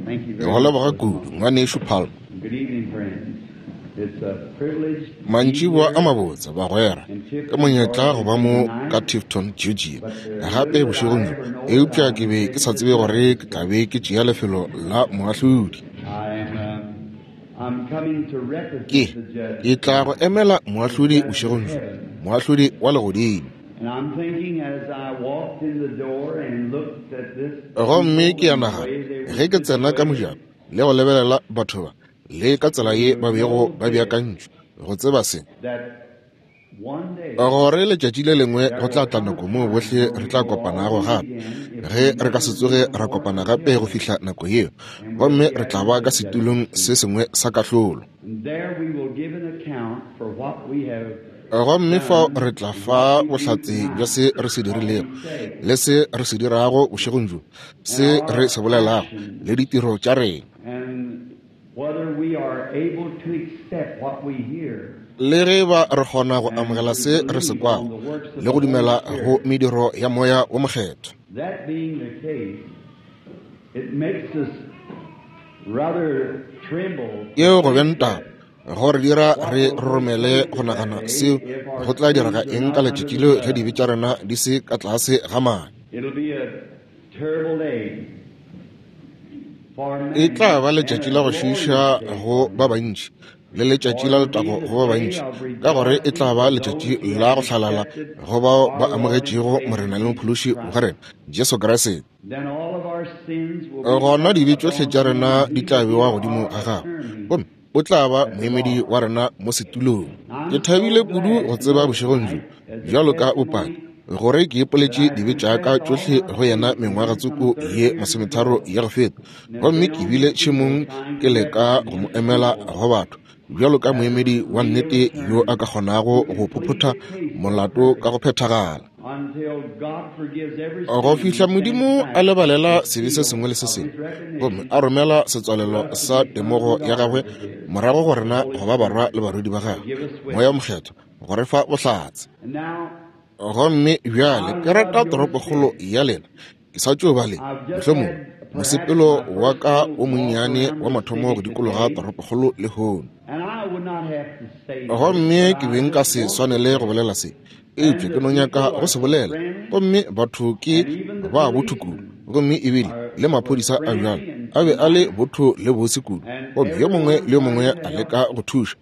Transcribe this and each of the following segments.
Ke go leboga kudu, Ngwanešu Palmer. Mantšiboa a mabotse, bagwera. Ke monyetla go ba mo ka Tifton, Georgia, gape bošegong bjo. Eupša ke be ke sa tsebe gore ke tla be ke tšea lefelo la moahlodi. Ke, ke tla go emela moahlodi bošegong bjo, moahlodi wa legodimo. Gomme ke a nagana, ge ke tsena ka mojako le go lebelela batho ba, le ka tsela ye ba bego ba beakantšwe, go tseba se, gore letšatši le lengwe go tla tla nako moo bohle re tla kopanago gape, ge re ka se tsoge ra kopana gape go fihla nako yeo, gomme re tla ba ka setulong se sengwe sa kahlolo. Gomme fao re tla fa bohlatse bja se re se dirilego le se re se dirago bošegong bjo, se re se bolelago le ditiro tša rena. Le ge ba re kgona go amogela se re se kwago le go dumela go mediro ya Moya wo Mokgethwa. Yeo go beng taba, go re dira re roromele go nagana seo go tla direga eng ka letšatši leo ge dibe tša rena di se ka tlase ga madi. E tla ba letšatši la go šiiša go ba bantši le letšatši la letago go ba bantši, ka gore e tla ba letšatši la go hlalala go bao ba amogetšego Morena le Mophološi wa rena Jesu Kriste. Gona dibe tšohle tša rena di tla bewa godimo ga gagwe, gomme o tla ba moemedi wa rena mo setulong. Ke thabile kudu go tseba bošegong bjo, bjalo ka bopaki, gore ke ipoletše dibe tša ka tšohle go yena mengwaga tsoko ye masometharo ya go feta, gomme ke bile tšhemong ke leka go mo emela go batho bjalo ka moemedi wa nnete yo a ka kgonago go phophotha molato ka go phethagala go fihla Modimo a lebalela sebe se sengwe le se sengwe gomme a romela setswalelo sa temogo ya gagwe morago go rena go ba barwa le barwedi ba gagwe, Moya wo Mokgethwa go re fa bohlatse. Gomme bjale ke rata toropokgolo ya lena. Ke sa tšo ba le, mohlomongwe, mosepelo wa ka wo monnyane wa mathomo go dikologa toropokgolo lehono. Gomme ke be nka se swanele go bolela se, eupša ke no nyaka go se bolela. Gomme batho ke ba botho kudu, gomme ebile le maphodisa a bjalo a be a le botho le bose kudu, gomme yo mongwe le yo mongwe a leka go thuša,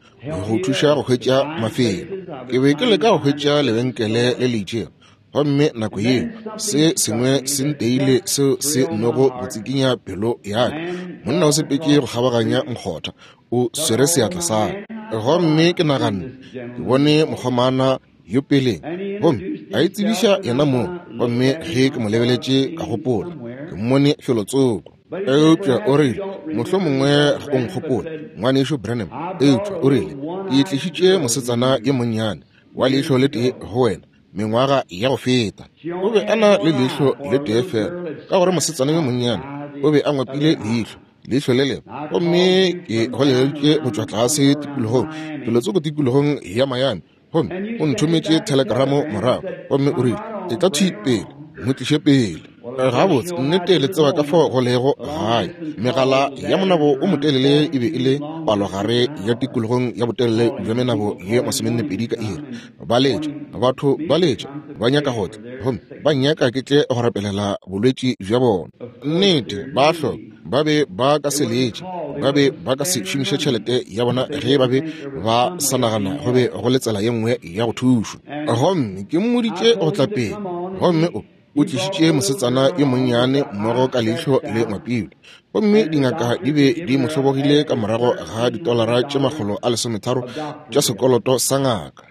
go thuša go hwetša mafelo. Ke be ke leka go hwetša lebenkele le le itšego, gomme nako yeo se sengwe se nteile seo se nnogo go tsikinya pelo ya ka. Monna o sepetše go kgabaganya nkgotha, o swere seatla sa ka. Gomme ke naganne, Ke bone mokgomana yo peleng, gomme a itsebiša yena mong. Gomme ge ke mo lebeletše, ka gopola, Ke mmone felotsoko. Eupša o rile, Mohlomongwe ga o nkgopole, Ngwanešu Branham, eupša o rile, Ke tlišitše mosetsana yo monnyane wa leihlo le tee go wena mengwaga ya go feta. O be a na le leihlo le tee feela, ka gore mosetsana yo monnyane o be a ngwapile leihlo, leihlo le lengwe. Gomme ke goleleditše go tšwa tlase tikologong, felotsoko tikologong ya Miami, gomme o nthometše thelekramo morago, gomme o rile, Etla thwi pele, mo tliše pele. Gabotse, nnete le tseba ka fao go lego gae. Megala ya monabo o motelele e be e le palogare ya tikologong ya botelele bja menabo ye masomennepedi ka iri. Ba letša, batho ba letša, ba nyaka go tla, gomme ba nnyaka ke tle go rapelela bolwetši bja bona. Nnete, ba hloka. Ba be ba ka se letše, ba be ba ka se šomiše tšhelete ya bona ge ba be ba sa nagana go be go le tsela ye nngwe ya go thušwa. Gomme ke mmoditše go tla pele, gomme o, o tlišitše mosetsana yo monnyane mmogo ka leihlo le ngwapilwe. Gomme dingaka di be di mo hlobogile ka morago ga ditolara tše 130 tša sekoloto sa ngaka.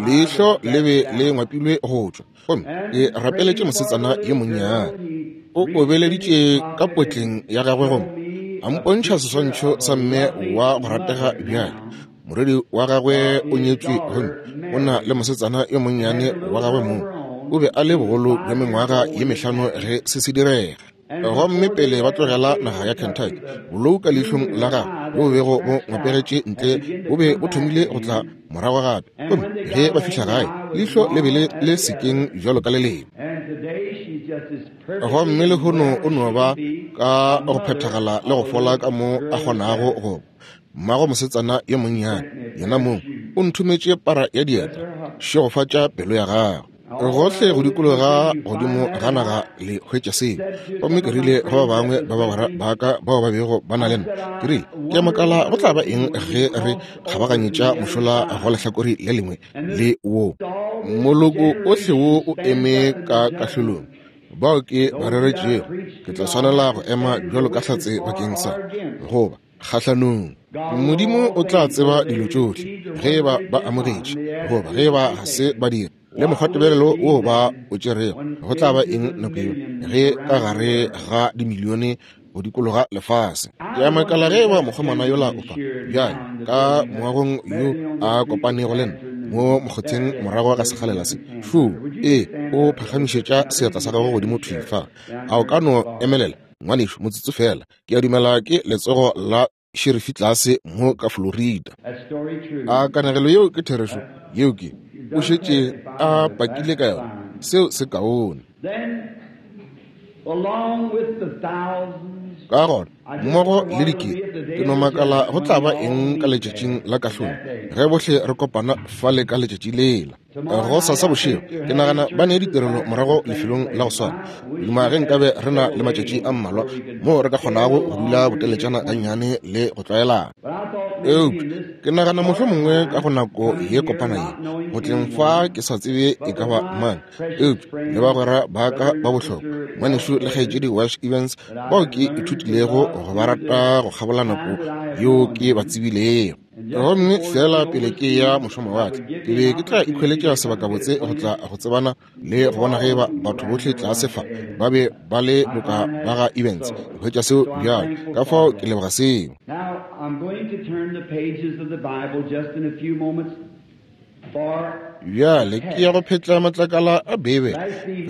Leihlo le be le ngwapilwe go tšwa. Gomme ke rapeletše mosetsana yo monnyane. O obeleditše ka potleng ya gagwe gomme a mpontšha seswantšho sa mme wa go ratega bjale. Morwedi wa gagwe o nyetšwe gomme o na le mosetsana yo monnyane wa gagwe mong. O be a le bogolo bja mengwaga ye mehlano ge se se direga. Gomme pele ba tlogela naga ya Kentucky, bolou ka leihlong la gagwe bo bego bo ngwapegetše ntle bo be bo thomile go tla morago gape. Gomme ge ba fihla gae, leihlo le be le le sekeng bjalo ka le lengwe. Gomme lehono o no ba ka go phethagala le go fola ka mo a kgonago go ba. Mmago mosetsana yo monnyane, yena mong, o nthometše para ya dieta. Šegofatša pelo ya gagwe. Gohle go dikologa godimo ga naga le hwetša seo. Gomme ke rile go ba bangwe ba bagwera ba ka bao ba bego ba na le nna, ke rile, Ke a makala go tla ba eng ge re kgabaganyetša mošola go lehlakore le lengwe le wo. Moloko ohle wo o eme ka kahlolong. Bao ke ba reretšego, ke tla swanela go ema bjalo ka hlatse bakeng sa, goba kgahlanong. Modimo o tla tseba dilo tšohle, ge eba ba amogetše goba ge eba ga se ba dira, le mokgwatebelelo wo ba o tšerego. Go tla ba eng nako yeo ge ka gare ga dimilione go dikologa lefase? Ke a makala ge eba mokgomana yola o fa bjale ka moagong yo a kopanego le nna mo mokgotheng morago ga sekgalela se. Fuu, ee, o phagamišetša seatla sa gagwe godimo thwi fa. A o ka no emelela, ngwanešu, motsotso feela? Ke a dumela ke letsogo la šerifi tlase mo ka Florida. A kanegelo yeo ke therešo? Yeo ke, o šetše a pakile ka yona. Seo se kaone. Ka gona, mmogo le dikete, ke no makala go tla ba eng ka letšatšing la kahlolo ge bohle re kopana fale ka letšatši lela. Gosasa bošego, ke nagana ba ne ditirelo morago lefelong la go swana. Duma ge nkabe re na le matšatši a mmalwa moo re ka kgonago go dula boteletšana gannyane le go tlwaelana. Eupša ke nagana mohlomongwe ka go nako ye kopana ye, go tleng fa ke sa tsebe e ka ba mang, eupša le bagwera ba ka ba bohlokwa, Ngwanešu le Kgaetšedi Welsh Evans, bao ke ithutilego go ba rata go kgabola nako yeo ke ba tsebilego. Gomme feela pele ke ya mošomawatle, ke be ke tla ikhweletša sebakabotse go tla go tsebana le go bona ge eba batho bohle tlase fa ba be ba le boka ba ga Evans. Ke hwetša seo bjalo, ka fao ke leboga seo. Now, I'm going to turn the pages of the Bible just in a few moments for Bjale ke ya go phetla matlakala a Beibele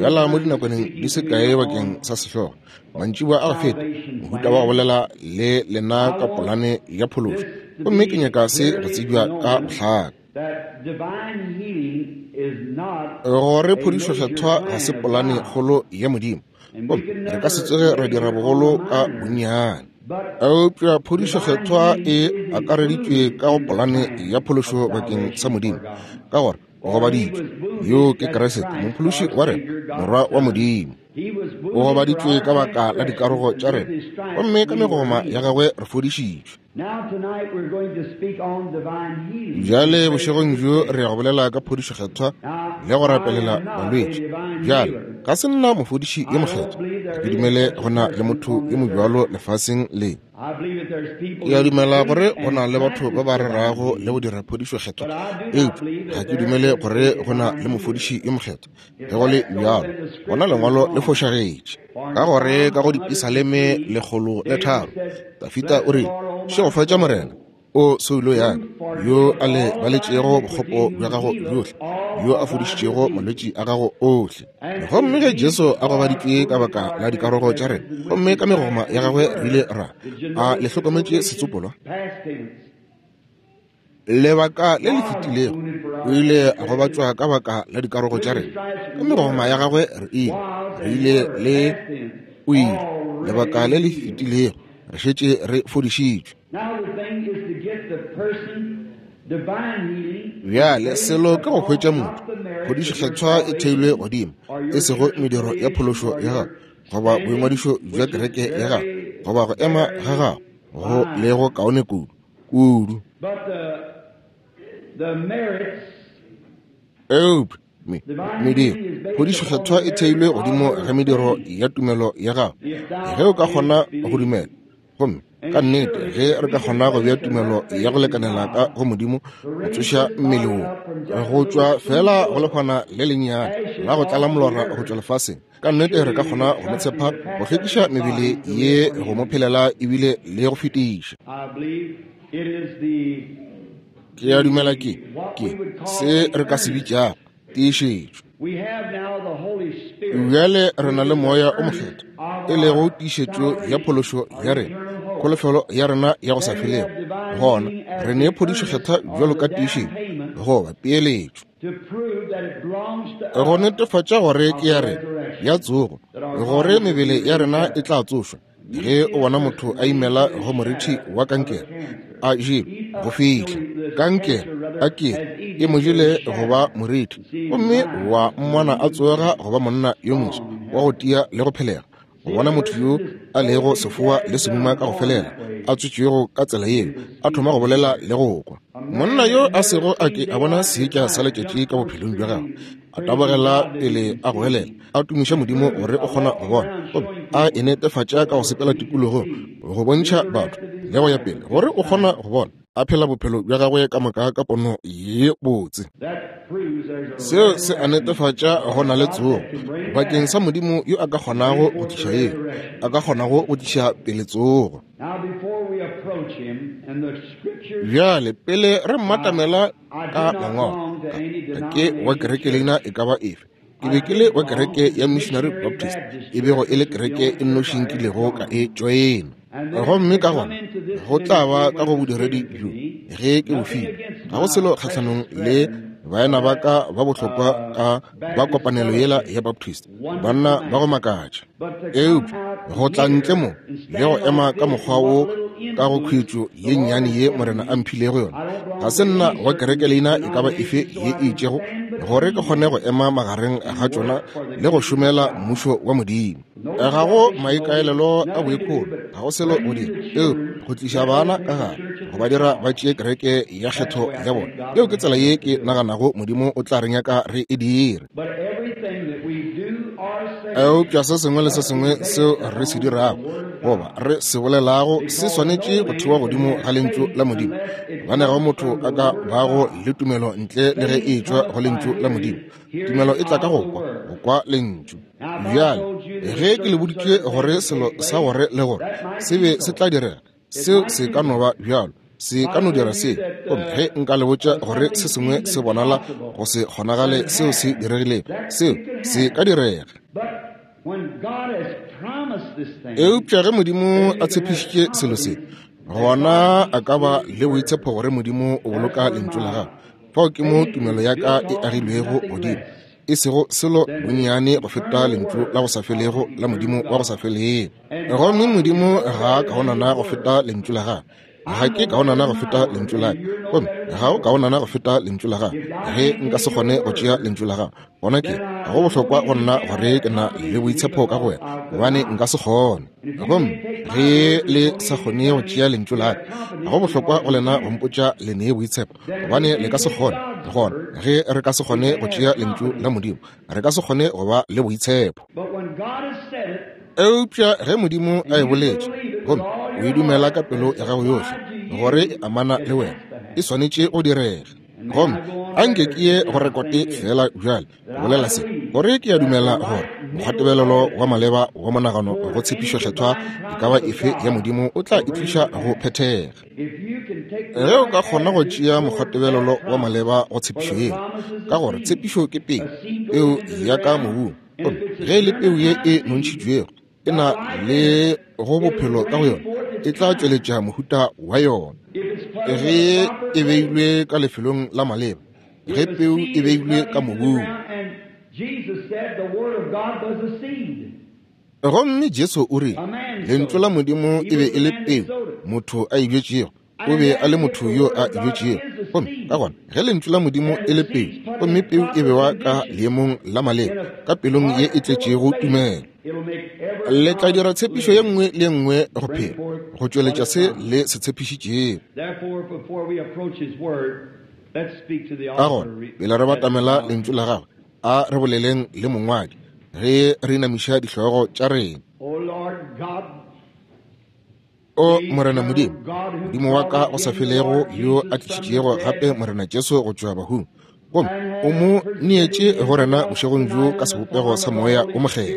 bjala mo dinakwaneng di se kae bakeng sa sehlogo. Mantšiboa a go feta, mohuta wa go bolela le lena ka polane ya phološo, gomme ke nyaka se go tsebja ka bohlaka. that divine healing is not Gore a phodišo major kgethwa ga plan se of polane God. kgolo ya Modimo, And we gomme can re ka se never tsoge ra make dira it bogolo all ka minor. bonnyane. But Eupša phodišo divine kgethwa healing e is akareditšwe included ka go in the polane plan ya of phološo bakeng sa salvation for Modimo, God. ka gore o For he gobaditšwe. was wounded, Yo ke that's Kriste, Christ, Mophološi our wa rena, Savior, God's Morwa wa Son. Modimo. He was O wounded for gobaditšwe our ka baka la dikarogo transgressions, and tša with rena, his stripes gomme ka we were megoma ya healed. gagwe re fodišitšwe. Now tonight we're going to speak on divine healing and Bjale pray for bošegong the bjo sick. re ya go bolela ka phodišo kgethwa Now, le go I rapelela am not a balwetši. divine Bjale, healer. ga se nna mofodiši yo I don't mokgethwa. believe Ga there ke is dumele such a go na le person motho on yo this mobjalo earth. lefaseng le. I believe that there's people Ke a who dumela preach gore go and na le batho ba practice ba divine rerago le go healing, dira phodišo kgethwa, but I do not eupša believe ga that ke there dumele is gore a go na divine le healer. mofodiši yo mokgethwa. If Ge go le that's so, bjalo, then the gona scripture is lengwalo le wrong. fošagetše. For in Ka gore ka Psalm go Dipisaleme 103, 103, David said, Dafida Bless o the rile, Lord, O my Šegofatša soul, Morena, o soulo ya ka, who yo forgives a le all of thy baletšego iniquity, bokgopo bja who gago healeth bjohle, all yo a of thy fodišitšego diseases. malwetši a gago ohle. And Gomme is ge Jesu he a our gobaditšwe ka wounded baka for our la dikarogo tša rena, transgressions, and with gomme his ka megoma stripes ya we gagwe re ile were, ra, Did you a notice le the hlokometše quotation? setsopolwa? Past tense. Lebaka le le God fetilego wounded for o our ile a transgressions, gobatšwa ka baka la dikarogo with tša his rena, stripes ka megoma ya were, gagwe re ile, was, re and ile were, le past tense, o ile. Lebaka already le le healed. fetilego re šetše re fodišitšwe. Now the thing is to get the person divine healing is Bjale based selo ke go hwetša upon motho. not the merits Phodišo of your kgethwa e theilwe salvation godimo, or e your sego church mediro ya affiliation phološo or ya your gago goba standing, boingwadišo bja which is kereke ya gago very, goba go ema ga very gago go fine. lego kaone kudu kudu. But the merits, Eupša me, divine mediro, healing is based phodišo upon kgethwa the e merits theilwe of godimo your ga mediro faith. ya tumelo ya gago. If Ge thou o ka kgona canst go believe. dumela, gomme ka And nnete surely ge if re we ka can kgona go bea place tumelo enough ya go faith in lekanela ka God go Modimo to go raise tsoša this mmele body wo, up from just a go little tšwa feela go spoonful of lehwana le lennyane ashes la go tlala off the molora go earth, tšwa lefaseng, ka nnete re surely ka we kgona can go mo trust Him tshepa to go pack up hlwekiša this mebele body to ye live for go mo Him. phelela ebile le go fetiša. I believe it is the Ke a dumela ke, the what ke we would call se the re ka se earnest. bitšago tiišetšo. We have now the Holy Spirit, Bjale re na which le is the Moya o earnest Mokgethwa, of e lego our tiišetšo ya salvation, phološo our ya rena, eternal hope. kholofelo ya rena ya go sa Then we felego. have divine Gona healing as re ne the phodišo earnest kgethwa or bjalo the ka down tiišetšo payment goba peeletšo, to prove that it belongs to go us netefatša gore of ke ya the rena ya resurrection. tsogo. Gore mebele ya rena e tla tsošwa, ge o bona motho a imela go morithi wa kankere, a jelwe go fihla kankere a ke e mo jele go ba morithi, gomme wa mmona a tsoga go ba monna yo moswa wa go tia le go phelega. Go bona motho yo a lego sefoa le semuma ka go felela, a tswetšwego ka tsela yeo, a thoma go bolela le go kwa. Monna yo a sego a ke a bona seetša sa letšatši ka bophelong bja gagwe, a tabogela pele a goelela, a tumiša Modimo gore o kgona go bona, gomme a e netefatša ka go sepela tikologong go bontšha batho le go ya pele gore o kgona go bona, a phela bophelo bja gagwe ka moka ka pono ye botse. Seo se a netefatša go na le tsogo bakeng sa Modimo yo a ka kgonago go tliša yeo, a ka kgonago go tliša pele tsogo. Bjale pele re mmatamela ka mangwalo, ka ke wa kereke leina e ka ba efe, ke be ke le wa kereke ya Missionary Baptist, e bego e le kereke e nnoši nkilego ka e tšoena. Gomme ka gona go tla ba ka go bodiredi bjo ge ke bo filwe, ga go selo kgahlanong le baena ba ka ba bohlokwa ka ba kopanelo yela ya Baptist, banna ba go makatša. Eupša go tla ntle mo le go ema ka mokgwa wo ka go khwetšo ye nnyane ye Morena a mphilego yona, ga se nna wa kereke leina e ka ba efe ye e itšego gore ke kgone go ema magareng ga tšona le go šomela mmušo wa Modimo. Ga go maikaelelo a boikgolo, ga go selo go dira eupša go tliša bana ka gare, go ba dira ba tšee kereke ya kgetho ya bona. Yeo ke tsela ye ke naganago Modimo o tla re nyaka re e dire. Eupša se sengwe le se sengwe seo re se dirago goba re se bolelago se swanetše go thewa godimo ga Lentšu la Modimo. Gobane ga motho a ka bago le tumelo ntle le ge e etšwa go Lentšu la Modimo. Tumelo e tla ka go kwa, go kwa Lentšu. Bjale, ge ke le boditše gore selo sa gore le gore se be se tla direga, seo se ka no ba bjalo, se ka no dira se. Gomme ge nka le botša gore se sengwe se bonala go se kgonagale seo se diregilego, seo se ka direga. Eupša ge Modimo a tshepišitše selo se, gona a ka ba le boitshepo gore Modimo o boloka Lentšu la gagwe. Fao ke mo tumelo ya ka e agilwego godimo, e sego selo bonnyane go feta Lentšu la go sa felego la Modimo wa go sa felego. Gomme Modimo ga a kaonana go feta Lentšu la gagwe. Ga ke kaonana go feta Lentšu la ka, gomme ga o kaonana go feta Lentšu la gago. Ge nka se kgone go tšea Lentšu la gago, gona ke go bohlokwa go nna gore ke na le boitshepo ka go wena, gobane nka se kgone. Gomme ge le sa kgone go tšea Lentšu la ka, ga go bohlokwa go lena go mpotša le nee boitshepo, gobane le ka se kgone. Gona ge re ka se kgone go tšea Lentšu la Modimo, re ka se kgone go ba le boitshepo. Eupša ge Modimo a e boletše, gomme o e dumela ka pelo ya gago yohle gore e amana le wena, e swanetše go direga. Gomme a nke ke ye go rekote feela bjale, go bolela se, gore ke a dumela gore mokgwatebelelo wa maleba wa monagano go tshepišo kgethwa e ka ba efe ya Modimo o tla e tliša go phethega. Ge o ka kgona go tšea mokgwatebelelo wa maleba go tshepišo yeo, ka gore tshepišo ke peu, peu ya ka mobung, gomme ge e le peu ye e nontšhitšwego e na le go bophelo ka go yona, e tla tšweletša mohuta wa yona. Ge e beilwe ka lefelong la maleba, ge peu e beilwe ka mobung. Gomme Jesu o rile, Lentšu la Modimo e be e le peu motho a e bjetšego. O be a le motho yo a e bjetšego. Gomme ka gona ge Lentšu la Modimo e le peu, gomme peu e bewa ka leemong la maleba, ka pelong ye e tletšego tumelo, le tla dira tshepišo ye nngwe le ye nngwe go phela, go tšweletša se le se tshepišitšego. Ka gona pele re batamela Lentšu la Gagwe, a re boleleng le Mongwadi ge re inamiša dihlogo tša rena. O Morena Modimo, Modimo wa ka go sa felego, yo a tlišitšego gape Morena Jesu go tšwa bahung, gomme o mo neetše go rena bošegong bjo ka sebopego sa Moya o Mokgethwa,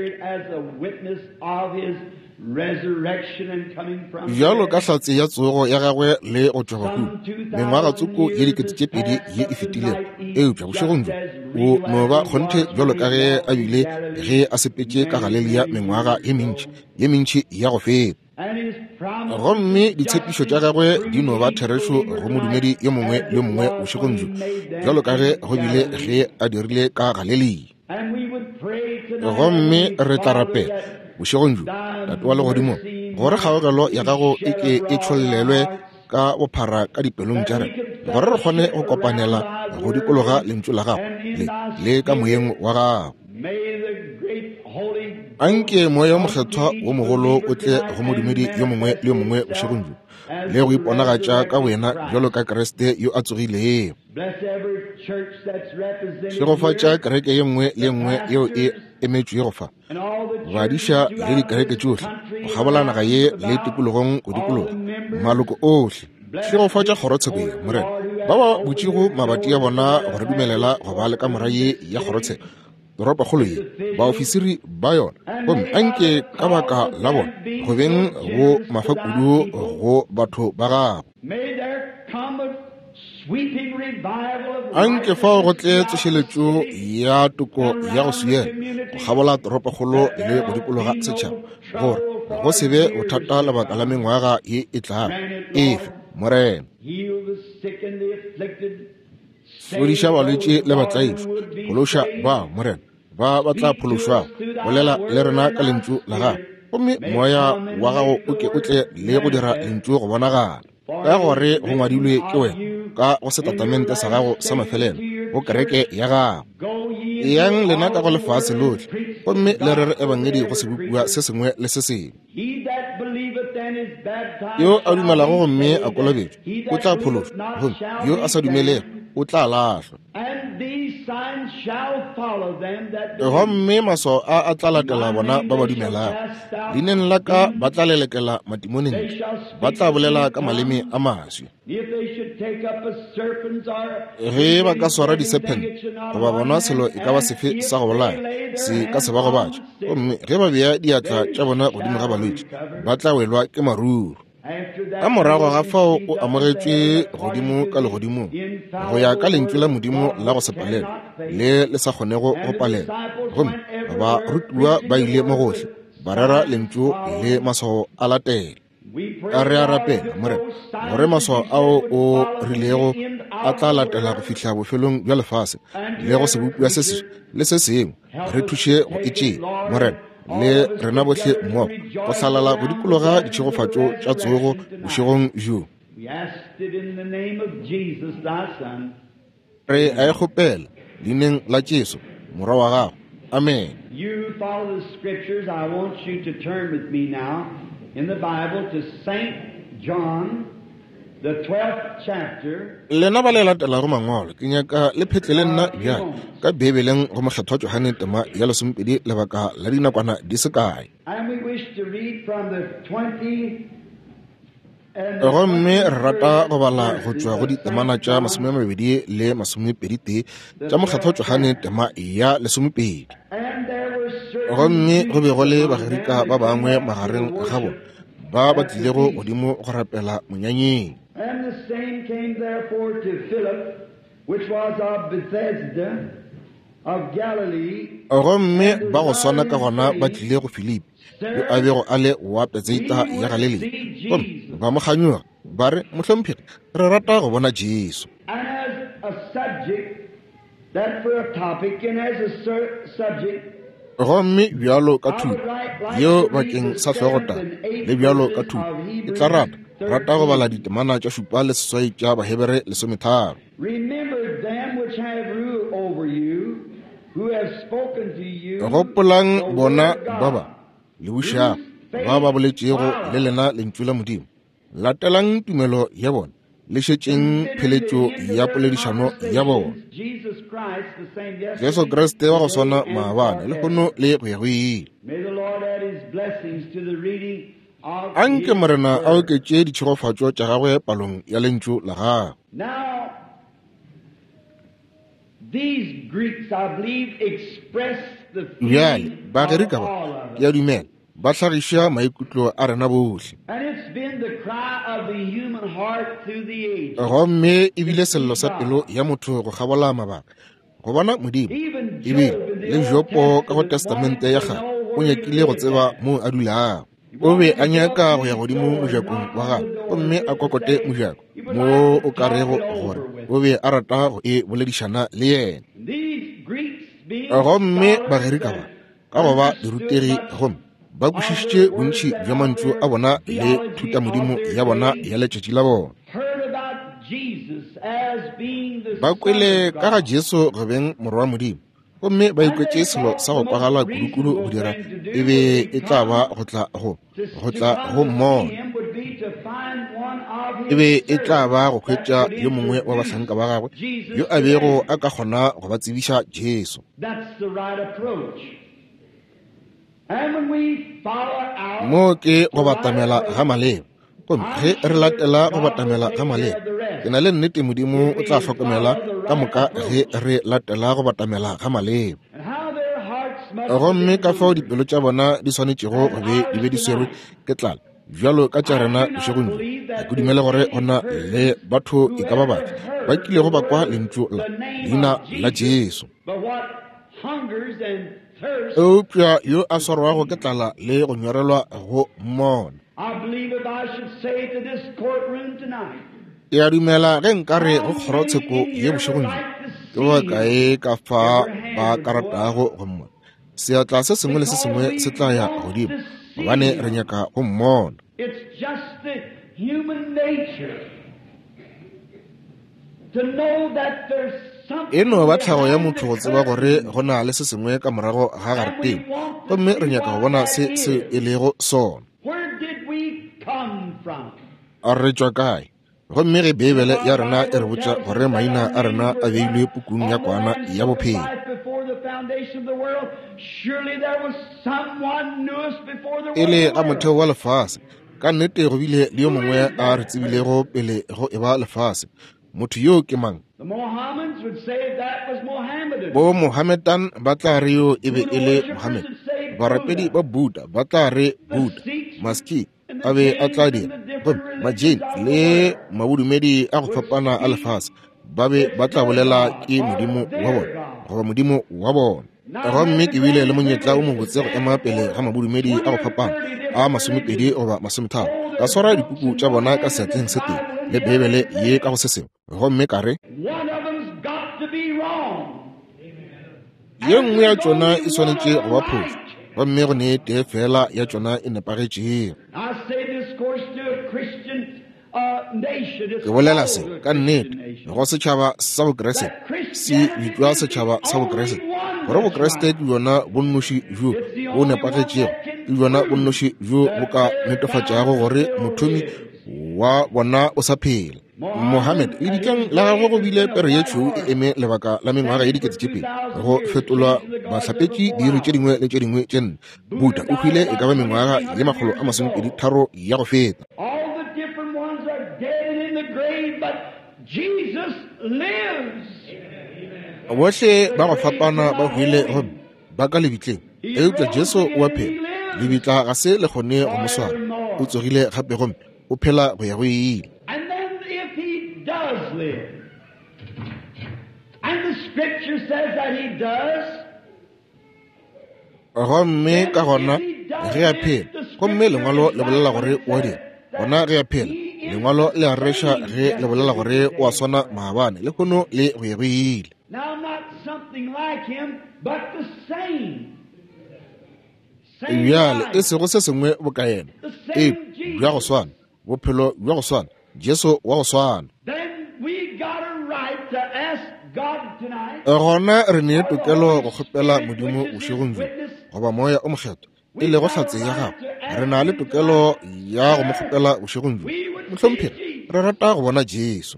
bjalo ka hlatse ya tsogo ya gagwe le go tšwa bahung mengwagatsoko ye 2000 ye e fetilego. Eupša bošegong bjo o no ba kgonthe bjalo ka ge a bile ge a sepetše ka Galelia mengwaga ye mentši ye mentši ya go feta. Gomme ditshepišo tša gagwe di no ba therešo go modumedi yo mongwe le yo mongwe bošegong bjo, bjalo ka ge go bile ge a dirile ka Galelia. Gomme re tla rapela bošegong bjo, Tate wa Legodimong, gore kgaogelo ya Gago e ke e tšhollelwe ka bophara ka dipelong tša rena, gore re kgone go kopanela go dikologa Lentšu la Gago le, le ka Moyeng wa Gago. Anke Moya wo Mokgethwa wo mogolo o tle go modumedi yo mongwe le yo mongwe bošegong bjo, le go iponagatša ka boyena bjalo ka Kriste yo a tsogilego. Šegofatša kereke ye nngwe le ye nngwe yeo e emetšwego fa, badiša le dikereke tšohle go kgabola naga ye le tikologong go dikologa, maloko ohle. Šegofatša kgorotsheko ye, Morena, ba ba butšego mabati a bona go re dumelela go ba le kamora ye ya kgorotsheko, toropokgolo ye, baofisiri ba yona, gomme anke ka baka la bona go beng go mafakudu go batho ba gago. Anke fao go tle tsošeletšo ya toko ya go swiela go kgabola toropokgolo le go dikologa setšhaba, gore go se be bothata lebaka la mengwaga ye e tlago. Efe, Morena. Fodiša balwetši le batlaišwa, phološa ba, Morena, ba ba tla phološwago. Bolela le rena ka Lentšu la Gago, gomme Moya wa Gago o ke o tle le go dira Lentšu go bonagala, ka gore go ngwadilwe ke wena ka go setatamente sa gago sa mafelelo go kereke ya gago. Eyang lena ka go lefase lohle gomme le rere ebangedi go sebopiwa se sengwe le se sengwe. Yo a dumelago gomme a kolobetšwa o tla phološwa, gomme yo a sa dumelego o tla lahlwa. Gomme maswao a a tla latela bona ba ba dumelago. Leineng la ka ba tla lelekela matimone ntle, ba tla bolela ka maleme a maswi. Ge ba ka swara disephente goba bona selo e ka ba sefe sa go bolaya, se ka se ba gobatše. Gomme ge ba bea diatla tša bona godimo ga balwetši, ba tla welwa ke maruru. Ka morago ga fao o amogetšwe godimo ka legodimong go ya ka lentšu la Modimo la go se palelwe le le sa kgonego go palelwa. Gomme barutiwa ba ile mo gohle ba rera lentšu le maswao a latela. A re a rapela, Morena, gore maswao ao o rilego a tla latela go fihla bofelong bja lefase le go sebopiwa se seswa le se sengwe. Re thuše go e tšea, Morena, le rena bohle mmogo go hlalala go dikologa ditšhegofatšo tša tsogo bošegong bjo. Re a e kgopela leineng la Jesu, Morwa wa Gago. Amene. You follow the scriptures. I want you to turn with me now in the Bible to Saint John, the 12th chapter. Lena ba le latelago Mangwalo, ke nyaka le phetle le nna bjale ka Beibeleng go Mokgethwa Johane tema ya lesomepedi lebaka la dinakwana di se kae. And we wish to read from the 20 Gomme re rata go bala go tšwa go ditemana tša 22 le 21 tša Mokgethwa Johane tema ya lesomepedi. Gomme go be go le Bagerika ba bangwe magareng ga bona ba ba tlilego godimo go rapela monyanyeng. And the same came therefore to Philip, which was of Bethsaida of Galilee. Gomme ba go swana ka gona ba tlile go Filipi, yo a bego a le wa Betsaida ya Galilea, gomme ba mo kganyoga, ba re, Mohlomphegi, re rata go bona Jesu. And as a subject, that for a topic, and as a subject, Gomme bjalo ka thuto yeo bakeng sa hlogotaba, le bjalo ka thuto, ke tla rata, rata go bala ditemana tša 7 le 8 tša Bahebere 13. Remember them which have rule over you, who have spoken to you Gopolang the bona word of ba ba God. le bušago, ba ba boletšego le lena lentšu la Modimo. Latelang tumelo ya bona, le šetšeng pheletšo ya poledišano ya bona. Jesus Christ, the same yesterday, Jesu Kriste wa go swana today, and maabane, lehono forever. le go ya go ile. May the Lord add his blessings to the reading of Anke his Morena a word. oketše ditšhegofatšo tša gagwe palong ya lentšu la gagwe. Now, these Greeks, I believe, express the Bjale, feeling of Bagerika ba, all of ke a us. dumela, ba hlagiša maikutlo a rena bohle. And it's been the cry of the human heart through the ages. Gomme e bile To sello see sa pelo God. ya motho go kgabola mabaka, go bona Modimo. Even Ebile Job in the le Old Jopo ka go Testament Testamente ya wanted to Kgale know o where he nyakile go lived tseba at. moo a dulago. He O be wanted a to go nyaka up go to ya his godimo door and mojakong knock wa on gagwe the door gomme and a just kokote say mojako, he would mo like to o ka talk rego it gore over with o him. be a rata go e boledišana le yena. And these Greeks being Gomme scholars Bagerika ba, and ka go ba dirutegi gomme ba kwešišitše bontši bja mantšu a bona le thutamodimo ya bona ya letšatši la bona. Ba kwele ka ga Jesu go beng Morwa wa Modimo, gomme ba ikwetše selo sa go kwagala kudukudu go dira e be e tla ba go tla go go tla go mmona. E be e tla ba go hwetša yo mongwe wa bahlanka ba gagwe yo a bego a ka kgona go ba tsebiša Jesu. Mo ke go batamela ga maleba. Gomme ge re latela go batamela ga maleba, ke na le nnete Modimo o tla hlokomela ka moka ge re latela go batamela ga maleba. Gomme ka fao dipelo tša bona di swanetšego go be di be di swerwe ke tlala bjalo ka tša rena bošegong bjo. Ga ke dumele gore go na le batho e ka ba bafe ba kilego ba kwa lentšu la leina la Jesu. Eupša yo a swarwago ke tlala le go nyorelwa go mmona. Ke a dumela ge nka re go kgorotsheko ye bošegong bjo, ke ba kae ka fa ba ka ratago go mmona? Seatla se sengwe le se sengwe se tla ya godimo, gobane re nyaka go mmona. E no ba tlhago ya motho go tseba gore go na le se sengwe ka morago ga garetene, gomme re nyaka go bona se se e lego sona. A re tšwa kae? Gomme ge Beibele ya rena e re botša gore maina a rena a beilwe pukung ya Kwana ya Bophelo, e le ga motheo wa lefase, ka nnete go bile le yo mongwe a re tsebilego pele go eba lefase. Motho yoo ke mang? Bo Mohammedan ba tla re yo e be e le Mohammed. Barapedi ba Buddha ba tla re Buddha. Maski a be a tla dira. Gomme Majain le mabodumedi a go fapana a lefase ba be ba tla bolela ke modimo wa bona goba modimo wa bona. Gomme ke bile le monyetla o mobotse go ema pele ga mabodumedi a go fapana a 20 goba 30, ka swara dipuku tša bona ka seatleng se tee le Beibele ye ka go se sengwe, gomme ka re, ye nngwe ya tšona e swanetše go ba phošo, gomme go ne tee fela ya tšona e nepagetšego. Ke bolela se ka nnete go setšhaba sa Bokriste, se bitšwa setšhaba sa Bokriste, gore Bokriste ke bjona bonnoši bjo bo nepagetšego, ke bjona bonnoši bjo bo ka netefatšago gore mothomi wa bona o sa phela. Mohammed, lebitleng la gagwe go bile pere ye tšhweu e eme lebaka la mengwaga ye 2000, go fetolwa bahlapetši diiri tše dingwe le tše dingwe tše nne. Buddha o hwile e ka ba mengwaga ye 123 ya go feta. Bohle ba go fapana ba hwile gomme ba ka lebitleng, eupša Jesu o a phela. Lebitla ga se le kgone go mo swara. O tsogile gape gomme o phela go ya go ile. Gomme ka gona ge a phela, gomme Lengwalo le bolela gore o a dira, gona ge a phela, Lengwalo le a reša ge le bolela gore o a swana maabane, lehono le go ya go ile. Bjale e sego se sengwe boka yena, eupša bja go swana, bophelo bja go swana, Jesu wa go swana. Gona re ne tokelo go kgopela Modimo bošegong bjo, goba Moya o Mokgethwa, e lego hlatse ya gagwe. Re na le tokelo ya go mo kgopela bošegong bjo. Mohlomphegi, re rata go bona Jesu.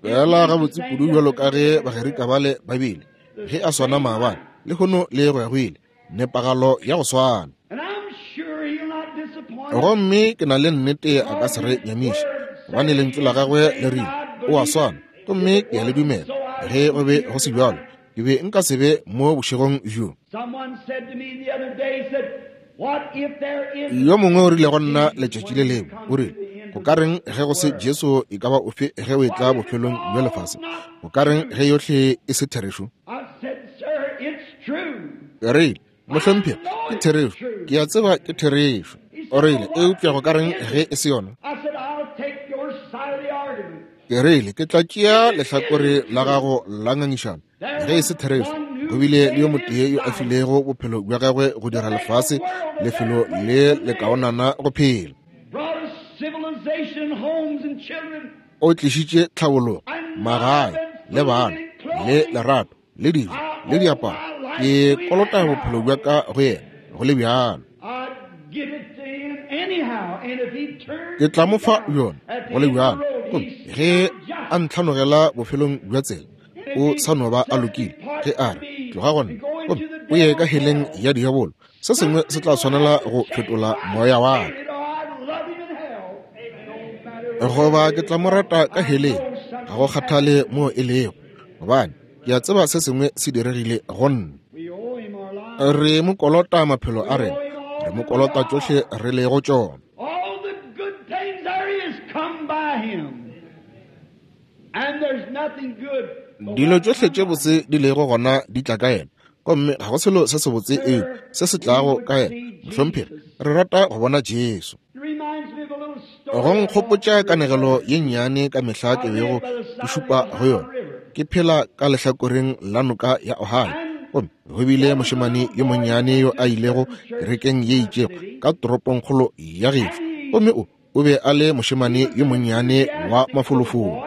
Fela gabotse kudu bjalo ka ge Bagerika bale ba bile, ge a swana maabane, lehono le go ya go ile, nepagalo ya go swana. Gomme ke na le nnete a ka se re nyamiše, gobane lentšu la gagwe le rile o a swana, gomme ke a le dumela. Ge go be go se bjalo, ke be nka se be mo bošegong bjo. Yo mongwe o rile go nna letšatši le lengwe, o rile, go ka reng ge go se Jesu e ka ba ofe ge o etla bofelong bja lefase? Go ka reng ge yohle e se therešo? Ke rile, Mohlomphegi, ke therešo. Ke a tseba ke therešo. O rile, Eupša go ka reng ge e se yona? Ke rile, Ke tla tšea lehlakore la gago la ngangišano. Ge e se therešo, go bile le yo motee yo a filego bophelo bja gagwe go dira lefase lefelo le lekaonana go phela. O tlišitše tlhabologo, magae, le bana, le lerato, le dijo, le diaparo. Ke kolota bophelo bja ka go yena, go le bjalo. Ke tla mo fa bjona, go le bjalo. Gomme ge a ntlhanogela bofelong bja tsela, o sa no ba a lokile. Ge a re, tloga go nna, gomme o ye ka heleng ya diabolo, se sengwe se tla swanela go fetola moya wa ka. Goba ke tla mo rata ka heleng, ga go kgathale moo e lego, gobane ke a tseba se sengwe se diregile go nna. Re mo kolota maphelo a rena, re mo kolota tšohle re lego tšona. Dilo tšohle tše botse di lego gona di tla ka yena, gomme ga go selo se sebotse eo se se tlago ka yena. Mohlomphegi, re rata go bona Jesu. Go nkgopotša kanegelo ye nnyane ka mehla ke bego ke šupa go yona. Ke phela ka lehlakoreng la noka ya Ohio, gomme go bile mošemane yo monnyane yo a ilego kerekeng ye itšego ka toropongkgolo ya gešo, gomme o be a le mošemane yo monnyane wa mafolofolo.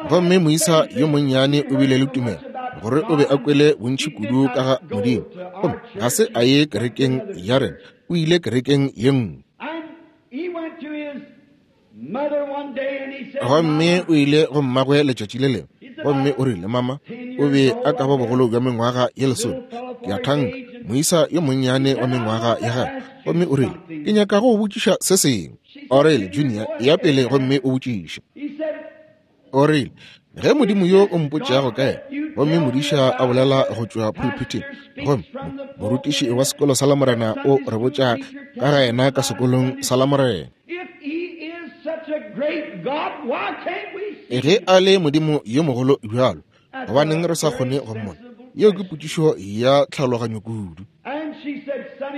Gomme moisa yo monnyane o bile le tumelo gore o be a kwele bontši kudu ka ga Modimo, gomme ga se a ye kerekeng ya rena, o ile kerekeng ye nngwe. Gomme o ile go mmagwe letšatši le lengwe, gomme o rile, Mama, o be a ka ba bogolo bja mengwaga ye lesome, ke a thanka, moisa yo monnyane wa mengwaga ya gagwe. Gomme o rile, Ke nyaka go botšiša se sengwe. O rile, Junior, ya pele gomme o botšiše. O rile, Ge Modimo yo o mpotšago ka yena, gomme modiša a bolela go tšwa pulpiteng, gomme morutiši wa sekolo sa Lamorena o re botša ka ga yena ka sekolong sa Lamorena. Ge a le Modimo yo mogolo bjalo, gobaneng re sa kgone go mmona? Yeo ke potšišo ya tlhaologanyo kudu.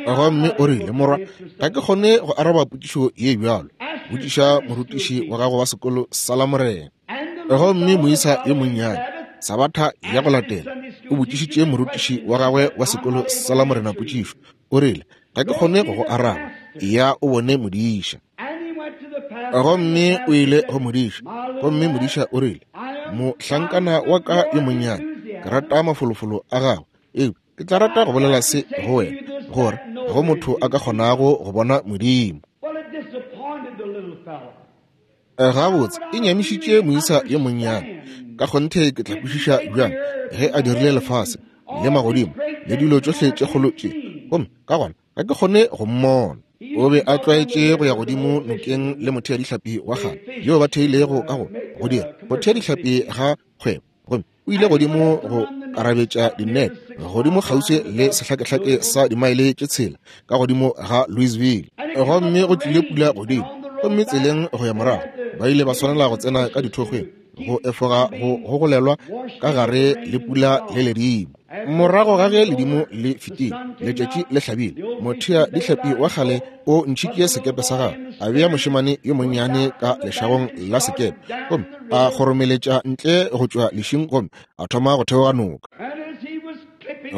Gomme o rile, Morwa, ga ke kgone go araba potšišo ye bjalo. Botšiša morutiši wa gago wa sekolo sa Lamorena. Gomme moisa yo monnyane, Sabatha ya go latela, o botšišitše morutiši wa gagwe wa sekolo sa Lamorena potšišo. O rile, Ga ke kgone go go araba. Ya o bone modiša. Gomme o ile go modiša, gomme modiša o rile, Mohlankana wa ka yo monnyane, ke rata mafolofolo a gago, eupša ke tla rata go bolela se go wena, gore go motho a ka kgonago go bona Modimo. Gabotse, e nyamišitše moisa yo monnyane. Ka kgonthe ke tla kwešiša bjang ge a dirile lefase le magodimo le dilo tšohle tše kgolo tše, gomme ka gona ga ke kgone go mmona. O be a tlwaetše go ya godimo nokeng le motheadihlapi wa kgale yo ba theilego ka go dira go thea dihlapi ga kgwebo, gomme o ile godimo go karabetša dinete godimo kgauswi le sehlakehlake sa dimaele tše 6 ka godimo ga Louisville. Gomme go tlile pula godimo, gomme tseleng go ya morago ba ile ba swanela go tsena ka dithokgweng go efoga go gogolelwa ka gare le pula le ledimo. Morago ga ge ledimo le fetile, letšatši le hlabile, mothea dihlapi wa kgale o ntšhitše sekepe sa gagwe, a bea mošemane yo monnyane ka lešagong la sekepe, gomme a kgoromeletša ntle go tšwa lešing gomme a thoma go theoga noka.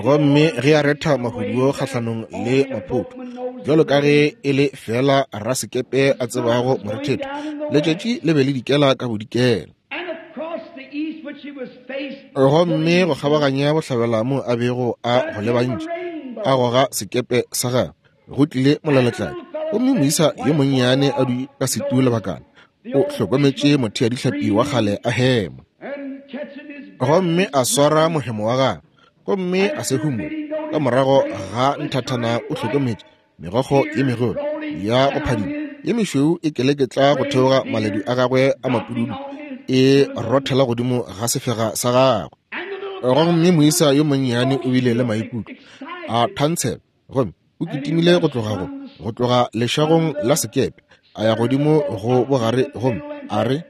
Gomme ge a retha mahuduo kgahlanong le maphoto, bjalo ka ge e le feela rasekepe a tsebago morethetho, letšatši le be le dikela ka bodikela. Gomme go kgabaganya bohlabela mo a bego a go lebantše, a goga sekepe sa gagwe, go tlile molaletladi. Gomme moisa yo monnyane a dutše ka setu lebakana, o hlokometše motheadihlapi wa kgale a hema. Gomme a swara mohemo wa gagwe, gomme a se humole. Ka morago ga nthathana o hlokometše megokgo ye megolo ya go phadima ye mešweu e keleketla go theoga maledu a gagwe a mapududu, e rothela godimo ga sefega sa gagwe. Gomme moisa yo monnyane o bile le maikutlo a thantshela, gomme o kitimile go tloga go tloga lešagong la sekepe a ya godimo go bogare, gomme a re,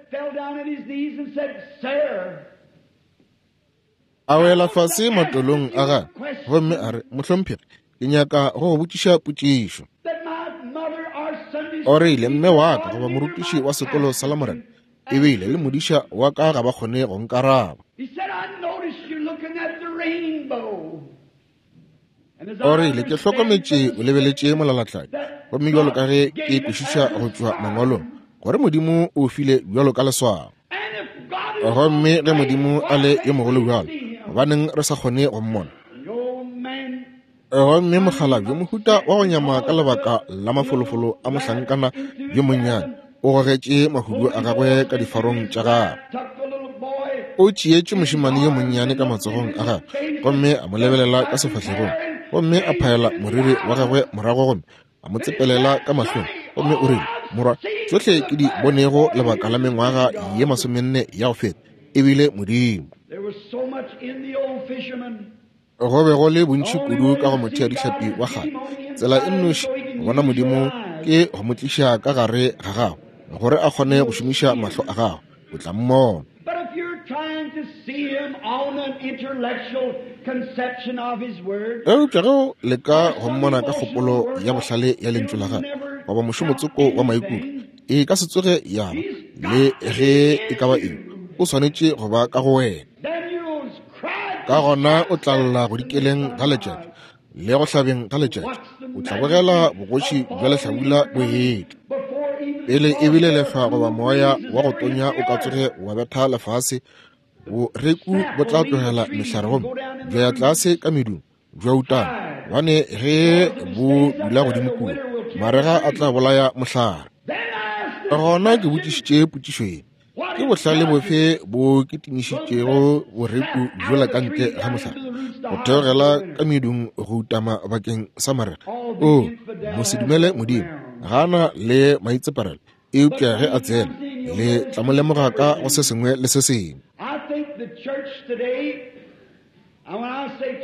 a wela fase matolong a gagwe, gomme a re, Mohlomphegi, ke nyaka go go botšiša potšišo. O rile, Mme wa ka goba morutiši wa sekolo sa Lamorena ebile le modiša wa ka ga ba kgone go nkaraba. O rile, Ke hlokometše o lebeletše molalatladi, gomme bjalo ka ge ke kwešiša go tšwa Mangwalong, gore Modimo o file bjalo ka leswao. Gomme ge Modimo a le yo mogolo bjalo, gobaneng re sa kgone go mmona? Gomme mokgalabje, mohuta wa go nyama ka lebaka la mafolofolo a mohlankana yo monnyane, o gogetše mahudu a gagwe ka difarong tša gagwe. O tšeetše mošemane yo monnyane ka matsogong a gagwe gomme a mo lebelela ka sefahlegong, gomme a phaela moriri wa gagwe morago gomme a mo tsepelela ka mahlong, gomme o rile, Morwa, tšohle ke di bonego lebaka la mengwaga ye masomenne ya go feta, e bile Modimo. Go be go le bontši kudu ka go motheadihlapi wa kgale. Tsela e nnoši go bona Modimo ke go mo tliša ka gare ga gago, gore a kgone go šomiša mahlo a gago. O tla mmona. Eupša ge o leka go mmona ka kgopolo ya bohlale ya Lentšu la gagwe, goba mošomotsoko wa maikutlo, e ka se tsoge ya ba le ge e ka ba eng. O swanetše go ba ka go wena. Ka gona o tla lla go dikeleng ga letšatši le go hlabeng ga letšatši, o tla bogela bogoši bja lehlabula bo etla. Pele ebile lehlwa goba moya wa go tonya o ka tsoge wa betha lefase, boreku bo tla tlogela mehlare gomme bja ya tlase ka medung bja utana, gobane ge bo dula godimo kua, marega a tla bolaya mohlare. Gona ke botšišitše potšišo ye, Ke bohlale bofe bo kitimišitšego boreku bjola ka ntle ga mohlare, go theogela ka medung go utama bakeng sa marega? O, mosedumele Modimo ga a na le maitseparelo, eupša ge a tsena, le tla mo lemoga ka go se sengwe le se sengwe.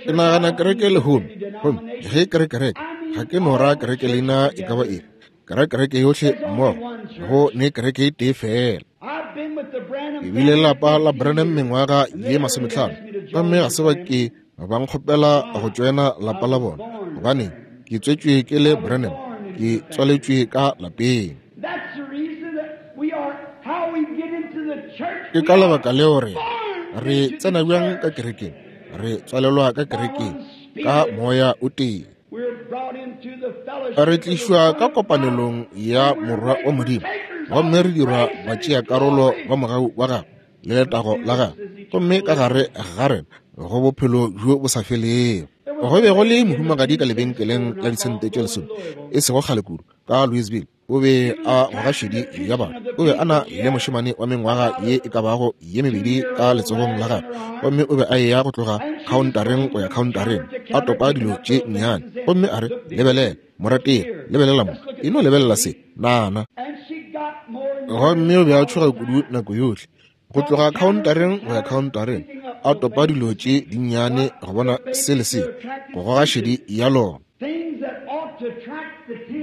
Ke nagana kereke lehono, gomme ge ke re kereke, ga ke no ra kereke leina e ka ba efe, ke ra kereke yohle mmogo, go ne kereke e tee feela. Ke bile lapa la Branham mengwaga ye masometlhano, gomme ga se ba ke ba nkgopela go tšoena lapa la bona, gobane ke tswetšwe ke le Branham, ke tswaletšwe ka lapeng. Ke ka lebaka leo re re tsena bjang ka kerekeng, re tswalelwa ka kerekeng ka moya o tee. Re tlišwa ka kopanelong ya Morwa wa Modimo, gomme re dirwa batšeakarolo ba mogau wa gagwe le letago la gagwe, gomme ka gare ga rena go bophelo bjo bo sa felego. Go be go le mohumagadi ka lebenkeleng la disente tše lesome e sego kgale kudu ka Louisville. O be a goga šedi ya batho. O be a na le mošemane wa mengwaga ye e ka bago ye mebedi ka letsogong la gagwe, gomme o be a eya go tloga khaontareng go ya khaontareng, a topa dilo tše nnyane. Gomme a re, Lebelela, morategi, lebelela mo. E no lebelela se, nana. Gomme o be a tšhoga kudu nako yohle, go tloga khaontareng go ya khaontareng, a topa dilo tše dinnyane go bona se le se, go goga šedi ya lona.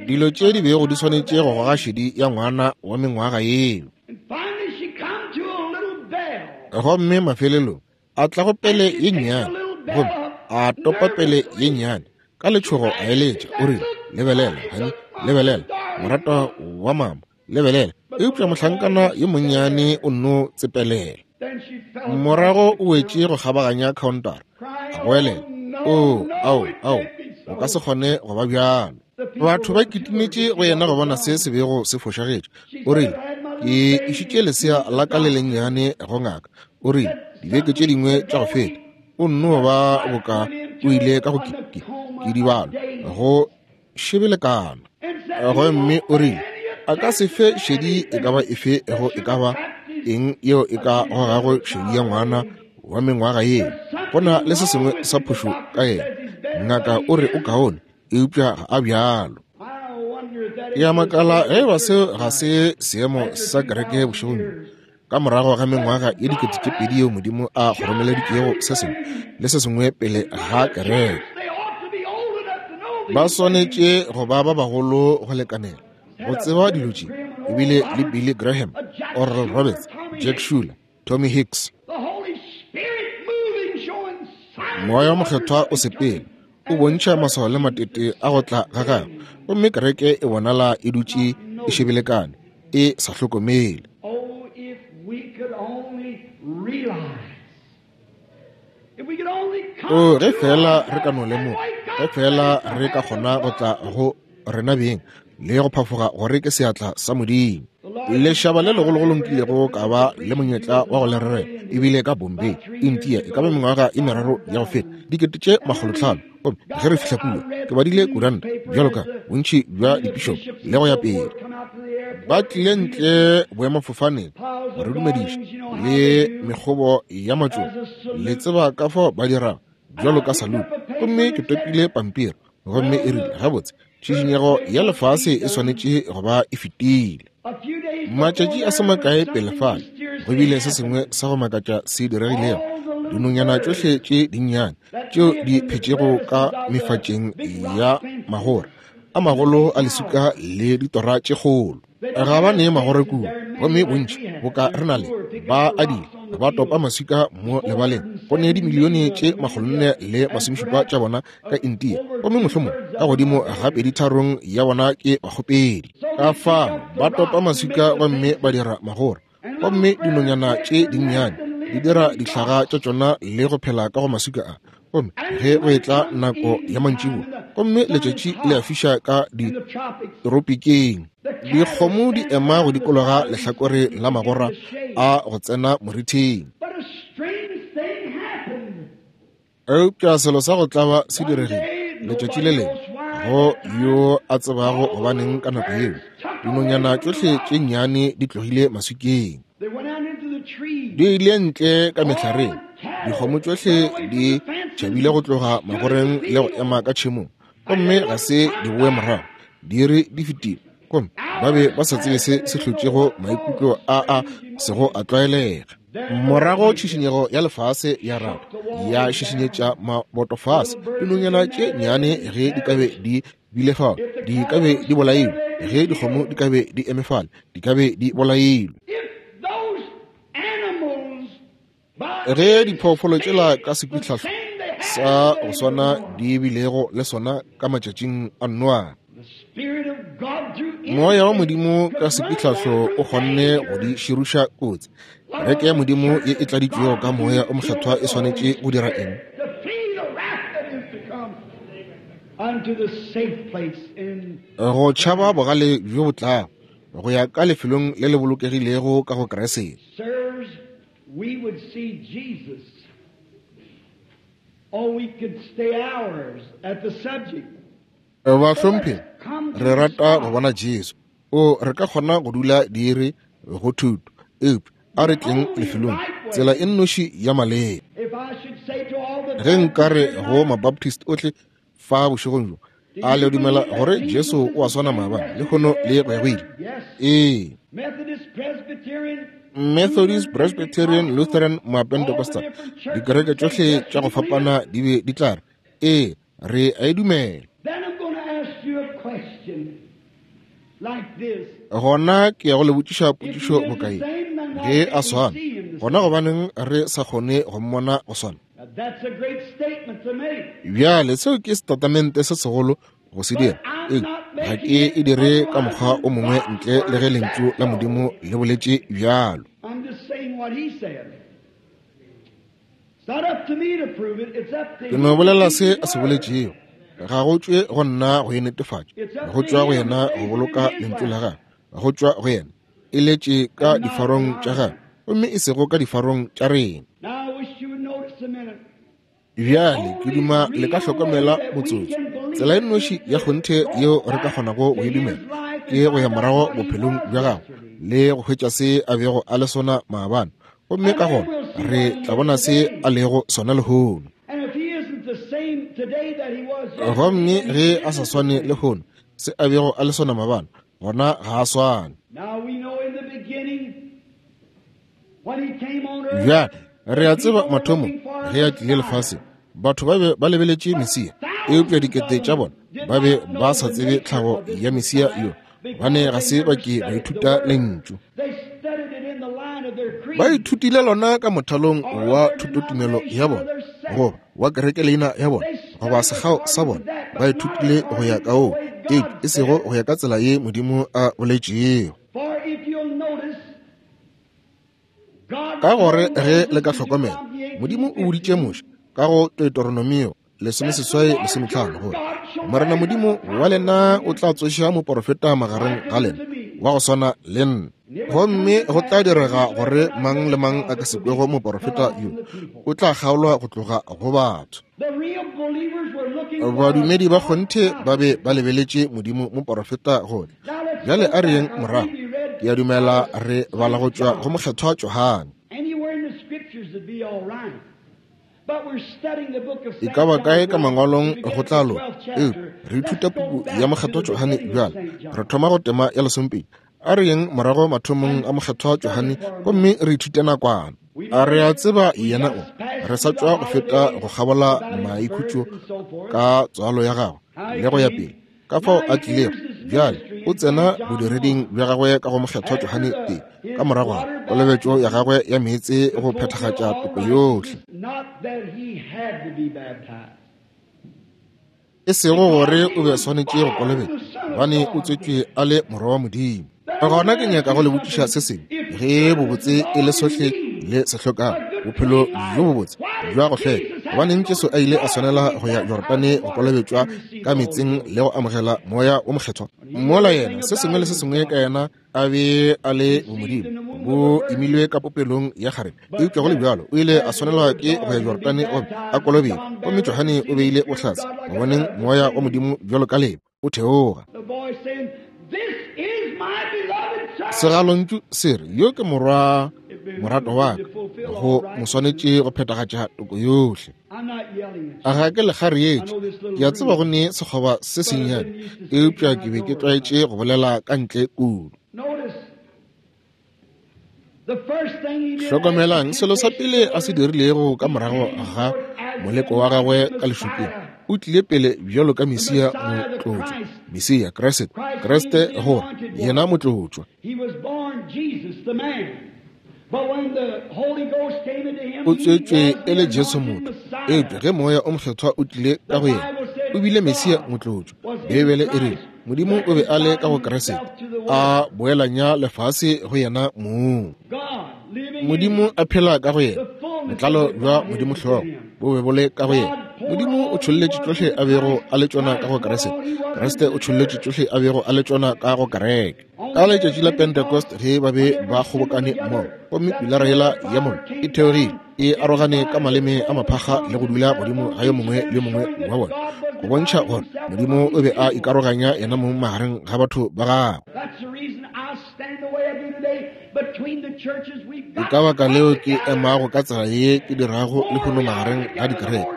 Dilo tše di bego di swanetše go goga šedi ya ngwana wa mengwaga yeo. Gomme mafelelong a tla go pele ye nnyane, gomme a topa pele ye nnyane ka letšhogo a eletša, o rile, Lebelela, honey, lebelela, moratwa wa mama, lebelela. Eupša mohlankana yo monnyane o nno tsepelela. Morago o wetše go kgabaganya khaontara, a goelela, Oo, ao, ao, o ka se kgone go ba bjalo. Batho ba kitimetše go yena go bona se se bego se fošagetše. O rile, Ke išitše lesea la ka le lennyane go ngaka. O rile, Dibeke tše dingwe tša go feta, o nno ba boka o ile ka go ke, ke dibalo, go šebelekana. Gomme o rile, A ka se fe šedi e ka ba efe go e ka ba eng yeo e ka gogago šedi ya ngwana wa mengwaga yeo. Go na le se sengwe sa phošo ka yena. Ngaka o re o kaone, eupša ga a bjalo. Ke a makala ge eba seo ga se seemo sa kereke bošegong bjo, ka morago ga mengwaga ye 2000 yeo Modimo a kgoromeleditšego se sengwe le se sengwe pele ga kereke. Ba swanetše go ba ba bagolo go lekanela go tseba dilo tše, ebile le Billy Graham, Oral Roberts, Jack Shuler, Tommy Hicks. Moya wa Mokgethwa o sepela, o bontšha maswao le matete a go tla ga gagwe, gomme kereke e bonala e dutše e šebelekane, e sa hlokomele. O, ge feela re ka no lemoga, ge feela re ka kgona go tla go rena beng le go phafoga gore ke seatla sa Modimo. Lešaba le legologolo nkilego ka ba le monyetla wa go le rerela ebile ka Bombay, India, e ka ba mengwaga e meraro ya go feta, 500,000. Gomme ge re fihla kua, ke badile kuranta bjalo ka bontši bja dipišopo le go ya pele. Ba tlile ntle boemafofaneng go re dumediša le mekgobo ya matšoba, le tseba ka fao ba dirago, bjalo ka salute. Gomme ke topile pampiri, gomme e rile, gabotse, tšhišinyego ya lefase e swanetše go ba e fetile. Matšatši a se makae pele fale, go bile se sengwe sa go makatša se diregilego. Dinonyana tšohle tše dinnyane tšeo di phetšego ka mefatšeng ya magora a magolo a leswika le ditora tše kgolo, ga ba ne magora kua, gomme bontši boka re na le, ba adile ba topa maswika mo lebaleng. Go ne dimilione tše 470 tša bona ka India, gomme mohlomong ka godimo ga 2/3 ya bona ke bakgopedi. Ka fao ba topa maswika gomme ba dira magora, gomme dinonyana tše dinnyane di dira dihlaga tša tšona le go phela ka go maswika a. Gomme ge go etla nako ya mantšiboa gomme letšatši le a fiša ka ditropikeng, dikgomo di ema go dikologa lehlakore la magora a go tsena morithing. Eupša selo sa go tlaba se diregile letšatši le lengwe go yo a tsebago gobaneng ka nako yeo dinonyana tšohle tše nnyane di tlogile maswikeng, di ile ntle ka mehlareng. Dikgomo tšohle di tšhabile go tloga magoreng le go ema ka tšhemong, gomme ga se di boe morago. Diiri di fetile, gomme ba be ba sa tsebe se se hlotšego maikutlo a a sego a tlwaelega. Morago tšhišinyego ya lefase ya rata ya šišinyetša maboto fase. Dinonyana tše nnyane ge di ka be di bile fao, di ka be di bolailwe. Ge dikgomo di ka be di eme fale, di ka be di bolailwe. Ge diphoofolo tšela ka sekwitlhahlo sa go swana di bilego le sona ka matšatšing a Noa, Moya wa Modimo ka sekwitlhahlo o kgonne go di širuša kotsi. Kereke ya Modimo ye e tladitšwego ka Moya o Mokgethwa e swanetše go dira eng? Go tšhaba bogale bjo bo tlago, go ya ka lefelong le le bolokegilego ka go Kriste. We would see Jesus. Oh, we could stay hours at the subject. Bahlomphegi, re rata go bona Jesu. O, re ka kgona go dula diiri go thuto, eupša a re tleng lefelong, tsela e nnoši ya maleba. Ge nka re go Mabaptist ohle fa bošegong bjo, a le dumela gore Jesu o a swana maabane, lehono le go ya go ile? Ee. Methodist, Presbyterian, Lutheran, Mapentecostal, dikereke tšohle tša go fapana di be di tla re, ee, re a e dumela. Gona ke ya go le botšiša potšišo bokae, ge a swana, gona gobaneng re sa kgone go mmona go swana? Bjale seo ke setatamente se segolo go se dira, eupša ga ke e dire ka mokgwa o mongwe ntle le ge Lentšu la Modimo le boletše bjalo. Ke no bolela se a se boletšego. Ga go tšwe go nna go e netefatša, go tšwa go yena go boloka Lentšu la gagwe, go tšwa go yena e letše ka difarong tša gagwe gomme e sego ka difarong tša rena. Bjale ke duma le ka hlokomela motsotso. Tsela e nnoši ya kgonthe yeo re ka kgonago go e dumela ke go ya morago bophelong bja gagwe le go hwetša se a bego a le sona maabane, gomme ka gona re tla bona se a lego sona lehono. Gomme ge a sa swane lehono se a bego a le sona maabane, gona ga a swane. Bjale re a tseba mathomong ge a tlile lefaseng, batho ba be ba lebeletše Mesia, eupša dikete tša bona ba be ba sa tsebe tlhago ya Mesia yo, gobane ga se ba ke ba ithuta Lentšu. Ba ithutile lona ka mothalong wa thutotumelo ya bona, goba wa kerekeleina ya bona, goba sekgao sa bona. Ba ithutile go ya ka woo, eupša e sego go ya ka tsela ye Modimo a boletšego. Ka gore ge le ka hlokomela, Modimo o boditše Moshe Ka go Deuteronomio 18:15 gore Morena Modimo wa lena o tla tsoša moporofeta magareng ga lena wa go swana le nna. Gomme go tla direga gore mang le mang a ka se kwego moporofeta yo o tla kgaolwa go tloga go batho. Badumedi ba kgonthe ba be ba lebeletše Modimo moporofeta go tla. Bjale a re yeng morago. Ke a dumela re bala go tšwa go Mokgethwa Johane. E ka ba kae ka mangwalong go tla loka, eupša re ithuta puku ya Mokgethwa Johane bjale. Re thoma go tema ya lesomepedi. A re yeng morago mathomong a Mokgethwa Johane gomme re ithute nakwana. A re a tseba yena o re sa tšwa go feta go kgabola maikhutšo ka tswalo ya gagwe le go ya pele, ka fao a tlilego bjale o tsena bodireding bja gagwe ka go Mokgethwa Johane tee ka morago ga kolobetšo ya gagwe ya meetse go phethagatša toko yohle. E sego gore o be swanetše go kolobetšwa, gobane o tswetšwe a le morwa wa Modimo. Gona ke nyaka go le botšiša se sengwe. Ge bobotse e le sohle le se hlokago, bophelo bjo bobotse bja go hlweka, gobaneng Jesu a ile a swanela go ya Jorodane go kolobetšwa ka meetseng le go amogela Moya wo Mokgethwa? Mola yena, se sengwe le se sengwe ka yena a be a le bomodimo, bo imilwe ka popelong ya kgarebe, eupša go le bjalo o ile a swanelwa ke go ya Jorodane gomme a kolobetšwa. Gomme Johane o beile bohlatse go boneng Moya wa Modimo bjalo ka leba o theoga. Segalontšu se re, Yo ke morwa morato wa ka, go mo swanetše go phethagatša toko yohle. A ga ke le kgarietše? Ke a tseba go ne sekgoba se sennyane, eupša ke be ke tlwaetše go bolela ka ntle kudu. Hlokomelang selo sa pele a se dirilego ka morago ga moleko wa gagwe ka lešokeng. O tlile pele bjalo ka Mesia motlotšwa, Mesia Kriste, Kriste gore yena motlotšwa. O tswetšwe e le Jesu motho, eupša ge Moya o Mokgethwa o tlile ka go yena, o bile Mesia motlotšwa. Beibele e rile Modimo o be a le ka go Kriste, a boelanya lefase go yena mong. Modimo a phela ka go yena, botlalo bja Modimo hlogo bo be bo le ka go yena. Modimo o tšholletše tšohle a bego a le tšona ka go Kriste, Kriste o tšholletše tšohle a bego a le tšona ka go kereke. Ka letšatši la Pentecost ge ba be ba kgobokane mmogo, gomme pilara yela ya mollo e theogile, e arogane ka maleme a maphakga le go dula godimo ga yo mongwe le yo mongwe wa bona, go bontšha gore Modimo o be a ikaroganya yena mong magareng ga batho ba gagwe. Ke ka baka leo ke emago ka tsela ye ke dirago lehono magareng ga dikereke.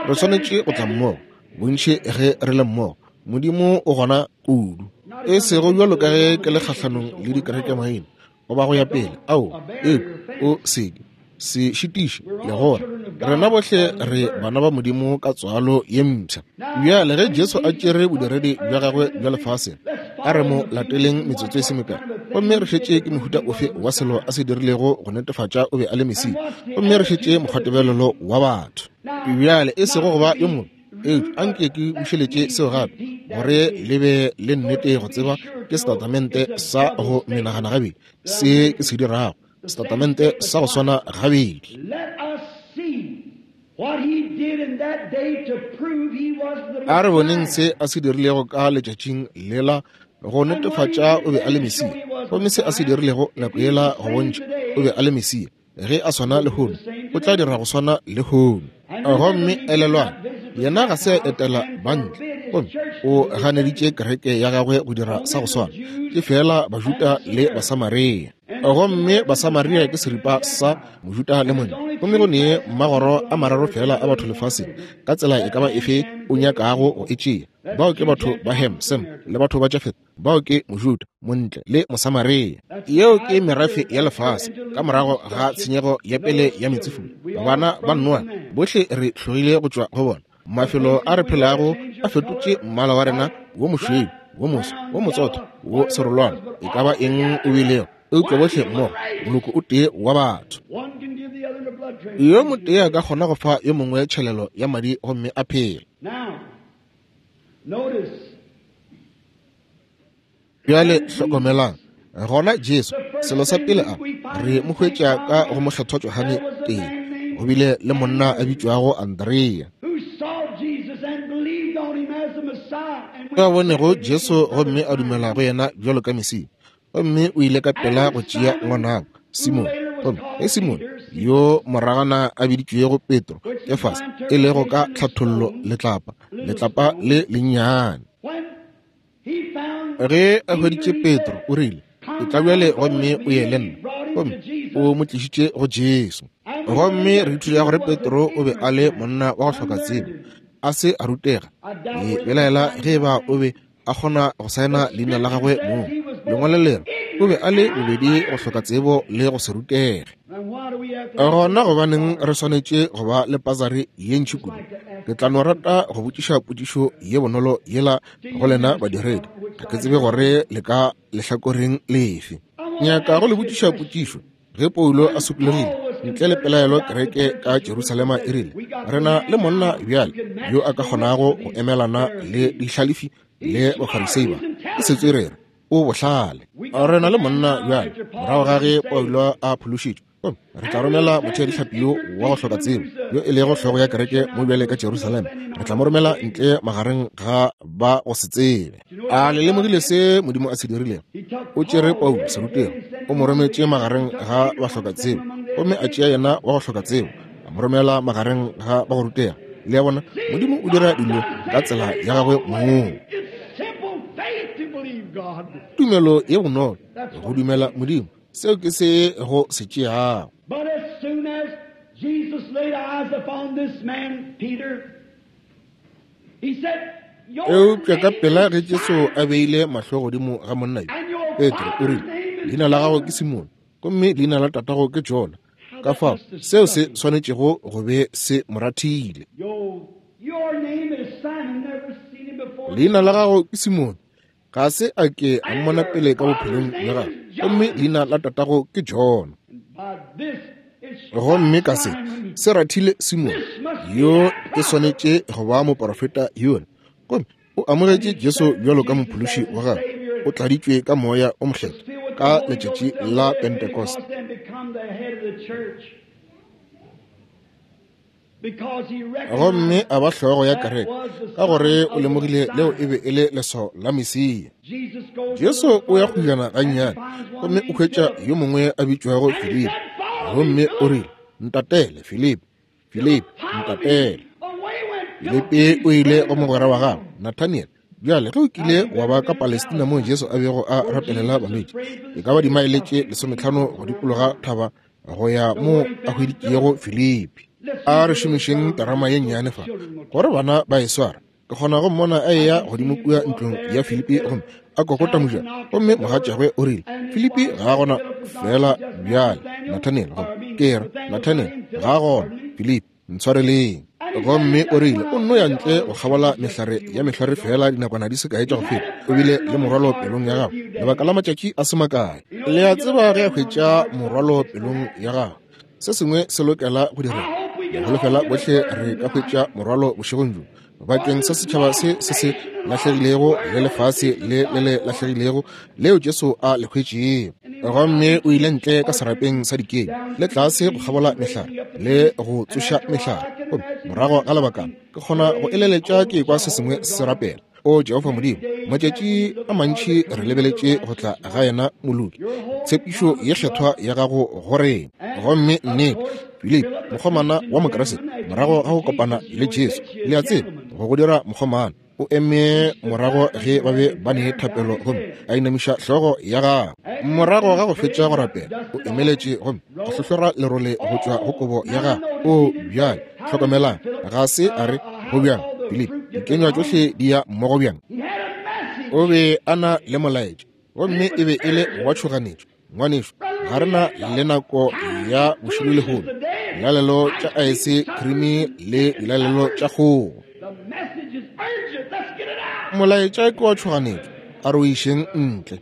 Re swanetše go tla mmogo, bontši ge re le mmogo. Modimo o gona kudu. E sego bjalo ka ge ke le kgahlanong le dikerekemaina goba go ya pele, ao, eupša o seke se šitiše le gona. Rena bohle re bana ba Modimo ka tswalo ye mpsha. Bjale ge Jesu a tšere bodiredi bja gagwe bja lefaseng, a re mo lateleng metsotso e se mekae, gomme re šetše ke mohuta ofe wa selo a se dirilego go netefatša o be a le Mesia, gomme re šetše mokgwatebelelo wa batho. Bjale e sego go ba yo mobe, eupša a nke ke bušeletše seo gape gore le be le nnete go tseba ke setatamente sa go menagana gabedi se ke se dirago, setatamente sa go swana gabedi. A re boneng se a se dirilego ka letšatšing lela go netefatša o be a le Mesia, gomme se a se dirilego nako yela go bontšha o be a le Mesia. Ge a swana lehono, o tla dira go swana lehono. Gomme elelwang, yena ga se a etela bantle, gomme o ganeditše kereke ya gagwe go dira sa go swana. Ke feela Bajuda le Basamaria. Gomme Basamaria ke seripa sa Mojuda le monna. Gomme go ne magoro a mararo feela a batho lefaseng, ka tsela e ka ba efe o nyakago go e tšea. Bao ke batho ba Ham, Sem, le batho ba Jafet. Bao ke Mojuda, Montle le Mosamaria. Yeo ke merafe ya lefase ka morago ga tshenyego ya pele ya meetsefula. Bana ba Noa bohle re hlogile go tšwa go bona. Mafelo a re phelago a fetotše mmala wa rena wo mošweu, wo moso, wo motsotho, wo serolwana, e ka ba eng o bilego, eupša bohle mmogo moloko o tee wa batho. Yo motee a ka kgona go fa yo mongwe tšhelelo ya madi gomme a phela. Bjale hlokomelang, gona Jesu, selo sa pele a re mo hwetša ka go Mokgethwa Johane tee. Go bile le monna a bitšwago Andrea, yo a bonego Jesu gomme a dumela go yena bjalo ka Mesia, gomme o ile ka pela go tšea ngwanabo Simone. Gomme ge Simone, yo moragana a biditšwego Petro, Kefase, e lego ka tlhathollo letlapa, letlapa le lennyane, ge a hweditše Petro, o rile, Etla bjale gomme o ye le nna. Gomme o mo tlišitše go Jesu. Gomme re ithuta gore Petro o be a le monna wa go hloka tsebo, a se a rutega. Ke belaela ge eba o be a kgona go saena leina la gagwe mong. Lengwalo le re o be a le bobedi go hloka tsebo le go se rutege. Gona gobaneng re swanetše go ba le pasari ye ntši kudu? Ke tla no rata go botšiša potšišo ye bonolo yela go lena badiredi. Ga ke tsebe gore le ka lehlakoreng lefe. Nyaka go le botšiša potšišo. Ge Paulo a sokologile, ntle le pelaelo kereke ka Jerusalema e rile, Re na le monna bjale yo a ka kgonago go emelana le dihlalefi le Bafarisei ba. Ke setswerere, o bohlale. Re na le monna bjale, morago ga ge Paulo a phološitšwe, gomme re tla romela motheadihlapi yo wa go hloka tsebo, yo e lego hlogo ya kereke mo bjale ka Jerusalema, re tla mo romela ntle magareng ga ba go se tsebe. A le lemogile se Modimo a se dirilego? O tšere Paulo serutego, o mo rometše magareng ga ba hloka tsebo, gomme a tšea yena wa go hloka tsebo, a mo romela magareng ga ba go rutega. Le a bona, Modimo o dira dilo ka tsela ya gagwe mong. Tumelo ye bonolo, go dumela Modimo, seo ke se go se tšeago. But as soon as Jesus laid eyes upon this man, Peter, he said, Eupša ka pela ge Jesu a beile mahlo godimo ga monna yo, Petro, o rile, Leina la gago ke Simone, gomme leina la tatago ke Jona. Ka fao seo se swanetšego go be se mo rathile. Leina la gago ke Simone, ga se a ke a mmona pele ka bophelong bja gagwe, gomme leina la tatago ke Jona. Gomme ka se se rathile Simone, yo e swanetše go ba moporofeta yola, gomme o amogetše Jesu bjalo ka mophološi wa gagwe, o tladitšwe ka Moya o Mokgethwa ka letšatši la Pentekoste. Gomme a ba hlogo ya kereke, ka gore o lemogile leo e be e le leswao la Mesia. Jesu o ya kgojana gannyane, gomme o hwetša yo mongwe a bitšwago Filipi, gomme o rile, Ntatele, Filipi, Filipi, ntatele. Filipi o ile go mogwera wa gagwe, Nathaniel. Bjale, ge o kile wa ba ka Palestina moo Jesu a bego a rapelela balwetši, e ka ba dimaele tše 15 go dikologa thaba go ya mo a hweditšego Filipi. A re šomišeng terama ye nnyane fa gore bana ba e sware. Ke kgona go mmona a eya godimo kua ntlong ya Filipi gomme a kokota mojako, gomme mogatšagwe o rile, Filipi ga a gona feela bjale, Nathaniel, gomme ke re, Nathaniel ga a gona, Filipi, ntshwareleng. Gomme o rile, o nno ya ntle go kgabola mehlare ya mehlware feela dinakwana di se kae tša go feta, o bile le morwalo pelong ya gago lebaka la matšatši a se makae. Le a tseba ge a hwetša morwalo pelong ya gago, se sengwe se lokela go direga. Ke holofela bohle re ka hwetša morwalo bošegong bjo bakeng sa setšhaba se se se lahlegilego le lefase le le le lahlegilego leo Jesu a le hwetšego. Gomme o ile ntle ka serapeng sa dikeng le tlase go kgabola mehlare le go tsoša mehlare. Gomme morago ga lebakana ke kgona go eleletša ke kwa se sengwe se rapela, O Jehofa Modimo, matšatši a mantši re lebeletše go tla ga yena moloki, tshepišo ye kgethwa ya gago go rena. Gomme nnete, Filipi, mokgomana wa Mokriste, morago ga go kopana le Jesu, le a tseba, go go dira mokgomana, o eme morago ge ba be ba ne thapelo gomme a inamiša hlogo ya gagwe. Morago ga go fetša go rapela, o emeletše gomme a hlohlora lerole go tšwa go kobo ya gagwe. O bjale, hlokomelang, ga se a re, Go bjang, Filipi, dikenywa tšohle di ya mmogo bjang? O be a na le molaetša, gomme e be e le wa tšhoganetšo. Ngwanešu, ga re na le nako ya bošilo lehono, dilalelo tša aese khrimi le dilalelo tša kgogo. Molaetša ke wa tšhoganetšo, a re o išeng ntle.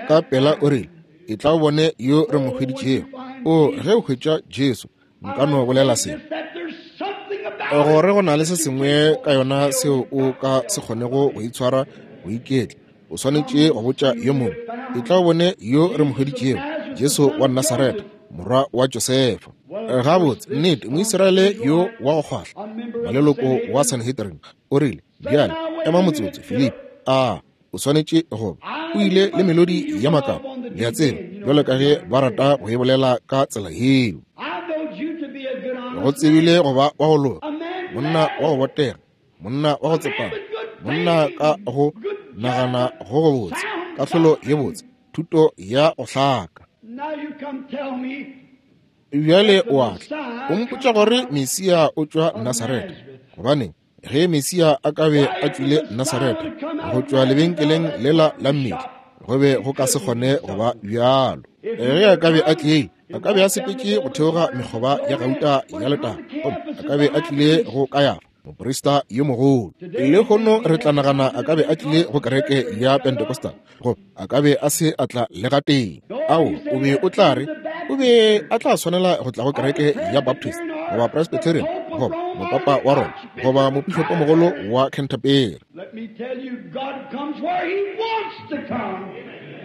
Ka pela o rile, Etla o bone yo re mo hweditšego. O, ge o hwetša Jesu, nka no bolela se, gore go na le se sengwe ka yona seo o ka se kgonego go itshwara go iketla. O swanetše go botša yo mongwe. Etla o bone yo re mo hweditšego, Jesu wa Nasaretha. morwa wa Josefa. Gabotse, nnete, Moisraele yo wa go kgwahla, maleloko wa Sanhedrin, o rile, Bjale, ema motsotso, Filipi. A o swanetše go ba o ile le melodi ya makaba, le a tseba, bjalo ka ge ba rata go e bolela ka tsela yeo. Go tsebile go ba wa go loka, monna wa go botega, monna wa go tsepama, monna ka go nagana go go botse, kahlolo ye botse, thuto ya go hlaka. Bjale o a tla, o mpotša gore Mesia o tšwa Nasaretha. Gobaneng, ge Mesia a ka be a tšwile Nasaretha, go tšwa lebenkeleng lela la mmetli, go be go ka se kgone go ba bjalo. Ge a ka be a tlile, a ka be a sepetše go theoga mekgoba ya gauta ya letago, gomme a ka be a tlile go Kayafa, moprista yo mogolo. Lehono re tla nagana a ka be a tlile go kereke ya Pentecostal, goba a ka be a se a tla le gatee. Ao, o be o tla re o be a tla swanela go tla go kereke ya Baptist, goba Presbyterian, goba mopapa wa Roma, goba mopišopomogolo wa Canterbury.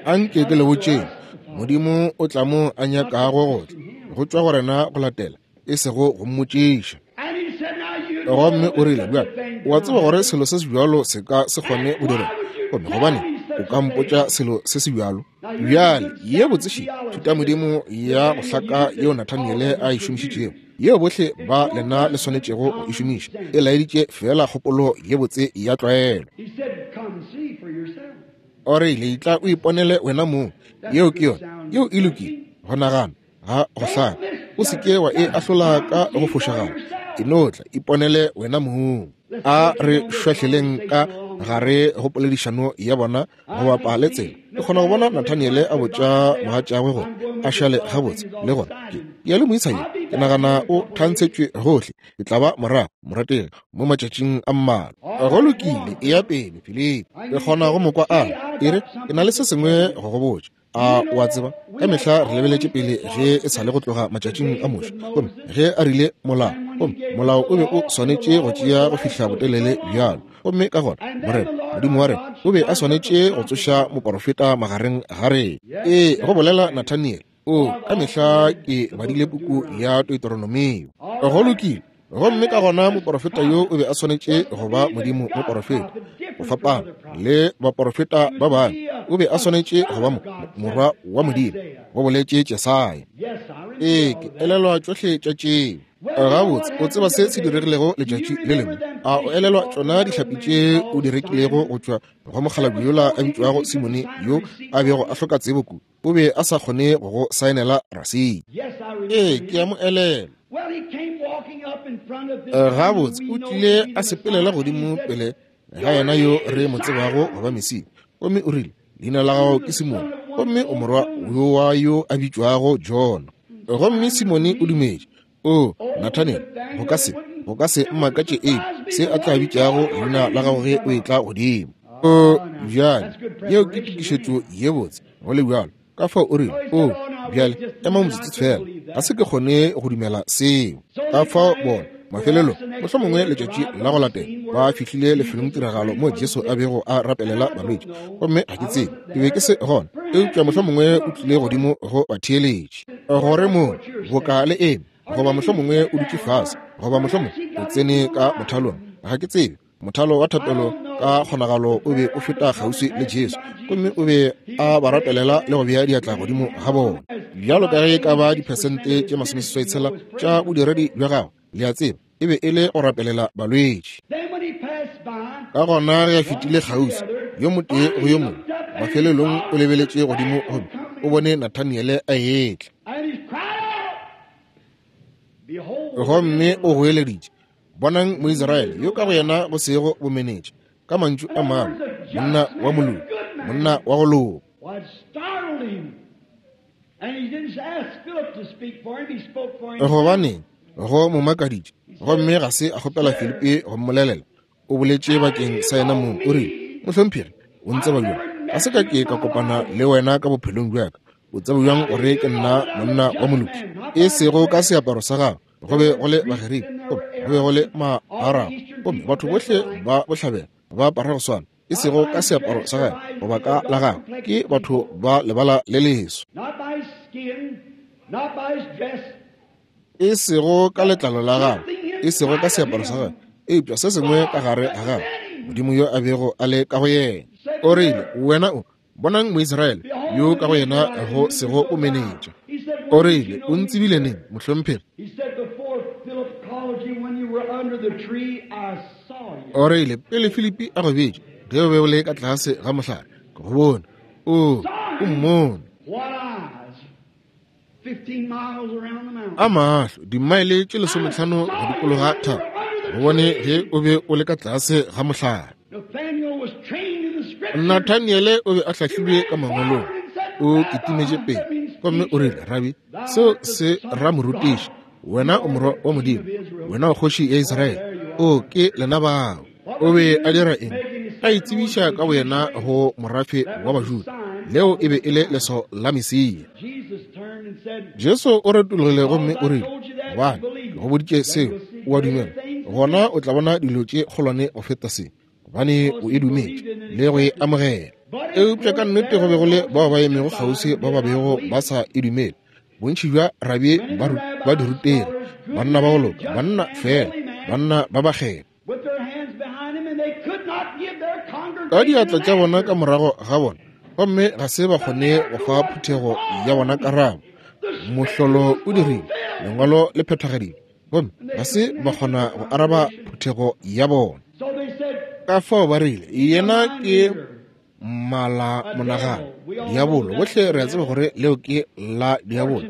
A nke ke le botšeng, Modimo o tla mo a nyakago go tla, go tšwa go rena go latela, e sego go mmotšiša. Gomme o rile, Bjale, o a tseba gore selo se se bjalo se ka se kgone go direga. Gomme gobane o ka mpotša selo se se bjalo? Bjale, ye botseši thutamodimo ya go hlaka yeo Nathaniele a e šomišitšego, yeo bohle ba lena le swanetšego go e šomiša, e laeditše feela kgopolo ye botse ya tlwaelo. O rile, Etla o iponele wena mong. Yeo ke yona. Yeo e lokile. Go nagana ga go hlaka. O se ke wa e ahlola ka go fošagala. E no tla, iponele wena mong. A re šwahleleng ka gare go poledišano ya bona go bapa le tsela. Ke kgona go bona Nathaniele a botša mogatšagwe gore a šale gabotse le gore ke ya le moisa yo. Ke nagana o thantshetšwe gohle. Ke tla ba morago, morategi, mo matšatšing a mmalwa. Go lokile, eya pele, Filipi. Ke kgona go mo kwa a re, E re, ke na le se sengwe go go botša. A o a tseba, ka mehla re lebeletše pele ge e sa le go tloga matšatšing a Moshe, gomme ge a rile molao, gomme molao o be o swanetše go tšea go fihla botelele bjalo, gomme ka gona Morena Modimo wa rena o be a swanetše go tsoša moporofeta magareng ga rena. Ee, go bolela Nathaniele, o ka mehla ke badile puku ya Deuteronomio. Go lokile. Gomme ka gona moporofeta yo o be a swanetše go ba Modimo moporofeta, go fapana le baporofeta ba bangwe. O be a swanetše go ba morwa wa Modimo, go boletše Jesaya. Ee, ke elelwa tšohle tša tšeo. Gabotse, o tseba se se diregilego letšatši le lengwe? A o elelwa tšona dihlapi tše o di rekilego go tšwa go mokgalabje yola a bitšwago Simone yo a bego a hloka tsebo kudu? O be a sa kgone go go saenela rasiti. Ee, ke a mo elelwa. Gabotse, o tlile a sepelela godimo pele ga yena yo re mo tsebago go ba Mesia, gomme o rile, Leina la gago ke Simone, gomme o morwa yo wa yo a bitšwago Jona. Gomme Simone o dumetše. O, Nathaniel, go ka se, go ka se mmakatše eng se a tla bitšago leina la gago ge o etla godimo. O, bjale, yeo ke tokišetšo ye botse, go le bjalo. Ka fao o rile, O, bjale, ema motsotso feela, ga se ke kgone go dumela seo. Ka fao bona, mafelelong, mohlomongwe letšatši la go latela, ba fihlile lefelongtiragalo moo Jesu a bego a rapelela balwetši. Gomme ga ke tsebe, ke be ke se gona, eupša mohlomongwe o tlile godimo go batheeletši. Gore moo, boka le eme, goba mohlomongwe o dutše fase, goba mohlomongwe o tsene ka mothalong, ga ke tsebe. Mothalo wa thapelo ka kgonagalo o be o feta kgauswi le Jesu, gomme o be a ba rapelela le go bea diatla godimo ga bona. Bjalo ka ge e ka ba diphesente tše masomeseswai-tshela tša bodiredi bja gagwe, le a tseba, e be e le go rapelela balwetši. Ka gona ge a fetile kgauswi, yo motee go yo mongwe, mafelelong o lebeletše godimo gomme o bone Nathaniele a etla. Gomme o goeleditše, Bonang Moisraele yo ka go yena go sego bomenetša, ka mantšu a mangwe, monna wa moloki, monna wa go loka. Gobaneng, go mo makaditše, gomme ga se a kgopela Filipi go mmolelela. O boletše bakeng sa yena mong, o rile, Mohlomphegi, o ntseba bjang? Ga se ka ke ka kopana le wena ka bophelong bja ka. O tseba bjang gore ke nna monna wa moloki? E sego ka seaparo sa gago, go be go le Bagerika, gomme go be go le Maarabo, gomme batho bohle ba bohlabela ba apara go swana, e sego ka seaparo sa gagwe goba ka la gagwe, ke batho ba lebala le leso. E sego ka letlalo la gagwe, e sego ka seaparo sa gagwe, eupša se sengwe ka gare ga gagwe, Modimo yo a bego a le ka go yena. O rile, Wena o bonang Moisraele yo ka go yena go sego bomenetša. O rile, O ntsebile neng, mohlomphegi? O rile, Pele Filipi a go bitša, ge o be o le ka tlase ga mohlare, ke go bone. O, o mmone. A mahlo, dimaele tše 15 go dikologa thaba, go bone ge o be o le ka tlase ga mohlare. Nathaniele o be a hlahlilwe ka mangwalong. O kitimetše pele gomme o rile, Rabi, seo se ra morutiši, wena o morwa wa Modimo, wena o kgoši ya Israele. O ke lena bao. O be a dira eng? A itsebiša ka boyena go morafe wa Bajuda. Leo e be e le leswao la Mesia. Jesu o retologile gomme o rile, Gobane ke go boditše seo, o a dumela, gona o tla bona dilo tše kgolwane go feta se, gobane o e dumetše le go e amogela. Eupša ka nnete go be go le bao ba emego kgauswi ba ba bego ba sa e dumele. Bontši bja rabi ba dirutegi, banna ba go loka, banna feela, banna ba bakgethwa. Ka diatla tša bona ka morago ga bona, gomme ga se ba kgone go fa phuthego ya bona karabo. Mohlolo o dirile, lengwalo le phethagaditšwe, gomme ga se ba kgona go araba phuthego ya bona. Ka fao ba rile, Yena ke mala monagano, diabolo. Bohle re a tseba gore leo ke la diabolo.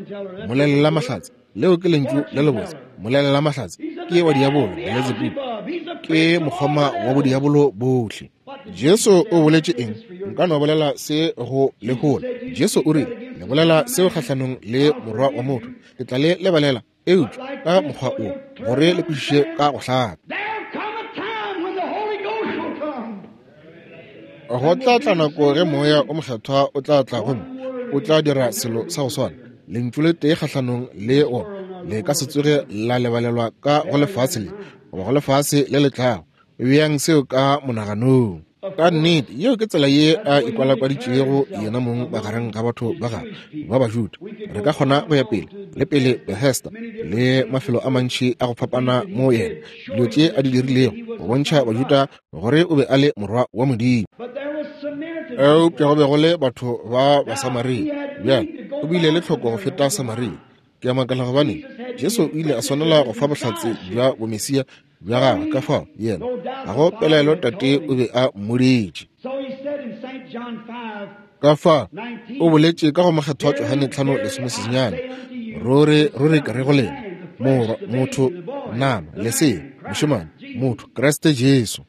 Molelela mahlatse, leo ke lentšu le lebotse. Molelela mahlatse ke wa diabolo, Beletsebubu ke mokgoma wa bodiabolo bohle. Jesu o boletše eng? Nka no bolela se go lehola. Jesu o rile, Le bolela seo kgahlanong le Morwa wa motho, ke tla le lebalela, eupša ka mokgwa o, gore le kwešiše ka go hlaka. Go tla tla nako ge Moya o Mokgethwa o tla tla gomme o tla dira selo sa go swana. Lentšu le tee kgahlanong le wona le ka se tsoge la lebalelwa ka go lefase le goba go lefase le le tlago. Beang seo ka monaganong. Ka nnete, yeo ke tsela ye a ikwalakwaditšego yena mong magareng ga batho ba gagwe ba Bajuda. Re ka kgona go ya pele le pele Bethesda le mafelo a mantši a go fapana mo yena dilo tše a di dirilego go bontšha Bajuda gore o be a le morwa wa Modimo. Eupša go be go le batho ba Basamaria. Bjale, o bile le tlhoko go feta Samaria. Ke a makala gobane Jesu o ile a swanela go fa bohlatse bja bomesia bja gagwe, ka fao yena ga go pelaelo Tate o be a mmoditše. Ka fa o boletše ka go Mokgethwa Johane 5:19, Ruri, ruri ke re go lena, Morwa motho, nama, lesea, mošemane, motho, Kriste Jesu.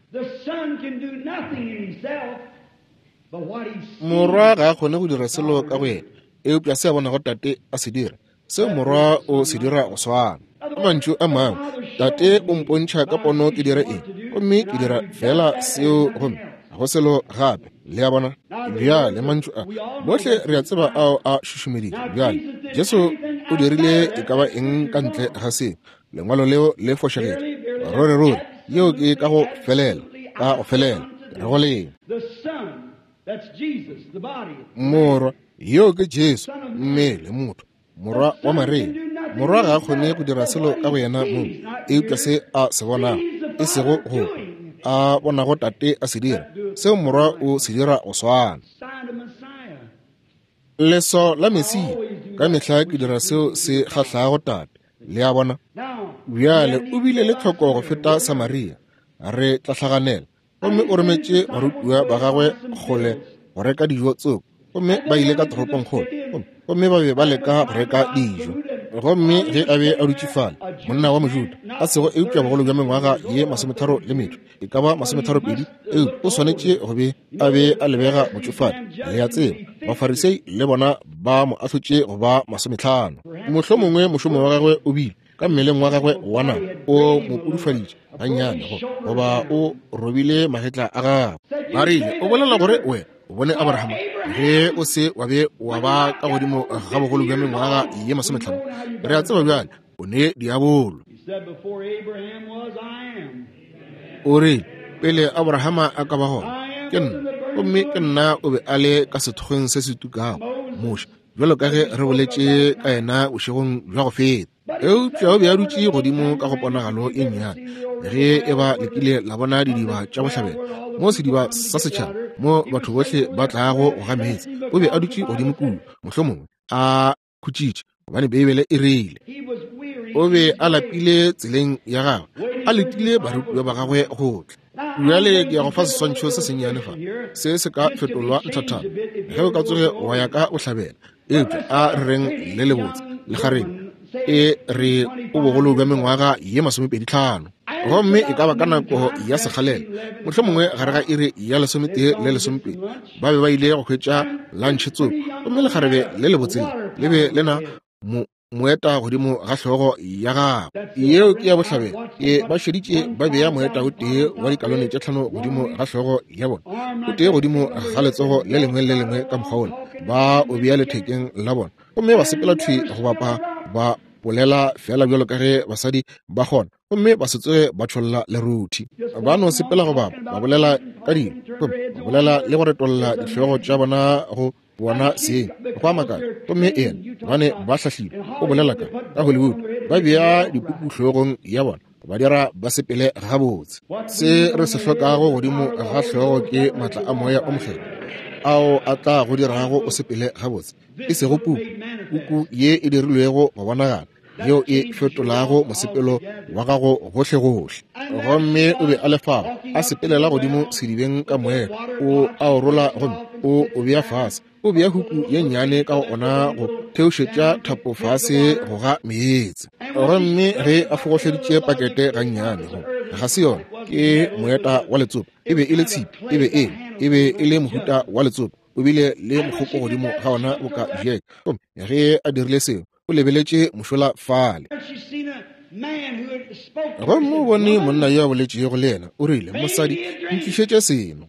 Morwa ga a kgone go dira selo ka go yena, eupša se a bonago Tate a se dira, seo Morwa o se dira go swana. Ka mantšu a mangwe, Tate o mpontšha ka pono ke dire eng, gomme ke dira feela seo, gomme ga go selo gape. Le a bona? Bjale mantšu a, bohle re a tseba ao a šušumeditšwe. Bjale, Jesu o dirile e ka ba eng ka ntle ga seo? Lengwalo leo le fošagetše. Ruri, ruri, yeo ke ka go felela, ka go felela, re go lena. Morwa, yoo ke Jesu, mmele, motho, morwa wa Maria. Morwa ga a kgone go dira selo ka go yena mong, eupša se a se bonago, e sego go a bonago Tate a se dira, seo Morwa o se dira go swana. Leswao la Mesia, ka mehla ke dira seo se kgahlago Tate. Le a bona? Bjale o bile le tlhoko go feta Samaria. Re tla hlaganela. Gomme o rometše barutiwa ba gagwe kgole go reka dijo tsoko, gomme ba ile ka toropongkgolo, gomme ba be ba leka go reka dijo. Gomme ge a be a dutše fale, monna wa Mojuda, a sego eupša bogolo bja mengwaga ye 32, e ka ba 32, eupša o swanetše go be a be a lebega botšofadi. Le a tseba, Bafarisei le bona ba mo ahlotše go ba 50. Mohlomongwe mošomo wa gagwe o bile ka mmeleng wa gagwe wa nama o mo pudufaditše gannyane, goba o robile magetla a gagwe. Ba rile, O bolela gore wena o bone Abrahama ge o se wa be wa ba ka godimo ga bogolo bja mengwaga ye 50? Re a tseba bjale o ne diabolo. O rile, Pele Abrahama a ka ba gona, ke nna. Gomme ke nna o be a le ka sethokgweng se se tukago, Moshe. bjalo ka ge re boletše ka yena bošegong bja go feta. Eupša o be a dutše godimo ka go ponagalo e nnyane. Ge e ba le kile la bona didiba tša bohlabela, mo sediba sa setšhaba, mo batho bohle ba tlago go ga meetse, o be a dutše godimo kua, mohlomongwe a khutšitše, gobane Beibele e rile o be a lapile tseleng ya gagwe, a letile barutiwa ba gagwe go tla. Bjale ke ya go fa seswantšho se sennyane fa, se se ka fetolwa nthathana ge o ka tsoge wa ya ka bohlabela. Eupša a re reng le lebotse lekgarebe e re o bogolo bja mengwaga ye 25, gomme e ka ba ka nako ya sekgalela, mohlomongwe gare ga iri ya 11 le 12, ba be ba ile go hwetša lantšhe tsoko, gomme lekgarebe le lebotse le be le na moeta godimo ga hlogo ya gagwe. Yeo ke ya bohlabela. Ke ba šeditše ba bea moeta o tee wa dikalone tše 5 godimo ga hlogo ya bona, o tee godimo ga letsogo le lengwe le lengwe ka mokgwa wola, ba o bea lethekeng la bona, gomme ba sepela thwi go bapa, ba bolela fela bjalo ka ge basadi ba kgona, gomme ba se tsoge ba tšholla leruthi. Ba no sepela go bapa, ba bolela ka dilo, gomme ba bolela le go retolla dihlogo tša bona go bona seng go a makala. Gomme yena, gobane ba hlahlile, o bolela ka Hollywood, ba bea dipuku hlogong ya bona, ba dira ba sepele gabotse. Se re se hlokago godimo ga hlogo ke maatla a Moya o Mokgethwa ao a tla go dirago o sepele gabotse, e sego puku, puku ye e dirilwego go bonagala, yeo e fetolago mosepelo wa gago gohlegohle. Gomme o be a le fao, a sepelela godimo sedibeng ka moeta, o a o rola gomme o o bea fase, o bea huku ye nnyane ka go ona go theošetša thapo fase go ga meetse. Gomme ge a fogohleditše pakete gannyane, go ga se yona, ke moeta wa letsopa, e be e le tshipi, e be e le mohuta wa letsopa, o bile le mokgoko godimo ga ona boka Jack. Gomme ge a dirile seo, o lebeletše mošola fale, gomme o bone monna yo a boletšego le yena. O rile, mosadi, ntlišetše seno.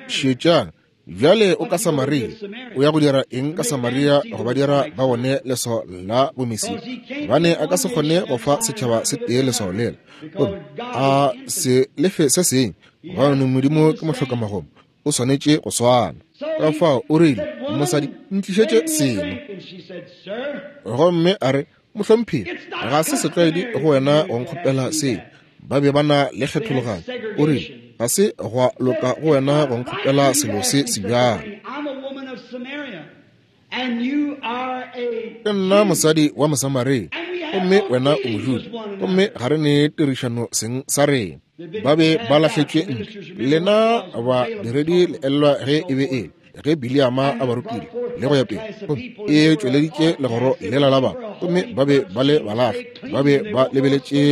Šetšang bjale, o ka Samaria. O ya go dira eng ka Samaria go ba dira ba bone leswao la bomesia? Gobane a ka se kgone go fa setšhaba se tee leswao lela, gomme a se lefe se sengwe, gobane Modimo ke mohlokamagomo, o swanetše go swana. Ka fao o rile, mosadi, ntlišetše seno. Gomme a re, mohlomphegi, ga se setlwaedi go wena go nkgopela seo. Ba be ba na le kgethologanyo. O rile, ga se gwa loka go wena go nkgopela selo se sebjalo. Ke nna mosadi wa Mosamaria, gomme wena o Mojuda, gomme ga re ne tirišano seng sa rena. Ba be ba lahletšwe ntle. Lena badiredi le elelwa ge e be e le ge Biliama a ba rutile le go ya pele, gomme e tšweleditše legoro lela la batho, gomme ba be ba le balahla, ba be ba lebeletše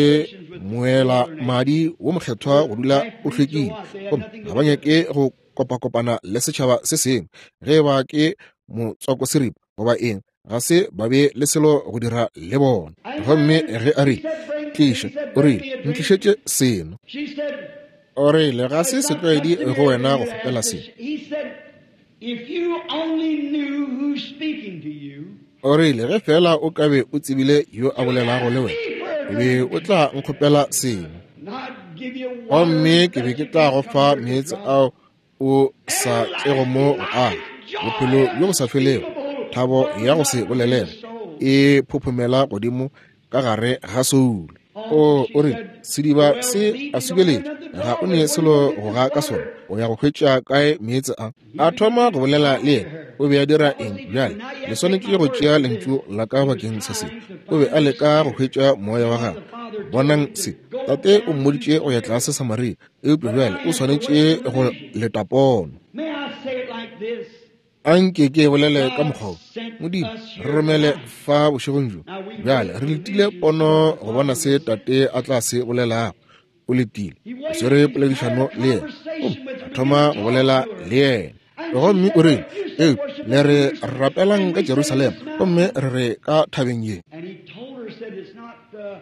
moela madi wo mokgethwa go dula o hlwekile, gomme ga ba nyake go kopakopana le setšhaba se sengwe, ge ba ke motswakoseripa goba eng, ga se ba be le selo go dira le bona. Gomme ge a rile, tliša, o rile, ntlišetše seno. O rile, ga se setlwaedi go wena go kgopela se. O rile, ge fela o ka be o tsebile yo a bolelago le wena, o be o tla nkgopela seno, gomme ke be ke tla go fa meetse ao o sa tlego mo go a bophelo bjo bo sa felego. Thabo ya go se bolelege e phophomela godimo ka gare ga soulo. O rile, sediba se a subeletše, ga o ne selo go ga ka sona, o ya go hwetša kae meetse a? A thoma go bolela le yena. O be a dira eng bjale? Le swanetše go tšea lentšu la ka bakeng sa se. O be a leka go hwetša moya wa gagwe. Bonang se, tate o mmoditše go ya tlase Samaria, eupša bjale o swanetše go leta pono. Anke ke bolele ka mokgwa wo. Modimo, re romele fa bošegong bjo. Bjale re letile pono go bona se tate a tla se bolelago. O letile, o swere poledišano le yena, gomme a thoma go bolela le yena. Gomme o rile, eupša le re rapelang ka Jerusalema, gomme re re ka thabeng ye.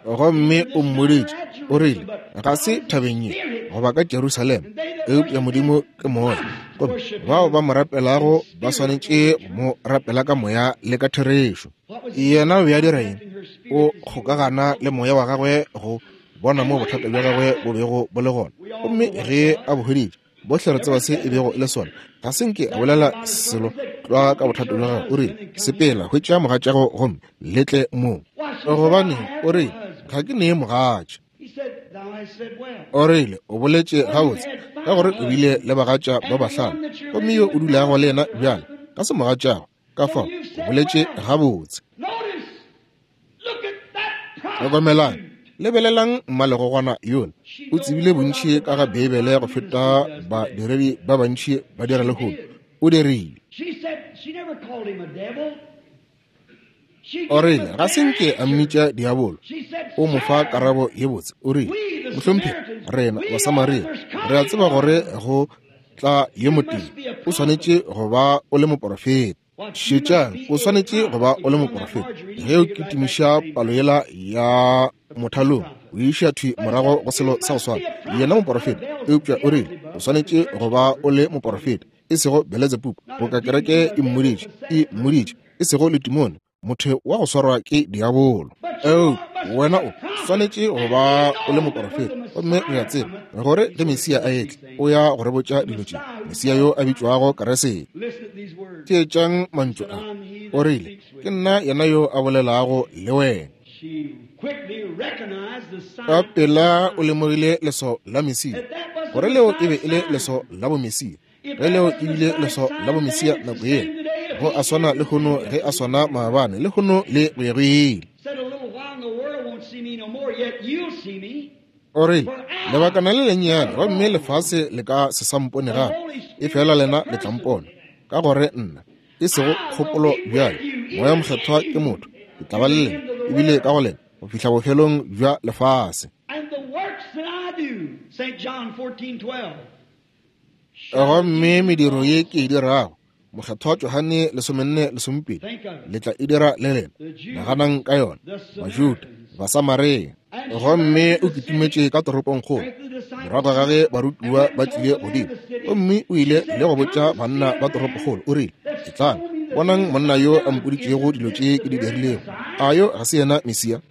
Gomme o mmoditše, o rile, ga se thabeng ye goba ka Jerusalema, eupša Modimo ke moya, gomme bao ba mo rapelago ba swanetše go mo rapela ka moya le ka therešo. Yena o be a dira eng? O kgokagana le moya wa gagwe go bona mo bothata bja gagwe bo bego bo le gona, gomme ge a bo hweditše, Bohle re tseba se e bego e le sona. Ga se nke a bolela selo tlwa ka bothata bja gagwe. O rile, Sepela, hwetša mogatšago gomme le tle mo. Gobaneng, o rile, ga ke ne mogatša. O rile, O boletše gabotse, ka gore o bile le bagatša ba bahlano, gomme yo o dulago le yena bjale ga se mogatšago. Ka fao, o boletše gabotse. Hlokomelang, lebelelang mmalegogwana yola. O tsebile bontši ka ga Beibele go feta badiredi ba bantši ba dira lehono. O dirile. O rile, ga se nke a mmitša diabolo. O mo fa karabo ye botse. O rile, Mohlomphegi, rena Basamaria re a tseba gore go tla yo motee. O swanetše go ba o le moporofeta. Šetšang, o swanetše go ba o le moporofeta. Ge o kitimiša palo yela ya mothalong, o iša thwi morago go selo sa go swana. Yena moporofeta, eupša o rile, o swanetše go ba o le moporofeta, e sego Beletsebubu, boka kereke e mmoditše, e mmoditše, e sego letimone, motho wa go swarwa ke diabolo. Eupša wena o swanetše go ba o le moporofeta, gomme re a tseba gore ge Mesia a etla, o ya go re botša dilo tše, Mesia yo a bitšwago Keresete. Theetšang mantšu a. O rile, Ke nna yena yo a bolelago le wena. Ka pela o lemogile leswao la Mesia, gore leo e be e le leswao la bomesia. Ge leo e bile leswao la bomesia nako yela, go a swana lehono ge a swana maabane, lehono le go ya go ile. O rile, Lebakana le lennyane, gomme lefase le ka se sa mpone gape, efela lena le tla mpona, ka gore nna, e sego kgopolo bjale, Moya Mokgethwa ke motho, ke tla ba le lena, ebile ka go lena, go fihla bofelong bja lefase. Gomme mediro ye ke e dirago, Mokgethwa Johane 14:12, le tla e dira le lena. Naganang ka yona, Bajuda, Basamaria. Gomme o kitimetše ka toropongkgolo morago ga ge barutiwa ba tlile godimo, gomme o ile le go botša banna ba toropokgolo, o rile, Etlang, bonang monna yo a mpoditšego dilo tše ke di dirilego. A yo ga se yena Mesia?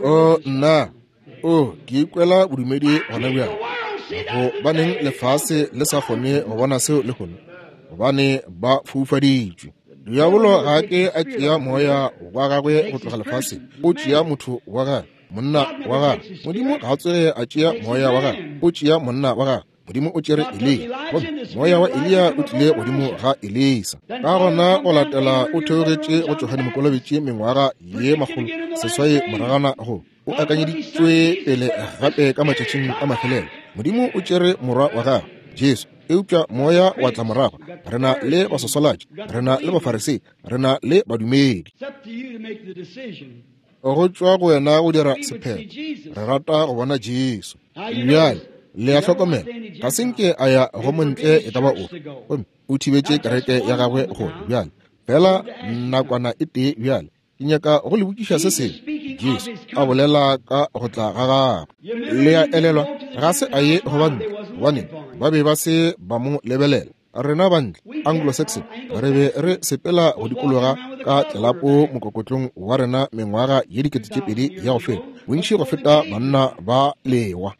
O nna, o ke ikwela bodumedi gona bjale. Gobaneng lefase le sa kgone go bona seo lehono? Gobane ba foufaditšwe. Diabolo ga a ke a tšea moya wa gagwe go tloga lefaseng, o tšea motho wa gagwe, monna wa gagwe. Modimo ga a tsoge a tšea moya wa gagwe, o tšea monna wa gagwe. Modimo o tšere Eliya, gomme moya wa Eliya o tlile godimo ga Elisa. Ka gona go latela o theogetše go Johane Mokolobetši mengwaga ye 800 moragana go o akanyeditšwe pele gape ka matšatšing a mafelelo. Modimo o tšere morwa wa gagwe Jesu, eupša moya wa tla morago. Re na le baswaswalatši, re na le bafarisei, re na le badumedi. Go tšwa go wena go dira sephetho. Re rata go bona Jesu. Bjale, le a hlokomela, ga se nke a ya go montle e ka ba ofe, gomme o thibetše kereke ya gagwe gore bjale, fela nakwana e tee bjale, ke nyaka go le botšiša se sengwe. Jesu a bolela ka go tla ga gagwe. Le a elelwa, ga se a ye go bantle, gobane ba be ba se ba mo lebelela. Rena bantle, Anglo-Saxon, re be re sepela go dikologa ka tlelapo mokokotlong wa rena mengwaga ye 2000 ya go feta, bontši go feta banna ba lewa.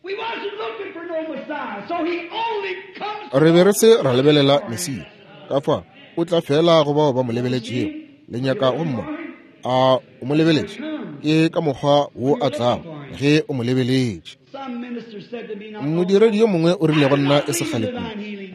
Re be re se ra lebelela Mesia. Ka fa, o tla fela go bao ba mo lebeletšego. Le nyaka go mmona? A o mo lebeletše? Ke ka mokgwa wo a tlago ge o mo lebeletše. Modiredi yo mongwe o rile go nna e se kgale kudu,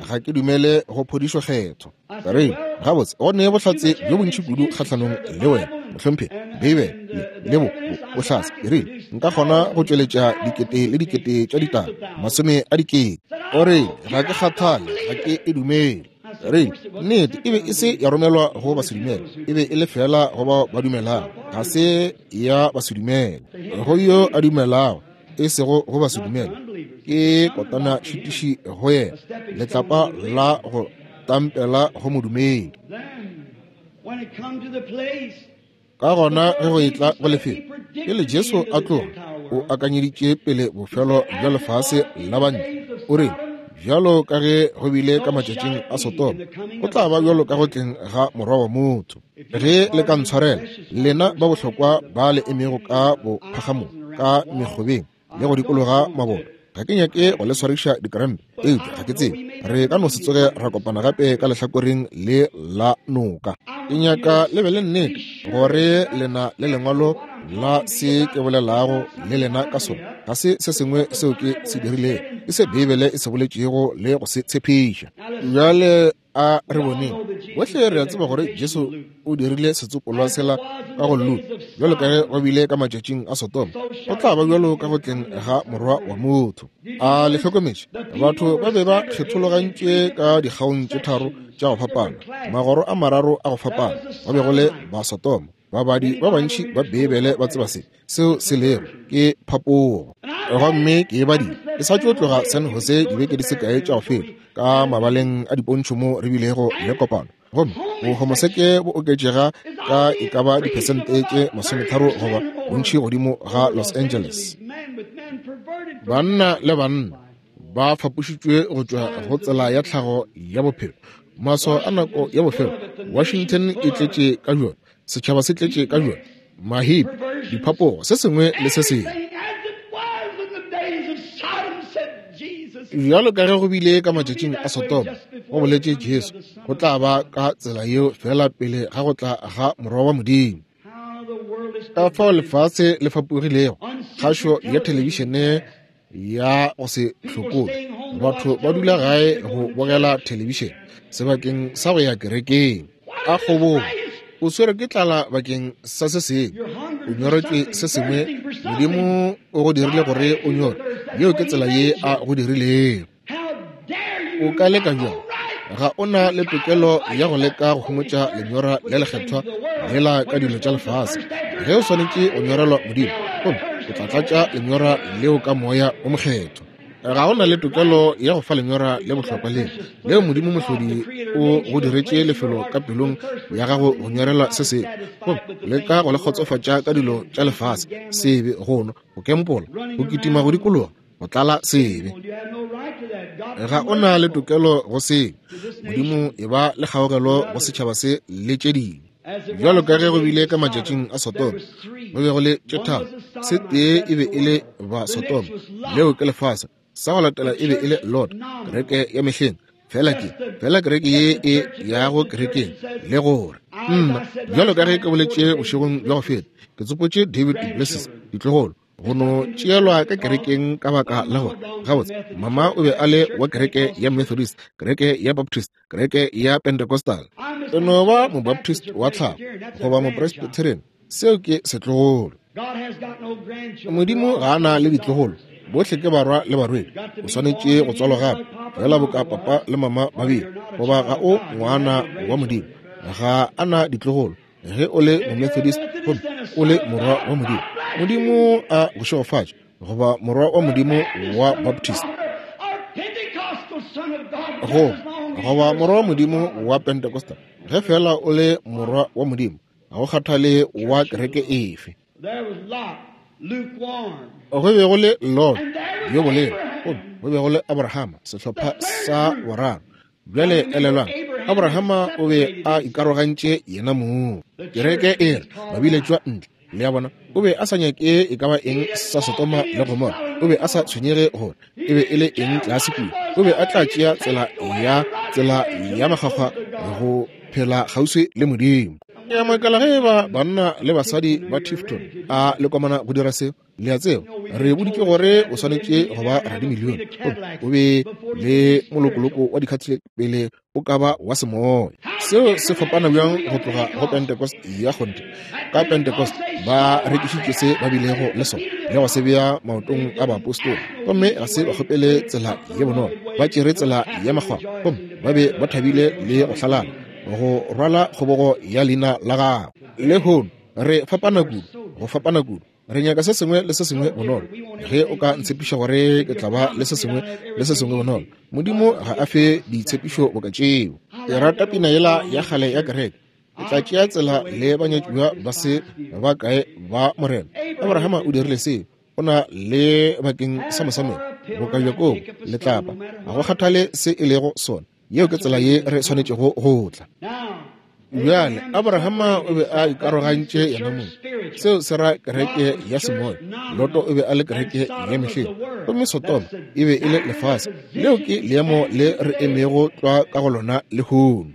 ga ke dumele go phodišo kgetho. Ka re, gabotse, go ne bohlatse bjo bontši kudu kgahlanong le wena, mohlomphegi. Beibele le, le bo, bo, bohlatse. Ke rile, nka kgona go tšweletša dikete le dikete tša ditaba, masome a dikete. O re, ga ke kgathale, ga ke e dumele. Re, nnete, e be e se ya romelwa go basedumele, e be e le feela go bao ba dumelago. Ga se ya basedumele, go yo a dumelago, e sego go basedumele. Ke kotana šitiši go yena, letlapa la go tampela go modumedi. Ka gona ge go etla go lefelo, pele Jesu a tloga, o akanyeditše pele bofelo bja lefase la bantle. O rile, bjalo ka ge go bile ka matšatšing a Sodoma, go tla ba bjalo ka go tleng ga Morwa wa motho. Ge le ka ntshwarela, lena ba bohlokwa ba le emego ka bophagamong, ka mekgobeng le go dikologa maboto, Ga ke nyake go le swariša dikarampe, eupša ga ke tsebe, re ka no se tsoge ra kopana gape ka lehlakoreng le la noka. Ke nyaka le be le nnete gore le na le lengwalo la se ke bolelago le lena ka sona. Ga se se sengwe seo ke se dirilego, ke se Beibele e se boletšego le go se tshepiša. Bjale a re boneng. Bohle re a tseba gore Jesu o dirile setsopolwa sela ka go Luka, bjalo ka ge go bile ka matšatšing a Sodoma, go tla ba bjalo ka go tleng ga Morwa wa motho. A le hlokometše? Batho ba be ba kgethologantšwe ka dikgaong tše tharo tša go fapana, magoro a mararo a go fapana. Go be go le Basodoma. Babadi ba bantši ba Beibele ba tseba se seo se lego, ke phapogo. Gomme ke e badile ke sa tšo tloga San Jose dibeke di se kae tša go feta, ka mabaleng a dipontšho mo re bilego le kopano. Gomme bohomoseke bo oketšega ka e ka ba diphesente tše 30 goba bontši godimo ga Los Angeles. Banna le banna ba fapošitšwe go tšwa go tsela ya tlhago ya bophelo. Maswao a nako ya bofelo, Washington e tletše ka bjona, setšhaba se tletše ka bjona, mahipi, diphapogo, se sengwe le se sengwe. Bjalo ka ge go bile ka matšatšing a Sodoma, go boletše Jesu, go tla ba ka tsela yeo feela pele ga go tla ga Morwa wa Modimo. Ka fao lefase le fapogilego, kgašo ya thelebišene ya go se hlokole, batho ba dula gae go bogela thelebišene sebakeng sa go ya kerekeng. A kgobogo, o swere ke tlala bakeng sa se sengwe, o nyoretšwe se sengwe, Modimo o go dirile gore o nyore, yeo ke tsela ye a go dirilego. O ka leka bjang? Ga o na le tokelo ya go leka go homotša lenyora le lekgethwa lela ka dilo tša lefase. Ge o swanetše go nyorelwa Modimo, gomme o tla tlatša lenyora leo ka Moya o Mokgethwa. Ga o na le tokelo ya go fa lenyora le bohlokwa leo, leo Modimo Mohlodi o go diretše lefelo ka pelong ya gago go nyorelwa se sengwe, gomme leka go le kgotsofatša ka dilo tša lefase, sebe, go nwa, go kempola, go kitima go dikologa, go tlala sebe. Ga o na le tokelo go seo. Modimo e ba le kgaogelo go setšhaba se le tše dingwe. Bjalo ka ge go bile ka matšatšing a Sodoma, go be go le tše tharo. Se tee e be e le ba Sodoma, leo ke lefase. Sa go latela e be e le Lot, kereke ya mehleng. Fela ke, fela kereke ye e yago kerekeng, le gore nna, bjalo ka ge ke boletše bošegong bja go feta, ke tsopotše David duPlessis, ditlogolo, go no tšeelwa ka kerekeng ka baka la gore gabotse mama o be a le wa kereke ya Methodist, kereke ya Baptist, kereke ya Pentecostal. E no ba Mobaptist wa tlhago goba Mopresbyterian, seo ke setlogolo. Modimo ga a na le ditlogolo, bohle ke barwa le barwedi. O swanetše go tswalwa gape, fela boka papa le mama ba bile, goba ga o ngwana wa Modimo. Ga a na ditlogolo. Ge o le Momethodist gomme o le morwa wa Modimo, Modimo a go šegofatše, goba morwa wa Modimo wa Baptist, go goba morwa wa Modimo wa Pentecostal, ge fela o le morwa wa Modimo, ga go kgathale wa kereke efe. Go be go le Lot yo bolelo, gomme go be go le Abrahama, sehlopha sa boraro. Bjale elelwang, Abrahama o be a ikarogantše yena mong. Kereke e re ba biletšwa ntle. Le a bona, o be a sa nyake e ka ba eng sa Sodoma le Gomora. O be a sa tshwenyege gore e be e le eng tlase kua. O be a tla tšea tsela ya tsela ya makgwakgwa go phela kgauswi le Modimo. Ke a makala ge eba banna le basadi ba Tifton a le komana go dira seo. Le a tseba, re boditšwe gore o swanetše go ba radimilione gomme o be le molokoloko wa dikhathile pele o ka ba wa semoya. Seo se fapana bjang go tloga go Pentecost ya kgonthe. Ka Pentecost ba rekišitše se ba bilego le sona le go se bea maotong a baapostola, gomme ga se ba kgopele tsela ye bonolo, ba tšere tsela ya makgwakgwa, gomme ba be ba thabile le go hlalala go rwala kgobogo ya leina la gagwe. Lehono re fapana kudu, go fapana kudu. Re nyaka se sengwe le se sengwe bonolo. Ge o ka ntshepiša gore ke tla ba le se sengwe le se sengwe bonolo. Modimo ga a fe ditshepišo boka tšeo. Ke rata pina yela ya kgale ya kereke. Ke tla tšea tsela le banyatšiwa ba se ba kae ba Morena. Abrahama o dirile seo. O na le bakeng sa mosamelo boka Jakobo letlapa. Ga go kgathale se e lego sona. Yeo ke tsela ye re swanetšego go tla. Bjale, Abrahama o be a ikarogantše yena mong. Seo se ra kereke ya semoya. Loto o be a le kereke ya mehleng. Gomme Sodoma e be e le lefase. Leo ke leemo le re emego tlwa ka go lona lehono.